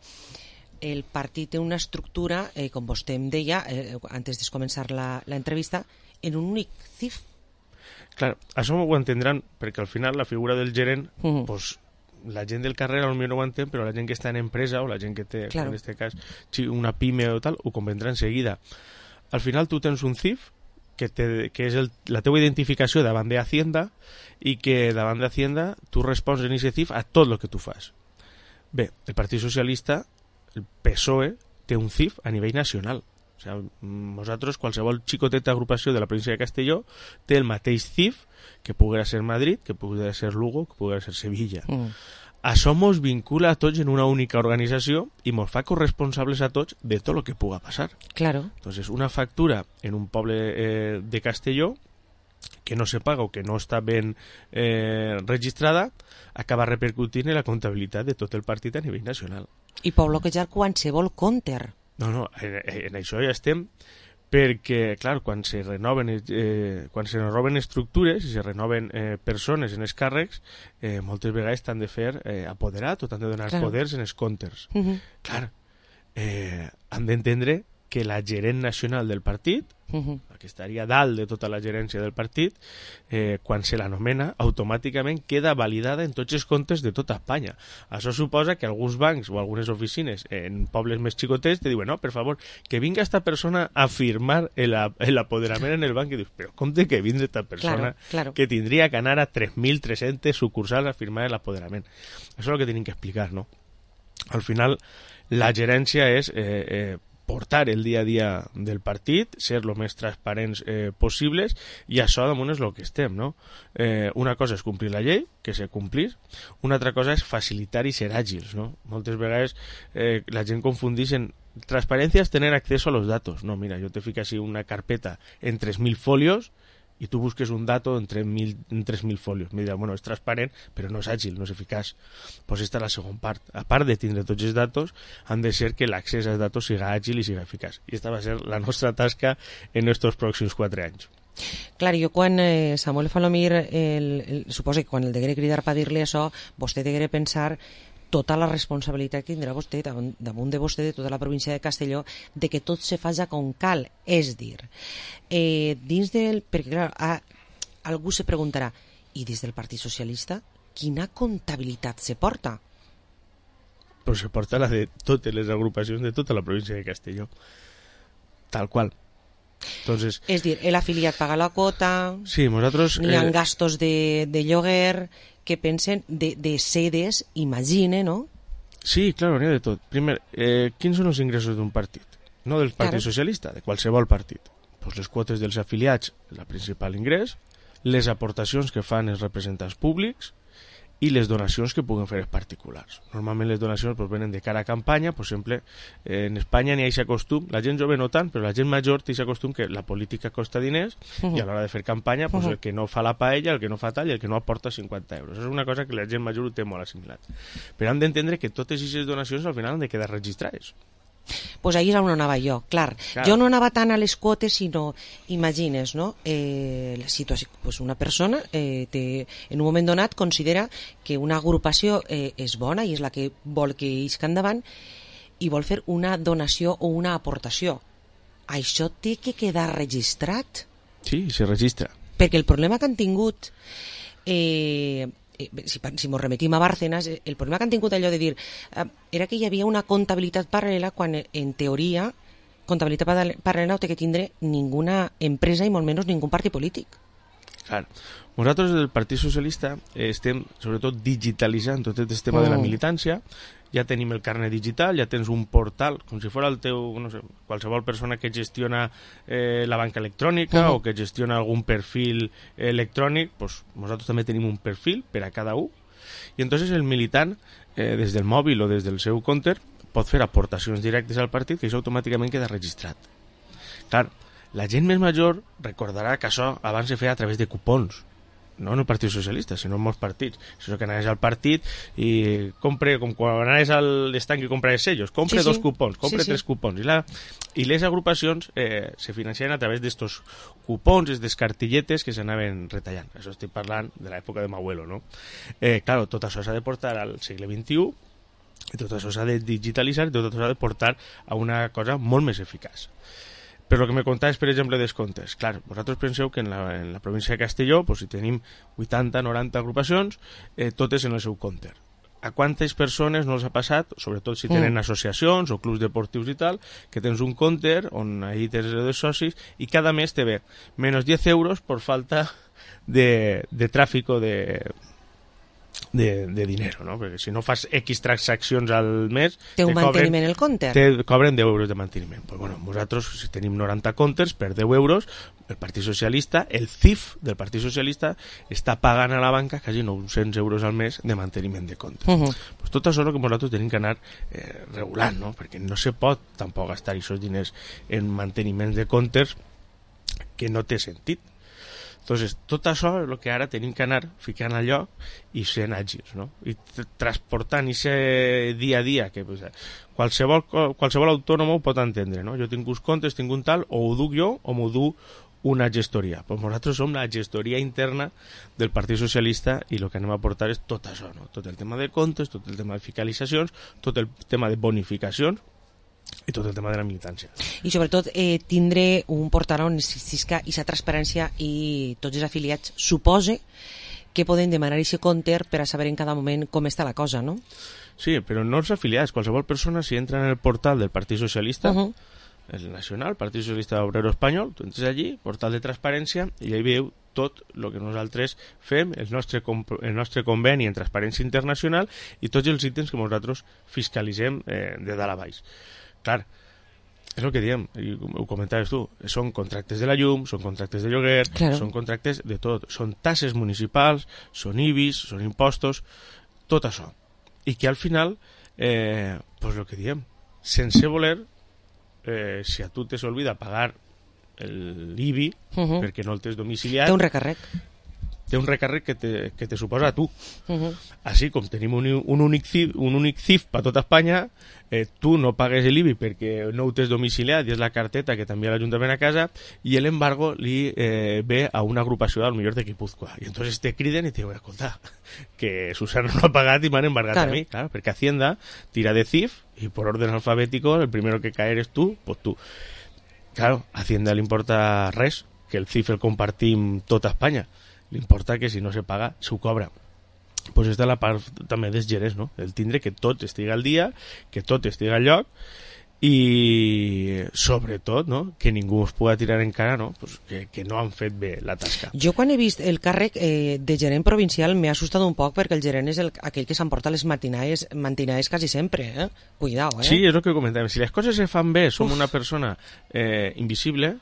el partit té una estructura, eh, com vostè em deia, eh, antes de començar la, la entrevista, en un únic C I F. Clar, això ho entendran perquè al final la figura del gerent, uh-huh. pues, la gent del carrer potser no ho entén, però la gent que està en empresa o la gent que té, claro. en aquest cas, una pime o tal, ho comprendrà enseguida. Al final tu tens un C I F que, te, que és el, la teva identificació davant d'Hacienda i que davant d'Hacienda tu respons en aquest C I F a tot el que tu fas. Bé, el Partit Socialista, el P S O E, té un C I F a nivell nacional. O sigui, nosaltres, qualsevol xicoteta agrupació de la província de Castelló té el mateix C I F que pugui ser Madrid, que pugui ser Lugo, que pugui ser Sevilla. Mm. Això mos vincula a tots en una única organització i mos fa corresponsables a tots de tot el que puga passar. Claro. Entonces, una factura en un poble eh, de Castelló que no se paga o que no està ben eh, registrada acaba repercutint en la comptabilitat de tot el partit a nivell nacional. I pot bloquejar qualsevol compte. No, no, en, en això ja estem, perquè, clar, quan se renoven, eh, quan se renoven estructures i se renoven eh, persones en els càrrecs, eh, moltes vegades t'han de fer eh, apoderat o t'han de donar claro. poders en els comptes. Uh-huh. Clar, eh, han d'entendre que la gerent nacional del partit, uh-huh. la que estaria dalt de tota la gerència del partit, eh, quan se l'anomena, automàticament queda validada en tots els comptes de tota Espanya. Això suposa que alguns bancs o algunes oficines en pobles més xicotets te diuen, no, per favor, que vinga esta persona a firmar l'apoderament en el banc, i dius, però com té que vindre esta persona claro, claro. que tindria que anar a tres mil tres-centes sucursals a firmar l'apoderament? Això és el que tenim que explicar, no? Al final, la gerència és eh, eh, portar el dia a dia del partit, ser el més transparents eh, possibles, i això damunt és el que estem, no? Eh, una cosa és complir la llei, que se complís, una altra cosa és facilitar i ser àgils, no? Moltes vegades eh, la gent confundeix en transparència és tener acceso a los datos. No, mira, jo te fico així una carpeta en tres mil folios i tu busques un dato en tres mil folios. Me dirà, bueno, és transparent, però no és àgil, no és eficaç. Pues esta és la segona part. A part de tindre tots els datos, han de ser que l'accés als datos siga àgil i siga eficaç. I esta va ser la nostra tasca en estos pròxims quatre anys. Clar, jo quan eh, Samuel Falomir, el, el, suposo que quan el degué cridar per dir-li això, vostè degué pensar tota la responsabilitat que tindrà vostè damunt de vostè, de tota la província de Castelló, de que tot se faci com cal. És dir, eh, dins del... Perquè, clar, a, algú se preguntarà, i dins del Partit Socialista, quina comptabilitat se porta? Pues se porta la de totes les agrupacions de tota la província de Castelló. Tal qual. Entonces, és dir, l'afiliat paga la quota, sí, nosaltres, n'hi ha eh, gastos de, de lloguer que pensen de, de sedes, imagine, no? Sí, claro, n'hi ha de tot. Primer, eh, quins són els ingressos d'un partit? No del Partit claro. Socialista, de qualsevol partit. Pues les quotes dels afiliats, el principal ingrés, les aportacions que fan els representants públics i les donacions que puguen fer els particulars. Normalment les donacions pues, venen de cara a campanya, per exemple, eh, en Espanya n'hi ha aquest costum, la gent jove no tant, però la gent major té aquest costum que la política costa diners uh -huh. i a l'hora de fer campanya pues, uh -huh. el que no fa la paella, el que no fa tall i el que no aporta cinquanta euros. És una cosa que la gent major ho té molt assimilat. Però han d'entendre que totes aquestes donacions al final han de quedar registrades. Pues ahí és on anava jo, clar. clar. Jo no anava tant a les quotes, sinó, imagines, no? Eh, la situació, pues una persona eh, té, en un moment donat considera que una agrupació eh, és bona i és la que vol que isca endavant i vol fer una donació o una aportació. Això té que quedar registrat. Sí, se registra. Perquè el problema que han tingut... Eh, si, si mos remetim a Bárcenas, el problema que han tingut allò de dir eh, era que hi havia una comptabilitat paral·lela quan en teoria comptabilitat paral·lela no té que tindre ninguna empresa i molt menys ningú partit polític. Clar. Nosaltres del Partit Socialista eh, estem sobretot digitalitzant tot aquest tema mm. de la militància. Ja tenim el carnet digital, ja tens un portal, com si fos el teu, no sé, qualsevol persona que gestiona eh, la banca electrònica uh -huh. o que gestiona algun perfil electrònic, pues nosaltres també tenim un perfil per a cada un, i entonces el militant, eh, des del mòbil o des del seu compte, pot fer aportacions directes al partit, que això automàticament queda registrat. Clar, la gent més major recordarà que això abans se feia a través de cupons, no en el Partit Socialista, sinó en molts partits. Això que anaves al partit i compre, com quan anaves al estanc i compraves sellos, compre sí, dos sí. cupons, compre sí, tres sí. cupons. I, la, i les agrupacions eh, se financiaven a través d'estos cupons, aquestes cartilletes que s'anaven retallant. Això estic parlant de l'època de m'abuelo, no? Eh, claro, tot això s'ha de portar al segle vint-i-u i tot això s'ha de digitalitzar i tot això s'ha de portar a una cosa molt més eficaç. Però el que me contaves, per exemple, dels comptes. Clar, vosaltres penseu que en la, en la província de Castelló, pues, si tenim vuitanta noranta agrupacions, eh, totes en el seu compte. A quantes persones no els ha passat, sobretot si tenen mm. associacions o clubs deportius i tal, que tens un compte on ahí tens els socis i cada mes te ve menys diez euros per falta de, de tràfic o de... De, de dinero, no? Perquè si no fas X transaccions al mes... Té un manteniment el compte? Te cobren deu euros de manteniment. Pues bueno, nosaltres, si tenim noranta comptes, per deu euros, el Partit Socialista, el C I F del Partit Socialista, està pagant a la banca quasi nou-cents euros al mes de manteniment de comptes. Uh -huh. Pues tot això és el que nosaltres tenim que anar eh, regulant, no? Perquè no se pot tampoc gastar aquests diners en manteniments de comptes que no té sentit. Entonces, tot això és el que ara tenim que anar ficant a lloc i sent àgils, no? I transportant aquest dia a dia que pues, qualsevol, qualsevol autònom ho pot entendre, no? Jo tinc uns comptes, tinc un tal, o ho duc jo o m'ho du una gestoria. Pues nosaltres som la gestoria interna del Partit Socialista i el que anem a portar és tot això, no? Tot el tema de comptes, tot el tema de fiscalitzacions, tot el tema de bonificacions i tot el tema de la militància. I sobretot eh, tindre un portal on existisca aquesta transparència i tots els afiliats supose que poden demanar aquest compte per a saber en cada moment com està la cosa, no? Sí, però no els afiliats, qualsevol persona si entra en el portal del Partit Socialista, uh -huh. el nacional, Partit Socialista Obrero Espanyol, tu entres allí, portal de transparència, i allà veieu tot el que nosaltres fem, el nostre, el nostre conveni en Transparència Internacional i tots els ítems que nosaltres fiscalitzem eh, de dalt a baix. Clar, és el que diem, i ho comentaves tu, són contractes de la llum, són contractes de lloguer, claro. Són contractes de tot, són tasses municipals, són I B I S, són impostos, tot això. I que al final, eh, pues el que diem, sense voler, eh, si a tu te s'olvida pagar l'I B I, uh -huh. perquè no el tens domiciliat... Té un recàrrec. té un recàrrec que te, que te suposa a tu. Uh-huh. Així com tenim un, un únic C I F, un únic C I F per tota Espanya, eh, tu no pagues l'I B I perquè no ho tens domiciliat i és la carteta que t'envia l'Ajuntament a casa, i l'embargo li eh, ve a una agrupació al millor de Guipúzcoa. I entonces te criden i te diuen, escolta, que Susana no ha pagat i m'han embargat claro. a mi, claro, perquè Hacienda tira de C I F y por orden alfabético el primero que cae eres tú, pues tú. Claro, a Hacienda le importa res, que el C I F el compartim tota Espanya. Le importa que si no se paga, s'ho cobra. Pues esta és la part també dels gerents, no? El tindre que tot estigui al dia, que tot estigui al lloc, i sobretot, no?, que ningú es pugui tirar en cara, no?, pues que, que no han fet bé la tasca. Jo quan he vist el càrrec eh, de gerent provincial m'he assustat un poc perquè el gerent és el, aquell que s'emporta les matinades, matinades quasi sempre, eh? Cuidao, eh? Sí, és el que comentàvem. Si les coses se fan bé, som Uf. una persona eh, invisible.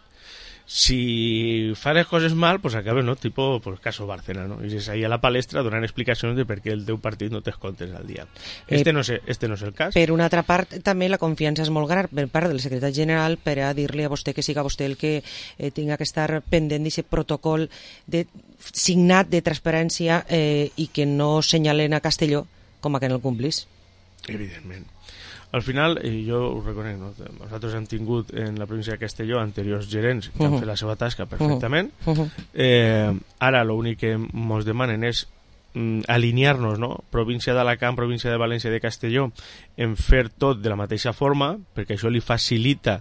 Si fa les coses mal, pues acaba, no? Tipo, pues caso Bárcena, ¿no? Y es ahí a la palestra donant explicacions de per què el teu partit no t'escoltes al dia. Este, eh, no és, este no és el cas. Per una altra part, també la confiança és molt gran per part del secretari general per a dir-li a vostè que siga vostè el que eh, tinga que estar pendent d'aquest protocol de, signat de transparència eh, i que no senyalen a Castelló com a que no el complís. Evidentment. Al final, i jo ho reconec, no? Nosaltres hem tingut en la província de Castelló anteriors gerents que uh-huh. han fet la seva tasca perfectament. Uh-huh. Eh, ara l'únic que ens demanen és mm, alinear-nos, no? Província d'Alacant, província de València i de Castelló, en fer tot de la mateixa forma, perquè això li facilita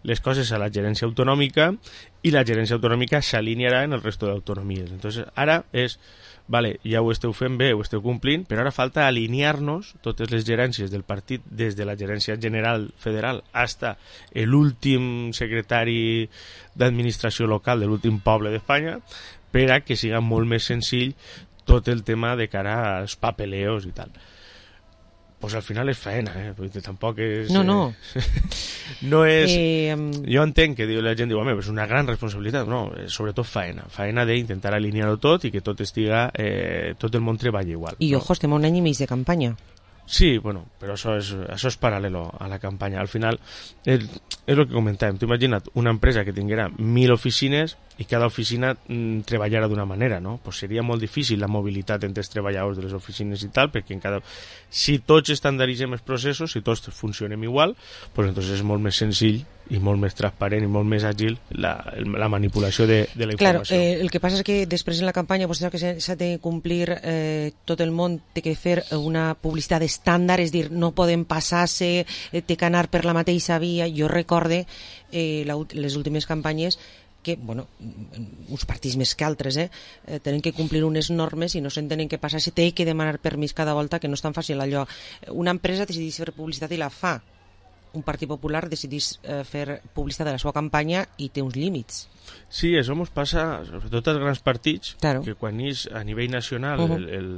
les coses a la gerència autonòmica i la gerència autonòmica s'alinearà en el resto d'autonomies. Entonces, ara és... Vale, ja ho esteu fent bé, ho esteu complint, però ara falta alinear-nos totes les gerències del partit, des de la gerència general federal hasta l'últim secretari d'administració local de l'últim poble d'Espanya, per a que siga molt més senzill tot el tema de cara als papeleos i tal. Pues al final és faena, eh? Perquè tampoc és... No, no. Eh, no és... Eh, jo entenc que la gent diu, home, és una gran responsabilitat. No, és sobretot faena. Faena d'intentar alinear-ho tot i que tot estiga... Eh, tot el món treballi igual. I, no? ojo, estem un any i mig de campanya. Sí, bueno, però això és, això és paral·lelo a la campanya. Al final, és, és el que comentàvem. T'ho imagina't una empresa que tinguera mil oficines i cada oficina mm, treballara d'una manera, no? Pues seria molt difícil la mobilitat entre els treballadors de les oficines i tal, perquè en cada... si tots estandaritzem els processos, si tots funcionem igual, pues entonces és molt més senzill i molt més transparent i molt més àgil la, la manipulació de, de la informació. Claro, eh, el que passa és que després en la campanya vostè que s'ha de complir eh, tot el món té que fer una publicitat estàndard, és dir, no podem passar-se, eh, té que anar per la mateixa via. Jo recorde eh, la, les últimes campanyes que, bueno, uns partits més que altres, eh, eh, tenen que complir unes normes i no se'n tenen que passar, si té que demanar permís cada volta, que no és tan fàcil allò. Una empresa decideix fer publicitat i la fa. Un partit popular decideix eh, fer publicitat de la seva campanya i té uns límits. Sí, això ens passa, sobretot als grans partits, claro. que quan és a nivell nacional uh-huh. el, el,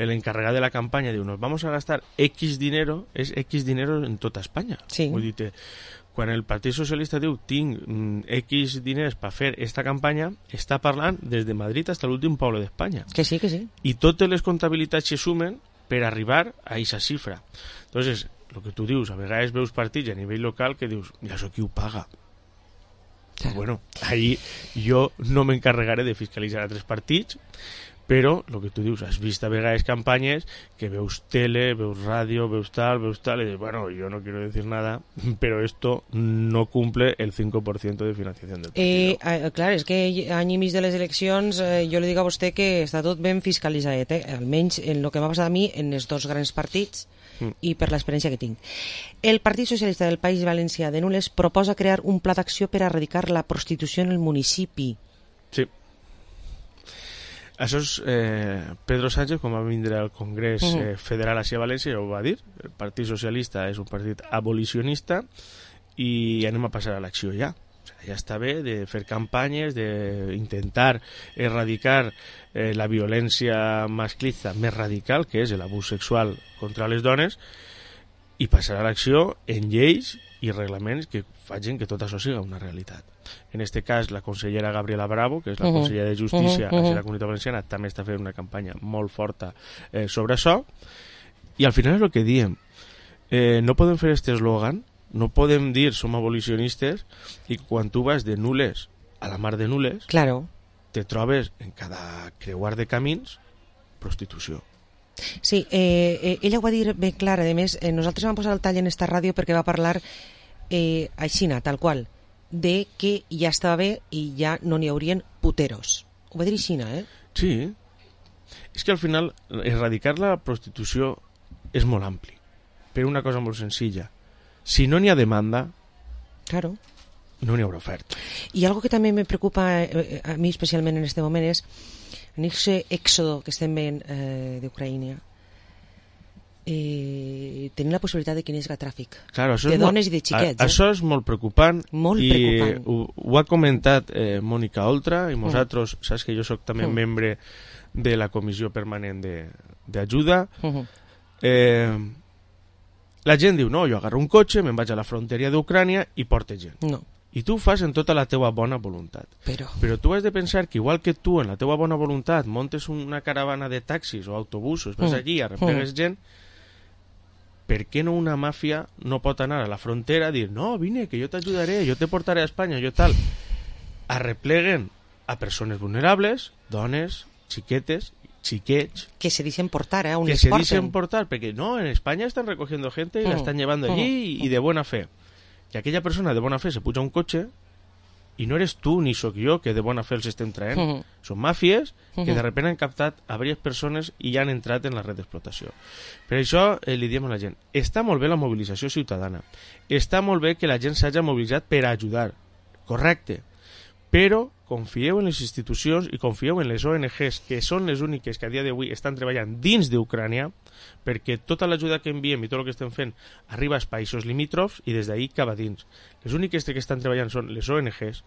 el encarregat de la campanya diu, nos vamos a gastar X dinero, és X dinero en tota Espanya. Sí. Vull dir, quan el Partit Socialista diu tinc mm, X diners per fer esta campanya, està parlant des de Madrid fins a l'últim poble d'Espanya. Que sí, que sí. I totes les comptabilitats se sumen per arribar a aquesta xifra. Entonces, el que tu dius, a vegades veus partits a nivell local que dius, ja això qui ho paga. Claro. Bueno, ahí jo no m'encarregaré de fiscalitzar altres partits, però el que tu dius, has vist a vegades campanyes que veus tele, veus ràdio, veus tal, veus tal, i dius, bueno, yo no quiero decir nada, pero esto no cumple el cinco por ciento de financiación del partido. Eh, eh, clar, és que any i mig de les eleccions eh, jo li dic a vostè que està tot ben fiscalitzat, eh? Almenys en el que m'ha passat a mi en els dos grans partits i per l'experiència que tinc. El Partit Socialista del País Valencià de Nules proposa crear un pla d'acció per a erradicar la prostitució en el municipi. Sí. Això és eh, Pedro Sánchez, quan va vindre al Congrés eh, Federal a València, ja ho va dir. El Partit Socialista és un partit abolicionista i anem a passar a l'acció ja. O sigui, ja està bé de fer campanyes, d'intentar erradicar eh, la violència masclista més radical, que és l'abús sexual contra les dones, i passar a l'acció en lleis i reglaments que facin que tot això siga una realitat. En aquest cas, la consellera Gabriela Bravo, que és la uh-huh. consellera de Justícia uh-huh. a la Comunitat Valenciana, també està fent una campanya molt forta eh, sobre això, i al final és el que diem. Eh, no podem fer aquest eslògan, no podem dir som abolicionistes i quan tu vas de Nules a la mar de Nules, claro. te trobes en cada creuar de camins prostitució. Sí, eh, eh, ella ho va dir ben clar. A més, eh, nosaltres vam posar el tall en esta ràdio perquè va parlar eh, aixina, tal qual, de que ja estava bé i ja no n'hi haurien puteros. Ho va dir aixina, eh? Sí. És que al final erradicar la prostitució és molt ampli, per una cosa molt senzilla. Si no n'hi ha demanda, claro, no n'hi haurà oferta. I algo que també me preocupa eh, a mi especialment en este moment és en aquest èxodo que estem veient eh, d'Ucraïna, eh, tenir la possibilitat de que n'hi hagi tràfic claro, de dones molt, i de xiquets. A, eh? Això és molt preocupant, molt i preocupant. Ho, ho ha comentat eh, Mònica Oltra, i nosaltres, mm. saps que jo soc també mm. membre de la comissió permanent d'ajuda. Mm-hmm. eh, la gent diu, no, jo agarro un cotxe, me'n vaig a la frontera d'Ucrània i porte gent. No. I tu ho fas en tota la teua bona voluntat. Però... Però tu has de pensar que igual que tu en la teua bona voluntat montes una caravana de taxis o autobusos, vas mm. allí, arreplegues mm. gent, per què no una màfia no pot anar a la frontera a dir, no, vine, que jo t'ajudaré, jo te portaré a Espanya, jo tal. Arrepleguen a persones vulnerables, dones, xiquetes, xiquets... Que se dicen portar, ¿eh? Que se dicen portar, porque no, en España están recogiendo gente y mm. la están llevando allí mm. y, y de buena fe. Y aquella persona de buena fe se puja a un coche y no eres tú ni soc jo que de bona fe els estem traient. Mm. Són màfies que de repente han captat a diverses persones i ja han entrat en la red d'explotació. Per això eh, li diem a la gent, està molt bé la mobilització ciutadana, està molt bé que la gent s'hagi mobilitzat per ajudar, correcte, però confieu en les institucions i confieu en les O N Ges, que són les úniques que a dia d'avui estan treballant dins d'Ucrània, perquè tota l'ajuda que enviem i tot el que estem fent arriba als països limítrofs i des d'ahí cap a dins. Les úniques que estan treballant són les O N Ges,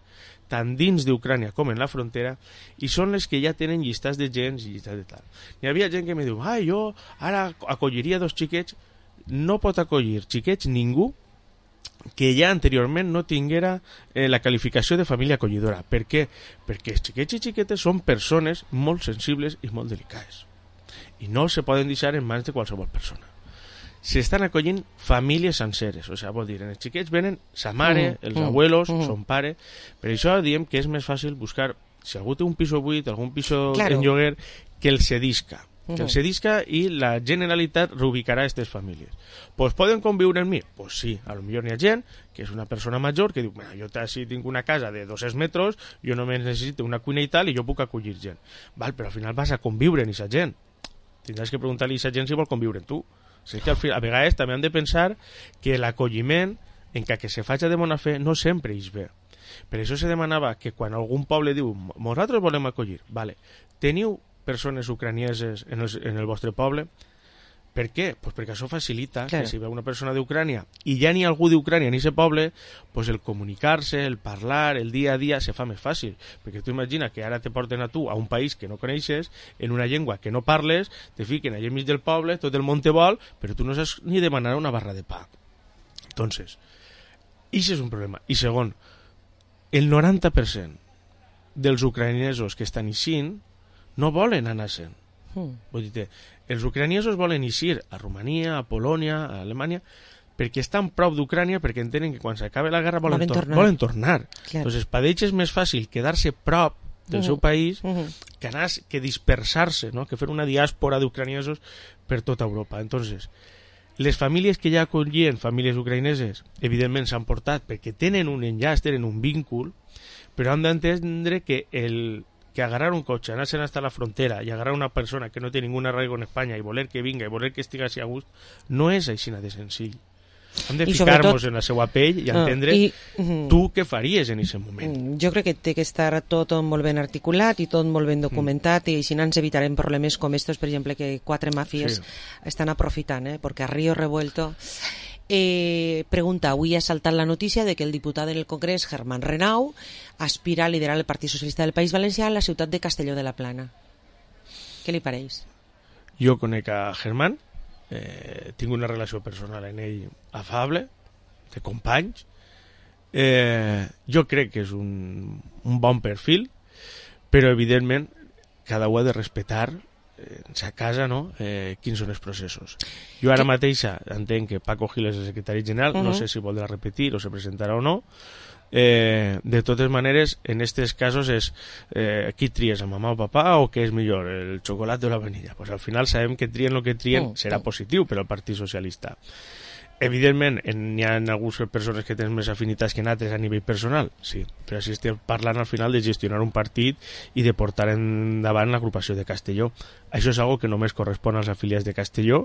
tant dins d'Ucrània com en la frontera, i són les que ja tenen llistats de gens i llistats de tal. Hi havia gent que me diu, ah, jo ara acolliria dos xiquets. No pot acollir xiquets ningú que ja anteriorment no tinguera eh, la qualificació de família acollidora. Per què? Perquè els xiquets i xiquetes són persones molt sensibles i molt delicades i no se poden deixar en mans de qualsevol persona. S'estan acollint famílies senceres, o sigui, vol dir, en els xiquets venen sa mare, mm, els mm, abuelos, mm. son pare. Per això diem que és més fàcil buscar, si algú té un piso buit, algun piso claro. en lloguer, que el cedisca. Que el cedisca i la Generalitat reubicarà aquestes famílies. Pues poden conviure amb mi? Pues sí, a lo millor n'hi ha gent que és una persona major que diu, mira, jo si tinc una casa de dos-cents metres, jo només necessito una cuina i tal i jo puc acollir gent. Val, però al final vas a conviure amb aquesta gent. Tindràs que preguntar-li a aquesta gent si vol conviure amb tu. O sigui que al final, a vegades també han de pensar que l'acolliment, encara que se faci de bona fe, no sempre és bé. Per això se demanava que quan algun poble diu, nosaltres volem acollir, vale, teniu persones ucranieses en el, en el vostre poble. Per què? Pues perquè això facilita claro. que si ve una persona d'Ucrània i ja n'hi ha algú d'Ucrània en aquest poble, pues el comunicar-se, el parlar, el dia a dia se fa més fàcil, perquè tu imagina que ara te porten a tu a un país que no coneixes, en una llengua que no parles, te fiquen allà enmig del poble, tot el món te vol, però tu no saps ni demanar una barra de pa. Entonces, això és un problema. I segon, el noranta per cent dels ucraïnesos que estan eixint no volen anar-se'n. Mm. Vull dir, els ucraniesos volen eixir a Romania, a Polònia, a Alemanya, perquè estan prop d'Ucrània, perquè entenen que quan s'acabe la guerra volen, volen tor tornar. Volen tornar. Claro. Entonces, per ells és més fàcil quedar-se prop del mm. seu país mm. que anar, que dispersar-se, ¿no? Que fer una diàspora d'ucraniesos per tota Europa. Entonces, les famílies que ja acollien famílies ucraïneses, evidentment s'han portat perquè tenen un enllaç, tenen un vínculo, però han d'entendre que el que agarrar un cotxe, anar-se'n hasta la frontera i agarrar una persona que no té ningún arraigo en Espanya i voler que vinga i voler que estigui així a gust, no és així de senzill. Hem de ficar-nos en la seva pell i entendre uh, i, uh, tu què faries en aquest moment. Jo crec que té que estar tot molt ben articulat i tot molt ben documentat, mm. i així ens evitarem problemes com estos, per exemple, que quatre màfies sí. estan aprofitant, eh? Perquè a Río Revuelto... Eh, pregunta, avui ha saltat la notícia de que el diputat en el Congrés, Germán Renau, aspira a liderar el Partit Socialista del País Valencià a la ciutat de Castelló de la Plana. Què li pareix? Jo conec a Germán, eh, tinc una relació personal en ell afable, de companys. Eh, jo crec que és un, un bon perfil, però evidentment cada un ha de respectar en sa casa, no? Eh, quins són els processos. Jo ara mateixa entenc que Paco Gil és el secretari general, uh -huh. no sé si voldrà repetir o se presentarà o no, Eh, de totes maneres, en aquests casos és eh, qui tries, a mamà o papà, o què és millor, el xocolat o la vanilla? Pues al final sabem que trien el que trien, mm, serà mm. positiu per al Partit Socialista. Evidentment, n'hi ha algunes persones que tenen més afinitats que en altres a nivell personal, sí, però així estem parlant al final de gestionar un partit i de portar endavant l'agrupació de Castelló. Això és algo que només correspon als afiliats de Castelló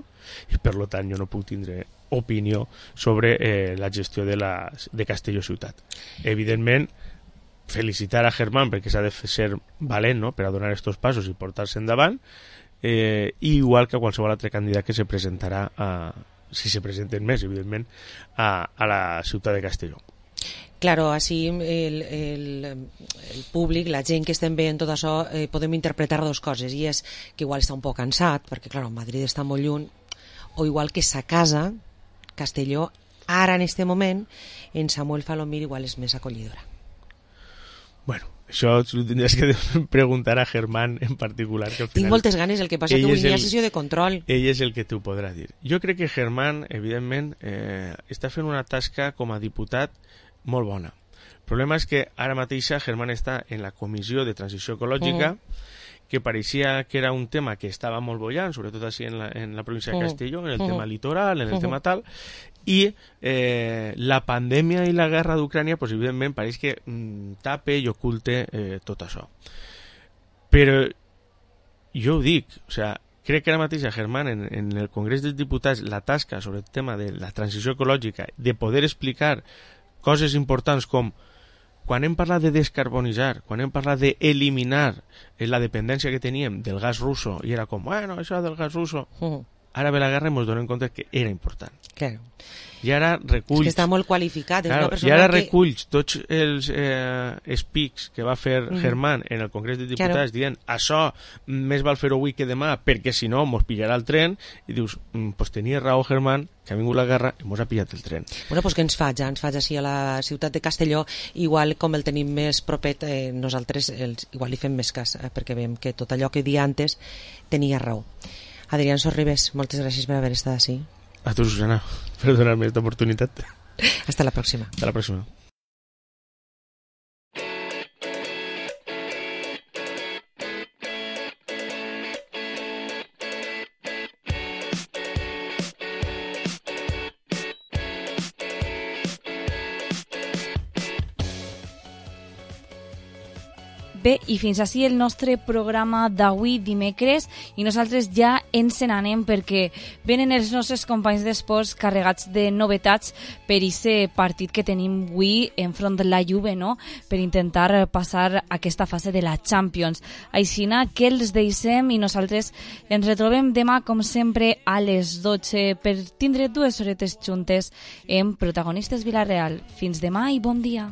i per tant jo no puc tindre opinió sobre eh, la gestió de, la, de Castelló ciutat. Evidentment, felicitar a Germán perquè s'ha de ser valent, no?, per a donar aquests passos i portar-se endavant, eh, igual que qualsevol altre candidat que se presentarà a si se presenten més, evidentment, a, a la ciutat de Castelló. Claro, així el, el, el públic, la gent que estem veient tot això, eh, podem interpretar dues coses, i és que igual està un poc cansat, perquè, clar, Madrid està molt lluny, o igual que sa casa, Castelló, ara en este moment, en Samuel Falomir igual és més acollidora. Bueno, això ho tindries que preguntar a Germán en particular. Que al final, tinc moltes ganes, el que passa que avui hi ha sessió de control. Ell és el que t'ho podrà dir. Jo crec que Germán, evidentment, eh, està fent una tasca com a diputat molt bona. El problema és que ara mateixa Germán està en la Comissió de Transició Ecològica, uh-huh. que pareixia que era un tema que estava molt bollant, sobretot així en la, en la província de Castelló, en el uh-huh. tema litoral, en el uh-huh. tema tal, i eh, la pandèmia i la guerra d'Ucrània, pues, evidentment, pareix que mm, tape i oculte eh, tot això. Però jo ho dic, o sea, crec que ara mateix a Germán, en, en el Congrés dels Diputats, la tasca sobre el tema de la transició ecològica, de poder explicar coses importants com quan hem parlat de descarbonitzar, quan hem parlat d'eliminar la dependència que teníem del gas russo, i era com, bueno, això del gas russo, uh-huh. ara ve la guerra i ens donem compte que era important. Claro. I ara reculls... És que està molt qualificat. És claro, una persona I ara que... reculls tots els eh, speaks que va fer mm. Germán en el Congrés dels Diputats, claro. dient això més val fer-ho avui que demà perquè si no mos pillarà el tren, i dius, mm, pues tenia raó Germán, que ha vingut la guerra i mos ha pillat el tren. Bueno, pues què ens faig? Ens faig així a la ciutat de Castelló, igual com el tenim més propet, eh, nosaltres els, igual li fem més cas, eh, perquè veiem que tot allò que dia antes tenia raó. Adrián Sorribes, moltes gràcies per haver estat així. A tu, Susana, per donar-me aquesta oportunitat. Hasta la pròxima. Hasta la pròxima. Bé, i fins així el nostre programa d'avui dimecres, i nosaltres ja ens n'anem perquè venen els nostres companys d'esports carregats de novetats per aquest partit que tenim avui enfront de la Juve, no?, per intentar passar aquesta fase de la Champions. Aixina que els deixem i nosaltres ens retrobem demà, com sempre, a les dotze per tindre dues horetes juntes en Protagonistes Vila-real. Fins demà i bon dia.